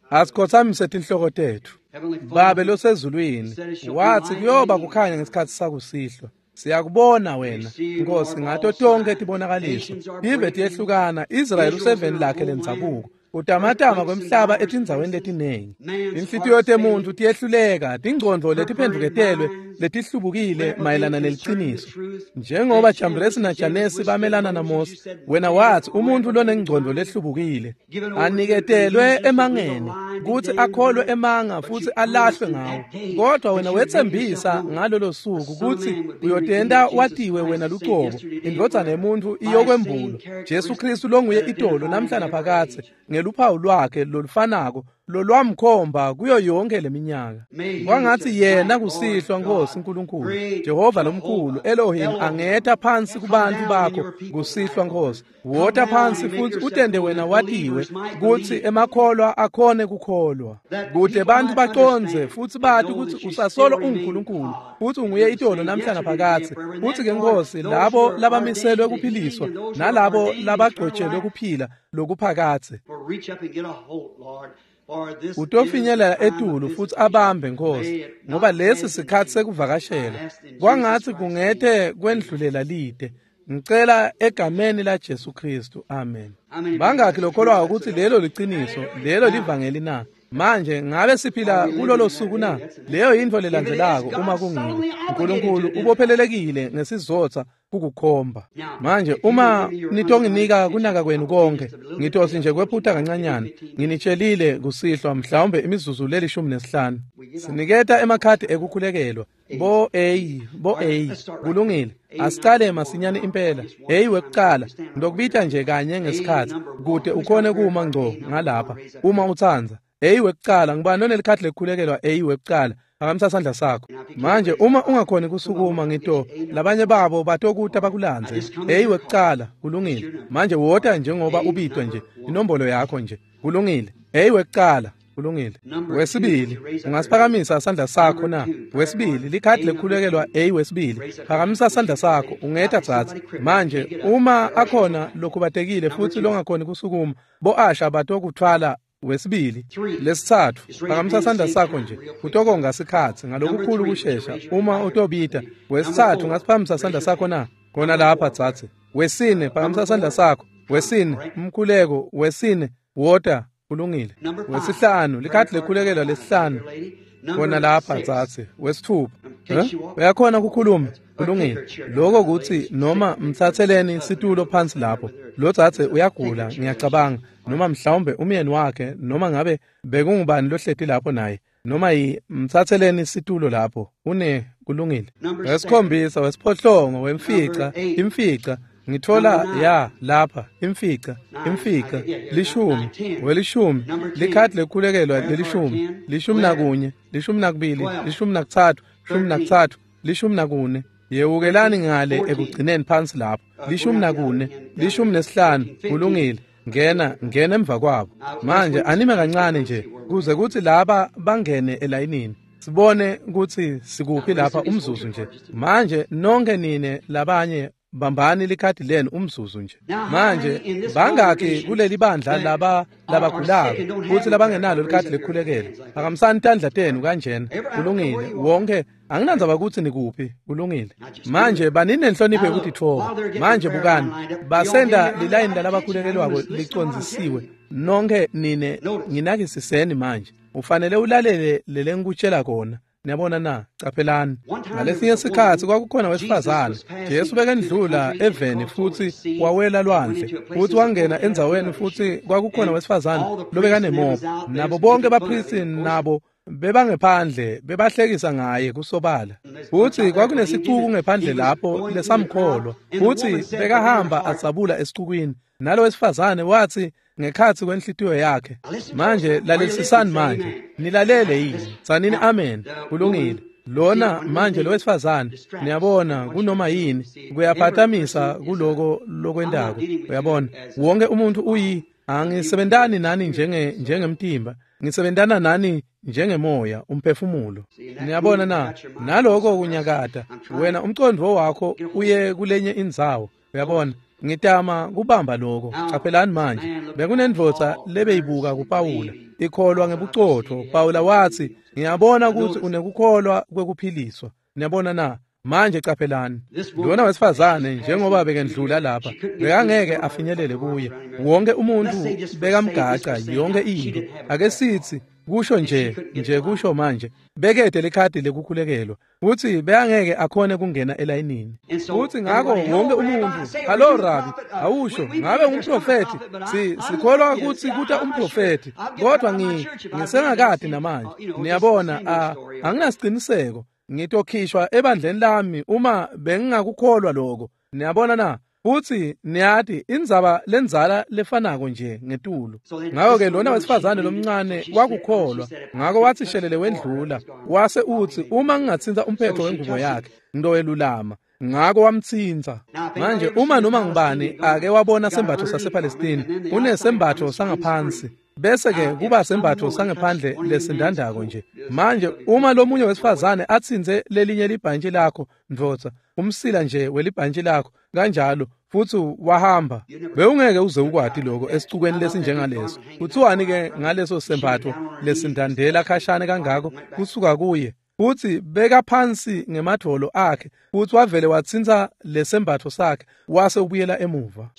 Asikhothamise tinhloko tetfu. Babe losezulwini, wathi kuyoba kukhanya ngesikhatsi sakusihlwa. Siyakubona wena Nkosi ngato tonke tibonakaliso. Tive tiyehlukana, Israyeli useveni lakhe lendzabuko. Utamatama kwemhlaba etindzaweni letinengi. Inhlitiyo temuntu tiyehluleka, tingcondvo letiphendvuketelwe letihlubukile mayelana neliciniso. Njengoba Jambresi naJanesi bamelana naMose, wena wathi umuntu lonengcondvo lehlubukile aniketelwe emangeni kutsi akholwe emanga futsi alahlwe ngawo. Kodwa wena wetsembisa ngalolo suku kutsi uyotenta watiwe wena lucobo, indvodzana yemuntu iyokwembulwa, Jesu Kristu longuye itolo namhla naphakadze, ngeluphawu lwakhe lolufanako lolwamkhomba kuyo yonke leminyaka. Kwangatsi yena kusihlwa Nkosi Nkulunkulu Jehova lomkhulu Elohim angetha phansi kubantu bakho kusihlwa Nkosi. Wota phansi futhi utende wena watiwe kutsi emakholwa akhone kukholwa, kute bantu bacondze futhi bati kutsi usasolo unguNkulunkulu futhi unguye itolo namhla naphakadze. Futhi ke Nkosi labo labamiselwe kuphiliswa nalabo labagcotshelwe kuphila lokuphakadze, utofinyelela etulu futhi abambe Nkosi, ngoba lesi sikhatsi sekuvakashela. Kwangatsi kungete kwendlulela lide. Ngicela egameni la Jesu Kristu, amen. Bangakhi lokholwayo ukuthi lelo liciniso, lelo livangeli na? Manje ngabe siphila kulolo suku na? Leyo yintfo lelandzelako uma kungilo. uNkulunkulu ubophelelekile ngesizotha kukukhomba. Manje uma nitonginika kunaka kwenu konke, ngitosi nje kwephuta kancanyana. Nginitshelile kusihlwa mhlawumbe imizuzu lelishumi nesihlanu. Siniketa emakhadi ekukhulekelwa. Bo A, bo A, kulungile. Asicale masinyane impela. A wekucala, ngitokubita nje kanye ngesikhatsi kute ukhone kuma ngco ngalapha uma utsandza. A wekucala, ngibani lonelikhadi lekukhulekelwa A wekucala? Phakamisa sandla sakho. Manje uma ungakhoni kusukuma ngito labanye babo batokuta bakulandze. A wekucala, kulungile. Manje wota njengoba ubitwe nje, inombolo yakho nje. Kulungile. A wekucala, kulungile. Wesibili, ungasiphakamisa sandla sakho na? Wesibili, likhadi lekukhulekelwa A wesibili. Phakamisa sandla sakho, ungeta tsatsi. Manje uma akhona lokhubatekile futhi longakhoni kusukuma, bo asha batokuthwala. Wesibili, lesitsatfu, phakamisa sandla sakho nje, utokonga sikhatsi ngalokukhulu kushesha uma utobita. Wesitsatfu, ungasiphakamisa sandla sakho na? Khona lapha tsatsi. Wesine, phakamisa sandla sakho. Wesine, umkhuleko, wesine, wota, kulungile. Wesihlanu, likhadi lekukhulekelwa lesihlanu. Khona lapha tsatsi. Wesithupha, uyakhona kukhuluma, kulungile. Lokho kutsi noma mtsatseleni situlo phansi lapho. Lo tsatse uyagula, ngiyacabanga, noma mhlawumbe umyeni wakhe, noma ngabe bekungubani lohleti lapho naye, noma yi mtsatseleni situlo lapho. Une kulungile. Wesikhombisa, wesiphohlongo, wemfica, imfica. Ngithola ya lapha imfica, imfica, lishumi, welishumi, likhadi lekukhulekelwa lelishumi, lishumi nakunye, lishumi nakubili, lishumi nakutsatfu, lishumi nakutsatfu, lishumi nakune, Yewukelani ngale ekugcineni phansi lapho. Lishumi nakune, lishumi nesihlanu, kulungile. Ngena, ngena emva kwabo. Manje anime kancane nje kuze kuthi laba bangene elayinini. Sibone ukuthi sikuphi lapha umzuzu nje. Manje nonke nine labanye bambani likhadi lenu umzuzu nje. Manje bangaki kuleli bandla laba labagulako futhi labangenalo likhadi lekukhulekela? Phakamisani tandla tenu kanjena. Kulungile. Wonke anginandzaba ukuthi nikuphi. Kulungile. Manje banini nenhlonipho yokutitfoba. Manje bukani, basenda lilayini lalabakhulekelwako licondzisiwe. Nonke nine nginakisiseni manje. Ufanele ulalele lelengikutshela kona. Niyabona na? Caphelani. Ngalesinye sikhatsi kwakukhona wesifazane. Jesu bekendlula eveni futhi wawela lwandle. Futhi wangena endzaweni futhi kwakukhona wesifazane lobekanemopho. Nabo bonke bapristi nabo bebangephandle bebahlekisa ngaye kusobala. Futhi kwakunesicuku ngephandle lapho lesamkholwa. Futhi bekahamba adzabula esicukwini. Nalo wesifazane wathi ngekhatsi kwenhlitiyo yakhe. Manje lalelisisani manje. Nilalele yini? Tsanini amen. Kulungile. Lona manje lo wesifazane, niyabona kunoma yini kuyaphatamisa kuloko lokwentako. Uyabona? Wonke umuntu uyi angisebentani nani njenge njengemtimba. Ngisebentana nani njengemoya, umphefumulo. Niyabona na? Naloko kunyakata. Wena umcondvo wakho uye kulenye indzawo. Uyabona? Ngitama kubamba lokho. Caphelani manje. Bekunendvodza lebeyibuka kuPawula ikholwa ngebucotho. Pawula wathi, ngiyabona ukuthi unekukholwa kwekuphiliswa. Niyabona na? Manje caphelani. Lona wesifazane njengoba bekendlula lapha, bekangeke afinyelele kuye. Wonke umuntu bekamgaca yonke into. Ake sithi kusho nje nje kusho manje bekede likhadi lekukhulekelwa futhi bekangeke akhone kungena elayinini. Futhi ngakho wonke umuntu, "Hallo Rabi, awusho ngabe ngumprofeti? Si sikholwa ukuthi kuta umprofeti, kodwa ngi ngisengakade namanje. Niyabona, anginasiqiniseko. Ngitokhishwa ebandleni lami uma bengingakukholwa lokho." Niyabona na? Futhi niyati indzaba lenzala lefanako nje ngetulu. Ngakho ke lona wesifazane lomncane wakukholwa. Ngakho wathi shelele wendlula. Wase uthi uma ngingathinta umphetho wengubo yakhe ngitowelulama. Ngakho wamthinta. Manje uma noma ngubani ake wabona sembatho sasePalestine, unesembatho sangaphansi bese ke kuba sembatho sangephandle lesindandako nje. Manje uma lomunye wesifazane athinze lelinye libhantshi lakho ndvodza, umsila nje welibhantshi lakho kanjalo futhi wahamba, bewungeke uze ukwati lokho esicukweni lesinjengaleso. Kuthiwani ke ngaleso sembatho lesindandela khashane kangako kusuka kuye? Futhi beka phansi ngemadvolo akhe futhi wavele wathinta lesembatho sakhe wase ubuyela emuva.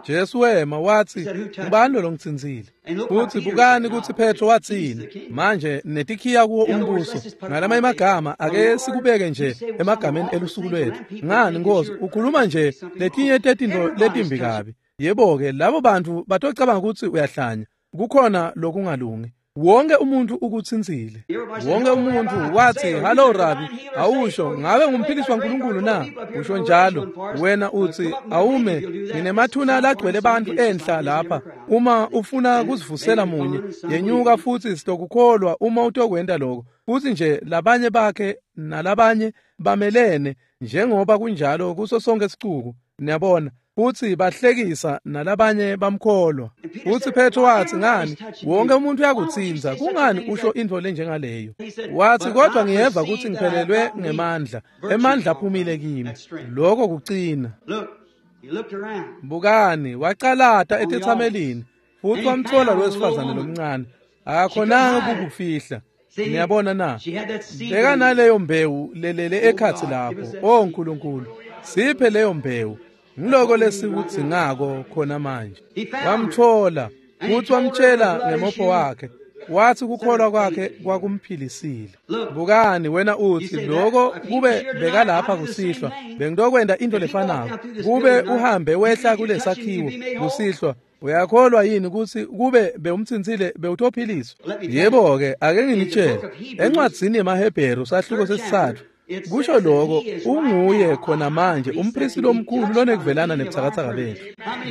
Jesu wema wathi, "Ngubani lo ngithintsile?" Futhi bukani ukuthi Petro wathini. Manje netikhiya kuwo umbuso. Ngalamanye amagama ake sikubeke nje emagameni elusuku lwethu. Ngani Nkosi ukhuluma nje letinye tetinto letimbi kabi. Yebo ke labo bantu batocabanga ukuthi uyahlanya. Kukhona lokungalungi. Wonke umuntu ukuthintsile. Wonke umuntu wathi, "Hallo Rabi, awusho ngabe ngumphiliswa uNkulunkulu na?" Usho njalo. Wena uthi, "Awume, nginemathuna lagcwele abantu enhla lapha. Uma ufuna kuzivusela munye, yenyuka futhi sitokukholwa uma utokwenta lokho." Futhi nje labanye bakhe nalabanye bamelene njengoba kunjalo kuso sonke isicuku. Niyabona? Futhi bahlekisa nalabanye bamkholwa. Futhi Petro wathi, "Ngani wonke umuntu uyakuthinza, kungani usho into lenjengaleyo?" Wathi, "Kodwa ngiyeva ukuthi ngiphelelwe ngemandla, emandla aphumile kimi." Lokho kucina. Bukani, wacalata etethamelini futhi wamthola lo wesifazane lomncane. Akakhonanga ukukufihla. Niyabona na? Beka naleyo mbewu lelele ekhathi lapho. Oh Nkulunkulu, siphe leyo mbewu. Ngiloko lesikudzingako khona manje. Wamthola futhi wamtshela ngemopho wakhe. Wathi kukholwa kwakhe kwakumphilisile. Bukani wena uthi, lokho kube bekalapha kusihlwa bengitokwenta into lefanako. Kube uhambe wehla kulesakhiwo kusihlwa, uyakholwa yini ukuthi kube bewumthintsile bewutophiliswa? Yebo ke, ake nginitshele, encwadzini yemaHebheru sahluko sesithathu kusho lokho, unguye khona manje umpristi lomkhulu lonekuvelana nebuthakathaka bethu.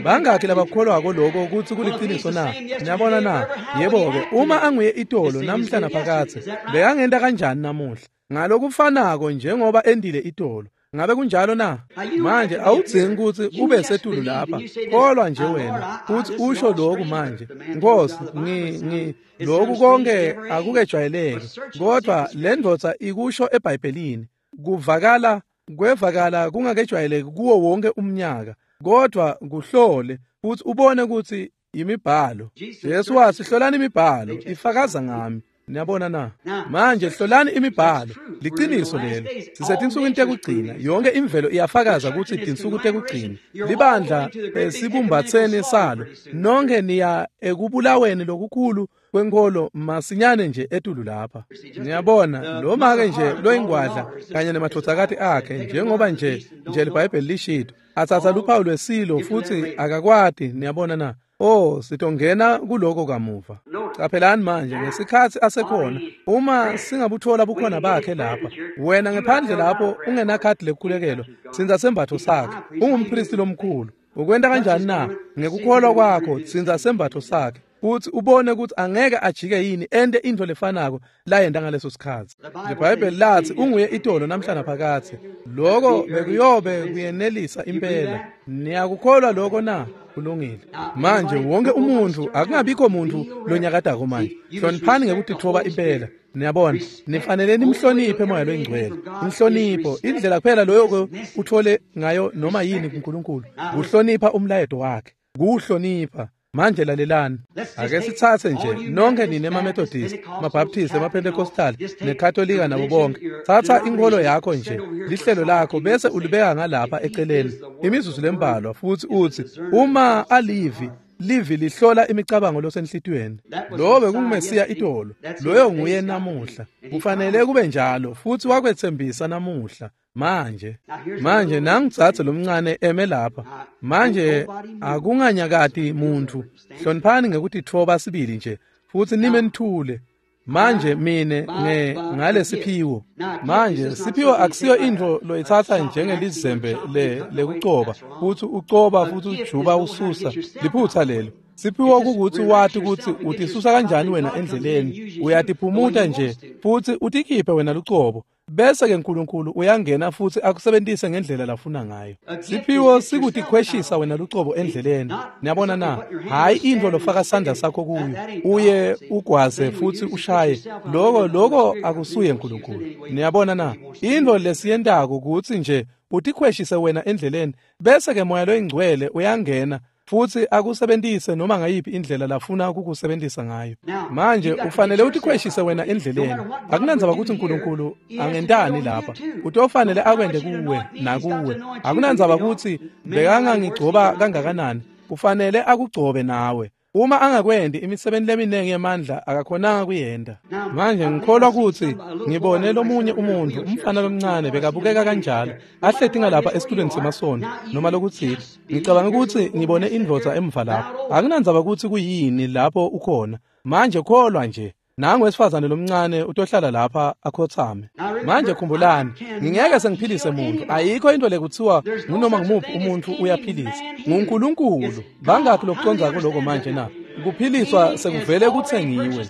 Bangakhi labakholwako lokho ukuthi kuliqiniso na? Niyabona na? Yebo ke, uma anguye itolo namhla naphakathe, bekangenta kanjani namuhla? Ngalokufanako njengoba endile itolo. Ngabe kunjalo na? Manje awudzingi kutsi ube setulu lapha. Kholwa nje wena futhi usho lokhu manje. Nkosi, ngi ngi lokhu konke akukejwayeleki, kodwa le ndvodza ikusho eBhayibhelini. Kuvakala kwevakala kungakejwayeleki kuwo wonke umnyaka, kodwa kuhlole futhi ubone ukuthi imibhalo. Jesu wathi hlolani imibhalo, ifakaza ngami. Niyabona na? Manje hlolani imibhalo, liqiniso lelo. Sisetinsukwini tekugcina, yonke imvelo iyafakaza ukuthi tinsuku tekugcina. Libandla esibumbatheni salo, nonke niya ekubulaweni lokukhulu kwenkolo masinyane nje etulu lapha. Niyabona, lo make nje loyingwadla kanye nemadvodzakati akhe, njengoba nje nje liBhayibheli lishito, atsatsa luphawu lwesilo futhi akakwati. Niyabona na? Oh, sitongena kuloko kamuva. Caphelani manje ngesikhathi asekhona, uma singabuthola bukhona bakhe lapha, wena ngephandle lapho ungenakhadi lekukhulekelwa, sinza sembatho sakhe, ungumpristi lomkhulu. Ukwenta kanjani na? Ngekukholwa kwakho sinza sembatho sakhe, futhi ubone ukuthi angeke ajike yini ente into lefanako layenta ngaleso sikhathi. IBhayibheli lathi unguye itolo namhla naphakathe. Lokho bekuyobe kuyenelisa impela. Niyakukholwa lokho na? Kulungile. Manje wonke umuntu, akungabikho muntu lonyakadako manje. Hloniphani ngekutithoba impela. Niyabona, nifanele nimhloniphe moya loyingcwele. Inhlonipho, indlela kuphela loyo uthole ngayo noma yini kuNkulunkulu, kuhlonipha umlayeto wakhe, kuhlonipha. Manje lalelani, ake sithathe nje nonke nine emaMethodist, amaBaptist, amaPentecostal neKatolika nabo bonke. Thatha inkolo yakho nje, lihlelo lakho, bese ulibeka ngalapha eceleni imizuzu lembalwa, futhi uthi uma alivi livi lihlola imicabango losenhlitiyweni. Lo bekungumesiya itolo, loyo nguye namuhla. Kufanele kube njalo, futhi wakwethembisa namuhla. Manje, manje nangitsatse lomncane eme lapha. Manje akunganyakati muntu. Hloniphani ngekutithoba sibili nje, futhi nime nithule. Manje mine nge ngalesiphiwo. Manje siphiwo akusiyo into loyithatha njengelizembe le lekucoba, futhi ucoba futhi ujuba ususa. Liphutha lelo. Siphiwo kukuthi wathi ukuthi utisusa kanjani wena endleleni, uyatiphumuta nje futhi utikhiphe wena lucobo. Bese ke uNkulunkulu uyangena futhi akusebenzise ngendlela lafuna ngayo. Siphiwo sikutikhweshisa wena lucobo endleleni. Niyabona na? Hayi into lofaka sandla sakho kuyo, uye ugwaze futhi ushaye. Lokho lokho akusuye uNkulunkulu. Niyabona na? Into lesiyentako ukuthi nje utikhweshise wena endleleni, bese ke moya loyingcwele uyangena futhi akusebenzise noma ngayiphi indlela lafuna ukukusebenzisa ngayo. Manje ufanele utikhweshise wena endleleni. Akunandzaba ukuthi uNkulunkulu angentani lapha, utofanele akwende kuwe nakuwe. Akunandzaba ukuthi bekangangigcoba kangakanani, ufanele akugcobe nawe. Uma angakwendi imisebenzi leminingi yemandla akakhonanga kuyenda. Manje ngikholwa ukuthi ngibone lomunye umuntu, umfana lomncane bekabukeka kanjalo, ahleti ngalapha esitulweni semasonto noma lokuthile. Ngicabanga ukuthi ngibone indvodza emva lapho. Akunandzaba ukuthi kuyini lapho ukhona. Manje kholwa nje. Nangu wesifazane lomncane utohlala lapha akhothame. Manje khumbulani, ngingeke sengiphilise muntu. Ayikho into lekuthiwa ngunoma ngumuphi umuntu uyaphilisa. NguNkulunkulu. Bangakhi lokuconza kuloko manje na? Kuphiliswa sekuvele kuthengiwe.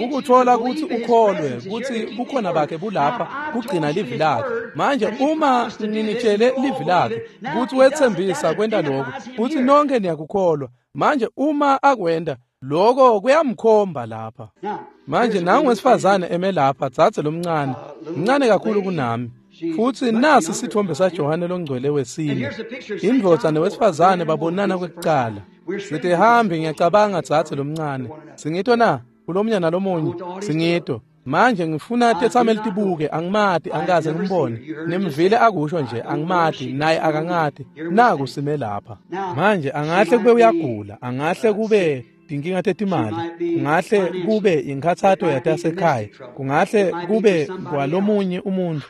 Ukuthola ukuthi ukholwe ukuthi bukhona bakhe bulapha kugcina livi lakhe. Manje uma nginitshele livi lakhe ukuthi wethembisa kwenta lokho, futhi nonke niyakukholwa. Manje uma akwenda lokho kuyamkhomba lapha. Manje nangu wesifazane eme lapha, dzadze lomncane, mncane kakhulu kunami. Futhi nasi isithombe saJohane longcwele wesine. Indvodza nowesifazane babonana kwekuqala. Sithi hambi ngiyacabanga dzadze lomncane. Singito na? Kulomnya nalomunye singito. Manje ngifuna tethameli tibuke, angimati, angikaze ngimbone. Nimvile akusho nje angimati, naye akangati. Naku sime lapha. Manje angahle kube uyagula, angahle kube tinkinga tetimali, kungahle kube inkhathato yatasekhaya, kungahle kube kwalomunye umuntu.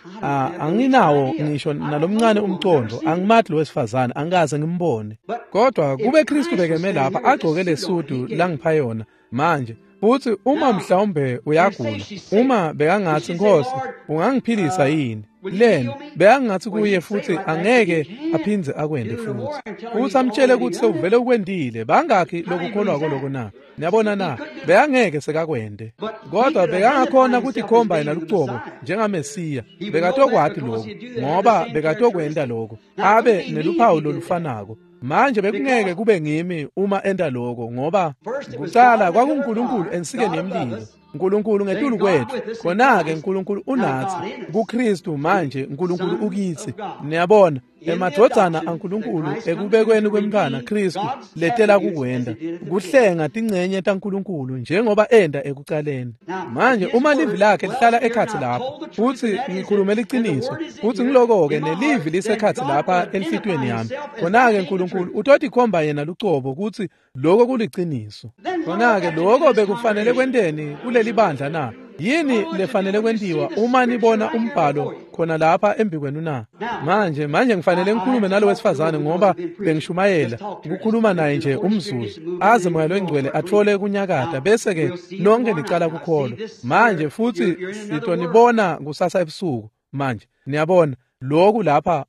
Anginawo ngisho nalomncane umcondo, angimati lo wesifazane, angikaze ngimbone. Kodwa kube Kristu bekeme lapha agcoke lesudu langipha yona manje, Futhi uma mhlawumbe uyagula, uma bekangathi Nkosi ungangiphilisa yini, lena bekangathi kuye futhi angeke aphindze akwende futhi. Futhi amtshele ukuthi sewuvele ukwendile, bangakhi lokukholwa lokho na? Niyabona na? Bekangeke sekakwende. Kodwa bekangakhona ukuthi khomba yena lucobo njengaMesiya. Bekatokwati lokho ngoba bekatokwenda lokho, abe neluphawu lolufanako. Manje bekungeke kube ngimi uma enda lokho, ngoba kuqala kwakuNkulunkulu ensikeni yemlilo, uNkulunkulu ngetulu kwethu, khona-ke uNkulunkulu unathi kuKristu, manje uNkulunkulu ukithi. Niyabona, emadvodzana aNkulunkulu ekubekweni kwemntwana Kristu letela kukwenda kuhlenga tingcenye taNkulunkulu njengoba enda ekucaleni. Manje uma livi lakhe lihlala ekhathi lapho, futhi ngikhulume liciniso, futhi ngiloko-ke nelivi lisekhathi lapha enhlitiyweni yami, khona-ke uNkulunkulu utotikhomba yena lucobo ukuthi lokho kuliciniso. Khona-ke lokho bekufanele kwenteni kuleli bandla na? Yini lefanele kwentiwa uma nibona umbhalo khona lapha embikwenu na? Manje manje ngifanele ngikhulume nalo wesifazane ngoba bengishumayela ukukhuluma naye nje umzuzu, aze Moya loNgcwele athole kunyakata, bese ke nonke nicala kukholwa. Manje futhi sitonibona kusasa ebusuku. Manje niyabona lokhu lapha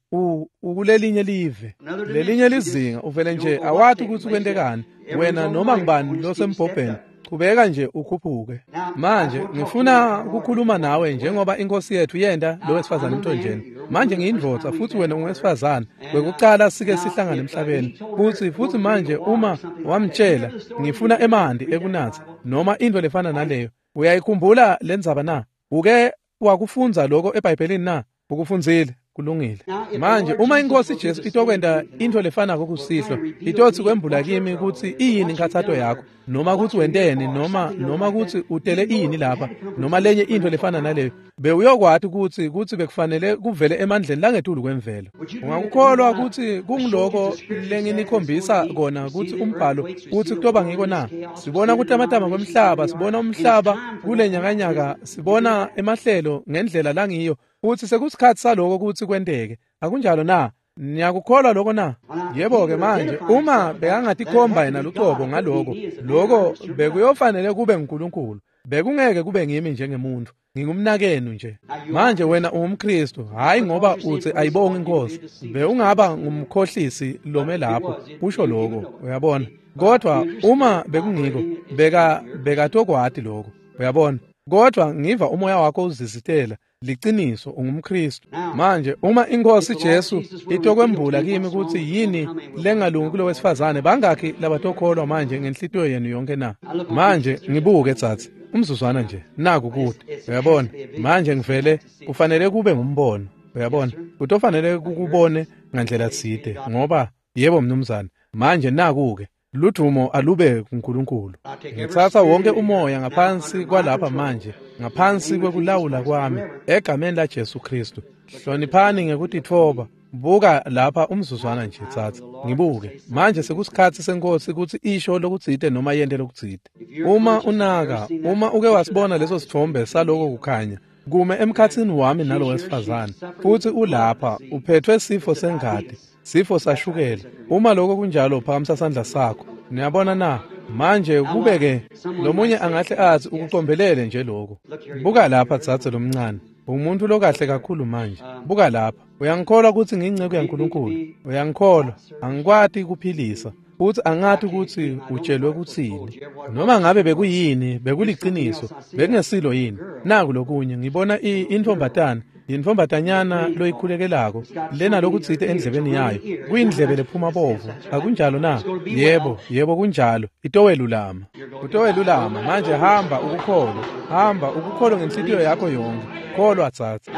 ukulelinye live, lelinye lizinga, uvele nje awathi ukuthi kwentekani wena noma ngibani losembhobheni, chubeka nje ukhuphuke. Manje ngifuna ukukhuluma nawe njengoba inkosi yethu yenda lo wesifazane emthonjeni. Manje ngiyindvodza futhi wena ungowesifazane, kwekucala sike sihlangane emhlabeni. Futhi futhi manje uma wamtshela ngifuna emanti ekunatha noma into lefana naleyo, uyayikhumbula lendzaba na? Uke wakufunza lokho eBhayibhelini na? Ukufunzile? Kulungile. Manje uma inkosi Jesu itokwenda into lefanako kusihlwa, itothi kwembula kimi ukuthi iyini inkathato yakho, noma ukuthi wenteni, noma noma ukuthi utele ini lapha, noma lenye into lefana naleyo, bewuyokwati ukuthi ukuthi bekufanele kuvele emandleni langetulu kwemvelo. Ungakukholwa ukuthi kungiloko lenginikhombisa kona ukuthi umbhalo uthi kutoba ngiko na? Sibona kutamatama kwemhlaba, sibona umhlaba kulenyakanyaka, sibona emahlelo ngendlela langiyo, uthi sekusikhathi saloko ukuthi kwenteke. Akunjalo na? Niyakukholwa lokho na? Yebo-ke manje uma bekangatikhomba yena lucobo ngaloko, lokho bekuyofanele kube nguNkulunkulu, bekungeke kube ngimi njengemuntu, ngingumnakenu nje. Manje wena ungumKristu, hayi ngoba uthi ayibonge inkosi, bewungaba ngumkhohlisi lome lapho usho lokho, uyabona. Kodwa uma bekungiko, beka bekatokwati lokho, uyabona. Kodwa ngiva umoya wakho uzizitela liciniso, ungumKristu. Manje uma inkosi Jesu itokwembula kimi ukuthi yini lengalungi kulo wesifazane, bangakhi labatokholwa manje ngenhlitiyo yenu yonke na? Manje ngibuke tsatsi umzuzwana nje, naku kude, uyabona. Manje ngivele kufanele kube ngumbono, uyabona, kutofanele kukubone ngandlela tsite, ngoba yebo mnumzane. Manje naku-ke ludumo alube kuNkulunkulu. Ngitsatsa wonke umoya ngaphansi kwalapha manje, ngaphansi kwekulawula kwami, egameni la Jesu Kristu. Hloniphani ngekutitfoba. Buka lapha umzuzwana nje tsatsa, ngibuke. Manje sekusikhathi senkosi ukuthi isho lokutsite noma yente lokutsite. Uma unaka, uma uke wasibona leso sithombe saloko kukhanya kume emkhathini wami nalo wesifazane, futhi ulapha uphethwe sifo sengati, sifo sashukela. Uma lokho kunjalo, phakamisa sandla sakho. Niyabona na? Manje kube-ke lomunye angahle athi ukucombelele nje lokho. Buka lapha tsatse lomncane, umuntu lokahle kakhulu manje. Buka lapha, uyangikholwa ukuthi ngiyinceku yaNkulunkulu? Uyangikholwa? Angikwati kuphilisa, futhi angathi ukuthi utshelwe kuthini, noma ngabe bekuyini, bekuliciniso, bekungesilo yini. Naku lokunye, ngibona intombatana, yintombatanyana loyikhulekelako lena lokutsite endlebeni yayo, kuyindlebe lephuma bovu. Akunjalo na? Yebo, yebo kunjalo. Itowelulama, utowelulama. Manje hamba ukukholwa, hamba ukukholwa ngenhlitiyo yakho yonke. Kholwa tsatsa.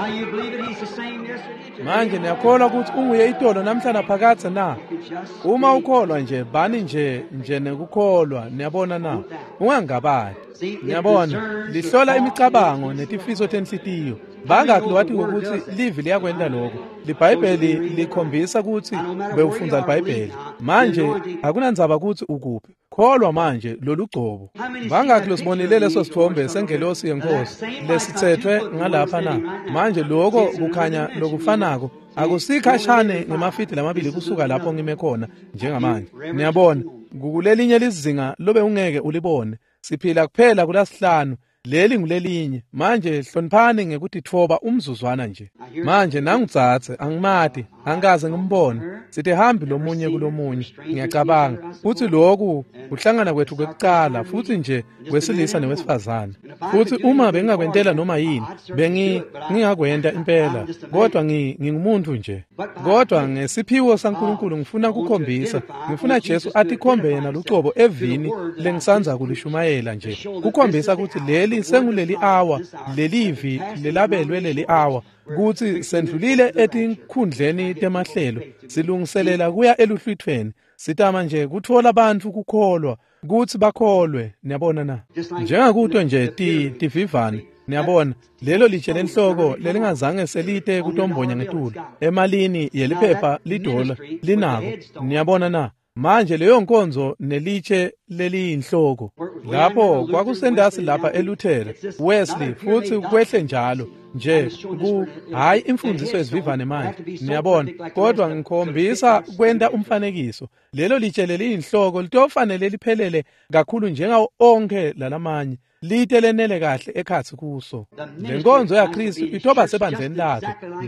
Manje niyakholwa ukuthi unguye itolo namhla naphakadze na? Uma ukholwa nje, bani nje nje nekukholwa, niyabona na? Ungangabadi. Niyabona, lihlola imicabango netifiso tenhlitiyo. Bangakhi lowati ukuthi livi liyakwenta lokho? LiBhayibheli likhombisa ukuthi bewufundza liBhayibheli. Manje akunandzaba ukuthi ukuphi. Kholwa manje lolugcobo. Bangakhi losibonile leso sithombe sengelosi yenkosi lesithethwe ngalapha na? Manje lokho kukhanya lokufanako akusikhashane ngemafidi lamabili kusuka lapho ngime khona njengamanje. Niyabona, kukulelinye lizinga lobe ungeke ulibone. Siphila kuphela kulasihlanu. Leli ngulelinye. Manje hloniphani ngekutitfoba umzuzwana nje. Manje nangutsatse angimati, angikaze ngimbone. Sitihambi lomunye kulomunye. Ngiyacabanga futhi lokhu kuhlangana kwethu kwekucala futhi nje wesilisa newesifazane. Futhi uma bengingakwentela noma yini, bengi ngingakwenta impela, kodwa ngi ngingumuntu nje. Kodwa ngesiphiwo saNkulunkulu ngifuna kukhombisa, ngifuna Jesu atikhombe yena lucobo evini lengisanza kulishumayela nje. Kukhombisa ukuthi leli senguleli hour, lelivi lelabelwe leli hour, kuthi sendlulile etinkhundleni temahlelo, silungiselela kuya eluhlwithweni. Sitama nje kuthola abantu kukholwa, kuthi bakholwe, niyabona na? Njengakuto nje ti tivivane, niyabona, lelo litshe lenhloko lelingazange selite kutombonya ngetulu emalini yeliphepha lidola linako, niyabona na? Manje leyo nkonzo nelitshe leliyinhloko lapho kwakusendasi lapha eLuther, Wesley, futhi kwehle njalo nje ku hayi imfundiso ezivivane manje, niyabona, kodwa ngikhombisa kwenta umfanekiso. Lelo litshe leliyinhloko litofanele liphelele kakhulu njengawo onke lalamanye, lite lenele kahle ekhatsi kuso. Lenkonzo yaKristu itoba sebandleni lakhe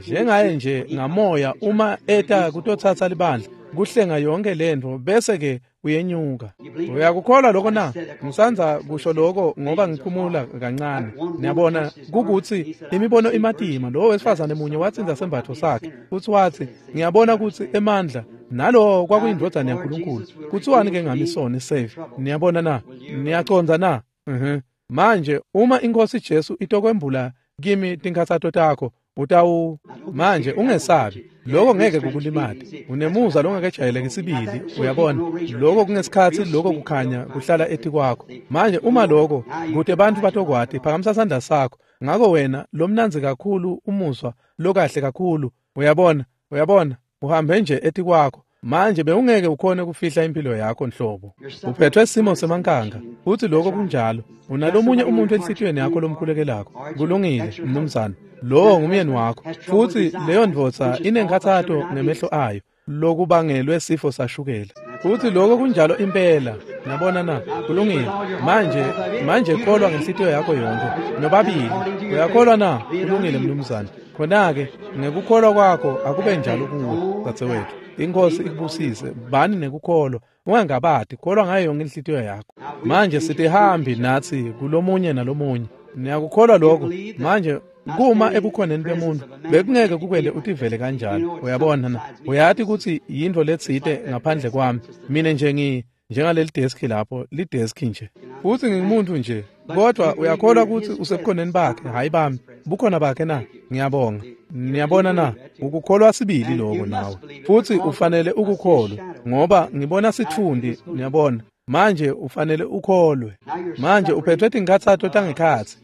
njengaye nje ngamoya uma eta kutotsatsa libandla, kuhlenga yonke lento bese ke uyenyuka. Uyakukholwa lokho na? Ngisanza kusho lokho ngoba ngiphumula kancane. Niyabona kukuthi imibono imatima. Lo wesifazane munye watsinza sembatho sakhe futhi wathi, ngiyabona ukuthi emandla nalo kwakuyindodana yaNkulunkulu. Kuthiwani ke ngami sona save? Niyabona na? Niyaconza na? Mhm. Manje uma inkosi Jesu itokwembula kimi tinkhatsato takho, utawu manje ungesabi, lokho ngeke kukulimate. Unemuza longakejayeleki sibili, uyabona. Lokho kungesikhathi lokho kukhanya kuhlala etikwakho. Manje uma lokho kude bantu batokwati, phakamisa sandla sakho. Ngako wena lomnanzi kakhulu umuzwa lokahle kakhulu, uyabona, uyabona, uhambe nje etikwakho. Manje bewungeke ukhone kufihla impilo yakho nhlobo. Uphethwe simo semankanga, futhi lokho kunjalo. Unalomunye umuntu enhlitiyweni yakho lomkhulekelakho. Kulungile, mnumzane. Lowo ngumyeni wakho, futhi leyo ndvodza inenkhathato ngemehlo ayo lokubangelwe sifo sashukela. Futhi lokho kunjalo impela. Niyabona na? Kulungile. Manje manje kholwa ngenhlitiyo yakho yonke nobabili. Uyakholwa na? Kulungile, mnumzane. Khona-ke ngekukholwa kwakho akube njalo kuwe, dzadzewethu. Inkosi ikubusise. Bani nekukholwa, ungangabadi, kholwa ngayo yonke inhlitiyo yakho. Manje sitihambi nathi kulomunye nalomunye. Niyakukholwa lokho? Manje kuma ebukhoneni bemuntu bekungeke kukwele utivele kanjalo, uyabona na? Uyati ukuthi yintfo letsite ngaphandle kwami. Mina nje ngi njengaleli deski lapho, lideski nje, futhi ngingumuntu nje. Kodwa uyakholwa ukuthi usebukhoneni bakhe, hayi bami, bukhona bakhe na? Ngiyabonga. Niyabona na? Ukukholwa sibili lokho nawe, futhi ufanele ukukholwe, ngoba ngibona sithundi, niyabona. Manje ufanele ukholwe. Manje uphethwe tinkhatsato tangekhatsi,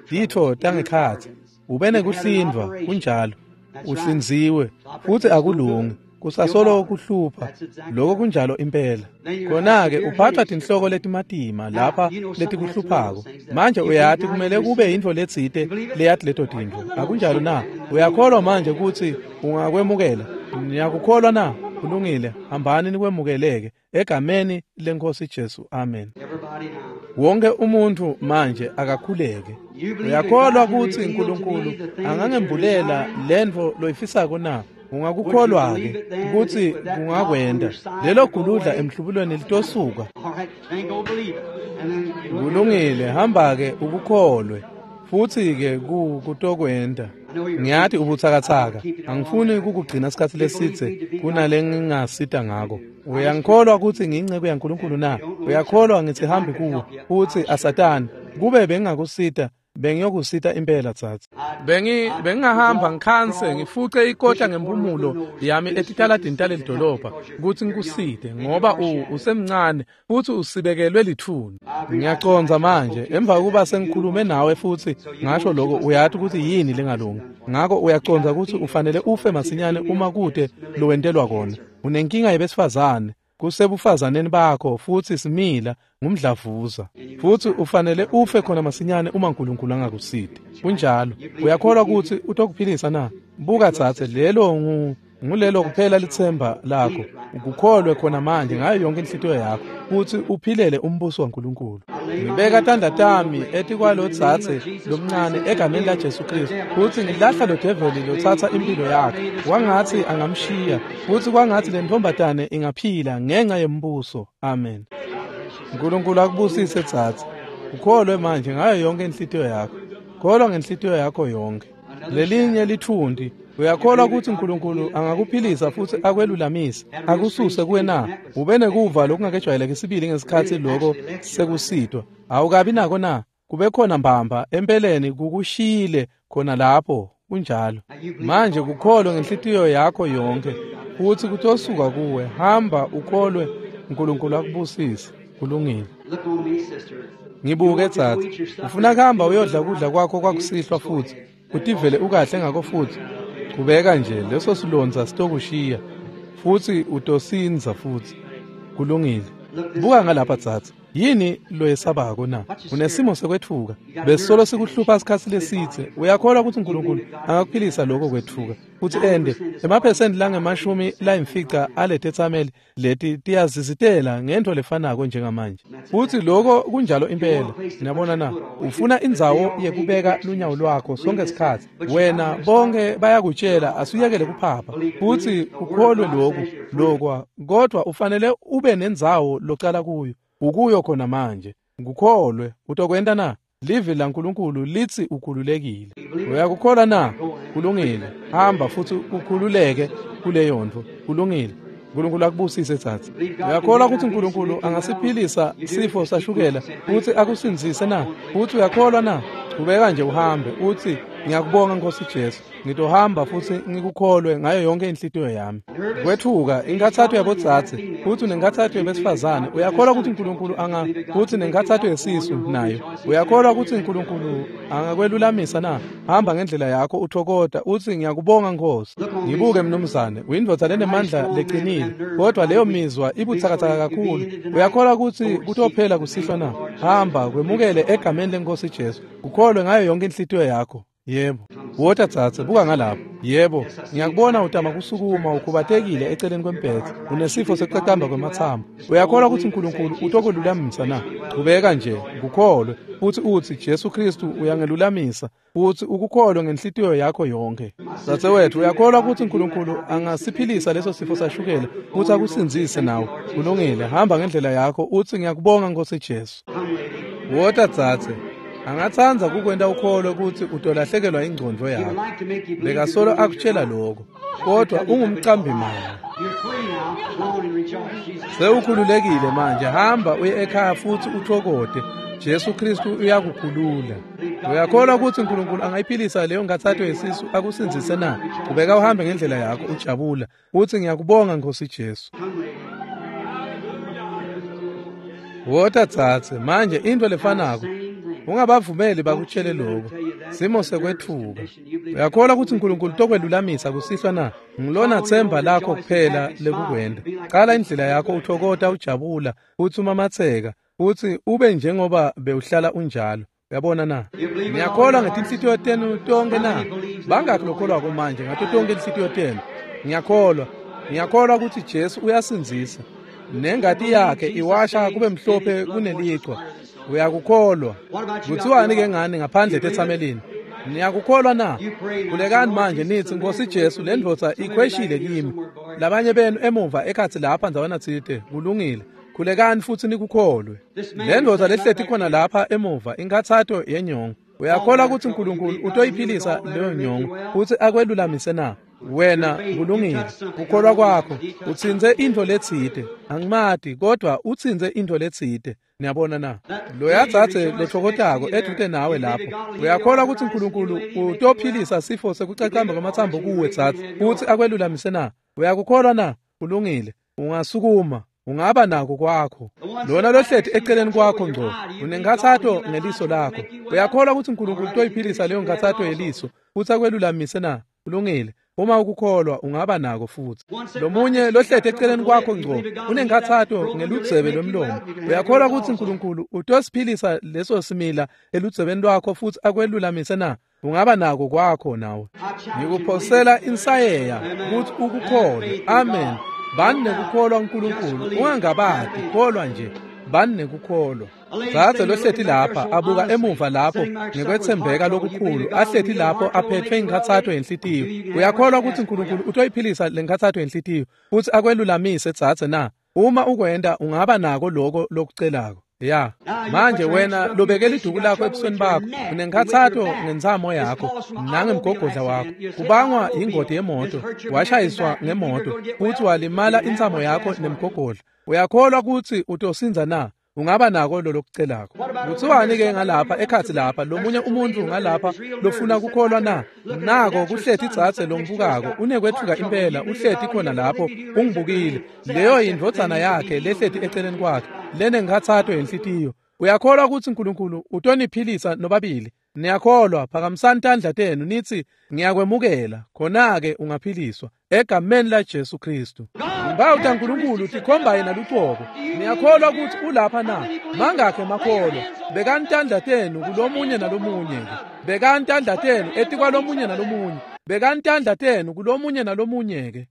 titfo tangekhatsi, ube nekuhlindvwa, kunjalo, uhlinziwe, futhi akulungi, kusasolo kuhlupha. Lokho kunjalo impela. Khona-ke uphathwa tinhloko letimatima lapha letikuhluphako. Manje uyati kumele kube yintfo letsite leyati leto tintfo, akunjalo na? Uyakholwa manje ukuthi ungakwemukela? Niyakukholwa na? Kulungile, hambani nikwemukeleke egameni lenkosi Jesu. Amen. Wonke umuntu manje akakhuleke. Uyakholwa ukuthi uNkulunkulu angangembulela lentfo loyifisako na? Ungakukholwa-ke ukuthi kungakwenda? Lelo guludla emhlubulweni litosuka. Kulungile, hamba-ke ukukholwe, futhi-ke kutokwenda. Ngiyati ubutsakatsaka, angifuni kukugcina isikhathi lesitse kunale ngingasita ngako. Uyangikholwa ukuthi ngiyinceku yaNkulunkulu na? Uyakholwa ngithi hambi kuwe futhi asatani? Kube bengingakusita, bengiyokusita impela tsatsi. Bengi bengingahamba ngikhanse ngifuce ikota ngempumulo yami etitaladini taleli dolobha ukuthi ngikusite, ngoba usemncane futhi usibekelwe lithuni. Ngiyaconza manje emva kokuba sengikhulume nawe futhi ngasho lokho, uyati ukuthi yini lengalungi. Ngakho uyaconza ukuthi ufanele ufe masinyane uma kude lowentelwa kona. Unenkinga yebesifazane, kusebufazaneni bakho, futhi simila ngumdlavuza, futhi ufanele ufe khona masinyane uma uNkulunkulu angakusidi. Kunjalo. Uyakholwa ukuthi utokuphilisa na? Buka tsatse, lelo ngu Ngulelo kuphela litsemba lakho. Ukukholwe khona manje ngayo yonke inhlitiyo yakho kutsi uphilele umbuso waNkulunkulu. Ngibeka tandla tami etikwalo dzadze lomncane egameni la Jesu Kristu kutsi ngilahla lo develi lotsatsa impilo yakhe. Kwangatsi angamshiya futsi kwangatsi le ntombazane ingaphila ngenxa yembuso. Amen. uNkulunkulu akubusise dzadze. Ukholwe manje ngayo yonke inhlitiyo yakho. Kholwa ngenhlitiyo yakho yonke. Lelinye lithundi. Uyakholwa kutsi uNkulunkulu angakuphilisa futsi akwelulamise akususe kuwe na? Ube nekuva lokungakejwayeleki sibili ngesikhatsi loko sekusitwa. Awukabi nako na? Kube khona mbamba empeleni kukushiyile khona lapho. Kunjalo. Manje kukholwe ngenhlitiyo yakho yonke futsi kutosuka kuwe. Hamba ukholwe, uNkulunkulu akubusise. Kulungile. Ngibuke dzadze. Ufuna kuhamba uyodla kudla kwakho kwakusihlwa futsi utivele ukahle ngako futsi. Kubeka nje leso silondza sitokushiya futsi utosindza futsi. Kulungile. Buka ngalapha dzadze. Yini loyesabako na? Unesimo sekwetfuka. Besolo sikuhlupha isikhatsi lesitse. Uyakholwa kutsi uNkulunkulu angakuphilisa lokho kwetfuka futsi ende emaphesenti langemashumi layimfica aletetsameli leti tiyazizitela ngento lefanako njengamanje. Futsi lokho kunjalo impela. Niyabona na? Ufuna indzawo yekubeka lunyawo lwakho sonke isikhatsi. Wena bonke bayakutshela asuyekele kuphapha futsi ukholwe lokhu lokwa, kodwa ufanele ube nendzawo locala kuyo. Ukuyo khona manje. Ngukholwe. Utokwenta na? Livi laNkulunkulu litsi ukhululekile. Uyakukholwa na? Kulungile. Hamba futsi ukhululeke kuleyo ntfo. Kulungile. uNkulunkulu akubusise dzadze. Uyakholwa kutsi uNkulunkulu angasiphilisa sifo sashukela futsi akusindzise na? Futsi uyakholwa na? Ubeka nje uhambe utsi ngiyakubonga Nkosi Jesu. Ngitohamba futsi ngikukholwe ngayo yonke inhlitiyo yami. Kwethuka inkathatho yabodzadze futsi nenkathatho yabesifazane. Uyakholwa kutsi uNkulunkulu anga futsi nenkathatho yesisu nayo. Uyakholwa kutsi uNkulunkulu angakwelulamisa na? Hamba ngendlela yakho uthokota utsi ngiyakubonga Nkosi. Ngibuke mnumzane, uyindvodza lenemandla leqinile, kodwa leyo mizwa ibutsakatsaka kakhulu. Uyakholwa kutsi kutophela kusihlwa na? Hamba kwemukele egameni leNkosi Jesu. Ukholwe ngayo yonke inhlitiyo yakho. Yebo. Wota dzadze, buka ngalapho. Yebo, ngiyakubona utama kusukuma ukhubatekile eceleni kwembhedze. Unesifo sekucacamba kwematsambo. Uyakholwa kutsi uNkulunkulu utokwelulamisa na? Qhubeka nje, ukukholwe futsi utsi Jesu Kristu uyangelulamisa futsi ukukholwe ngenhlitiyo yakho yonke. Dzadzewethu, uyakholwa kutsi uNkulunkulu angasiphilisa leso sifo sashukela futsi akusindzise nawe? Kulungile, hamba ngendlela yakho utsi ngiyakubonga Nkosi Jesu. Wota dzadze. Angatsandza kukwenta ukholwe kutsi utolahlekelwa ingcondvo yakho. Bekasolo akutshela lokho, kodwa ungumcambi manga. Sewukhululekile manje, hamba uye ekhaya futsi uthokote. Jesu Kristu uyakukhulula. Uyakholwa kutsi uNkulunkulu angayiphilisa leyo nkathatho yesisu akusindzise na? Ubeka uhambe ngendlela yakho ujabula utsi ngiyakubonga Nkosi Jesu. Wota dzadze, manje into lefanako. Ungabavumeli bakutshele lokho. Simo sekwetfuka. Uyakholwa kutsi uNkulunkulu tokwelulamisa kusihlwa na? Ngilona themba lakho kuphela lekukwenta. Qala indlela yakho uthokota ujabula utsi umamatseka utsi ube njengoba bewuhlala unjalo. Uyabona na? Ngiyakholwa ngetinhlitiyo tenu tonke na? Bangakhi lokholwako manje ngato tonke inhlitiyo tenu? Ngiyakholwa. Ngiyakholwa kutsi Jesu uyasindzisa. Nengati yakhe iwasha kube mhlophe kunelichwa. Uyakukholwa. Kuthiwani ke ngani ngaphandle tetsamelini? Niyakukholwa na? Khulekani manje nithi Nkosi Jesu, le ndvodza ikhweshile kimi. Labanye benu emuva ekhatsi lapha ndzawana tsite. Kulungile. Khulekani futsi nikukholwe. Le ndvodza lehleti khona lapha emuva inkathatho yenyongo. Uyakholwa kutsi uNkulunkulu utoyiphilisa leyo nyongo futsi akwelulamise na? Wena kulungile. Kukholwa kwakho utsintse intfo letsite. Angimati, kodwa utsintse intfo letsite. Niyabona na? Loya dzadze lothokotako edvute nawe lapho. Uyakholwa kutsi uNkulunkulu utophilisa sifo sekucacamba kwamatsambo kuwe dzadze futsi akwelulamise na? Uyakukholwa na? Kulungile. Ungasukuma. Ungaba nako kwakho. Lona lohleti eceleni kwakho ngco unenkathatho ngeliso lakho. Uyakholwa kutsi uNkulunkulu utoyiphilisa leyo nkathatho yeliso futsi akwelulamise na? Kulungile. Uma ukukholwa ungaba nako futsi. Lomunye lohleti eceleni kwakho ngco unenkathatho ngeludzebe lwemlomo. Uyakholwa kutsi uNkulunkulu utosiphilisa leso simila eludzebeni lwakho futsi akwelulamise na? Ungaba nako kwakho nawe. Ngikuphosela insayeya ukuthi ukukholwe. Amen. Bani nekukholwa uNkulunkulu, ungangabadi, kholwa nje. Bani nekukholwa. Dzadze lohleti lapha abuka emuva lapho ngekwetsembeka lokukhulu, ahleti lapho aphethwe inkhatsato yenhlitiyo. Uyakholwa ukuthi uNkulunkulu utoyiphilisa lenkhatsato yenhlitiyo futhi akwelulamise dzadze na? Uma ukwenta ungaba nako lokho lokucelako. Ya, manje wena lobekela iduku lakho ebusweni bakho, unenkhatsato ngentsamo yakho nangemgogodla wakho. Kubangwa ingoti yemoto, washayiswa ngemoto futhi walimala intsamo yakho nemgogodla. Uyakholwa ukuthi utosindza na? Ungaba nako lolokucelako. Kuthiwani ke ngalapha ekhatsi lapha lomunye umuntu ngalapha lofuna kukholwa na? Nako kuhleti dzadze longibukako, unekwetfuka impela, uhleti khona lapho ungibukile. Leyo yindvodzana yakhe lehleti eceleni kwakhe, lenenkhatsato yenhlitiyo. Uyakholwa ukuthi uNkulunkulu utoniphilisa nobabili? Niyakholwa? Phakamisani tandla tenu nithi ngiyakwemukela, khona-ke ungaphiliswa egameni la Jesu Kristu. Impawu taNkulunkulu tikhomba yena lucobo. Niyakholwa ukuthi ulapha na? Mangakhe makholwa? Bekani tandla tenu kulomunye nalomunye ke. Bekani tandla tenu etikwalomunye nalomunye. Bekani tandla tenu kulomunye nalomunye ke.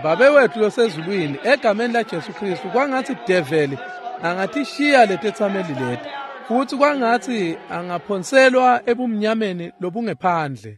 Babe wethu losezulwini, egameni la Jesu Kristu, kwangatsi develi angatishiya letetsameli leti, futhi kwangatsi angaphonselwa ebumnyameni lobungephandle.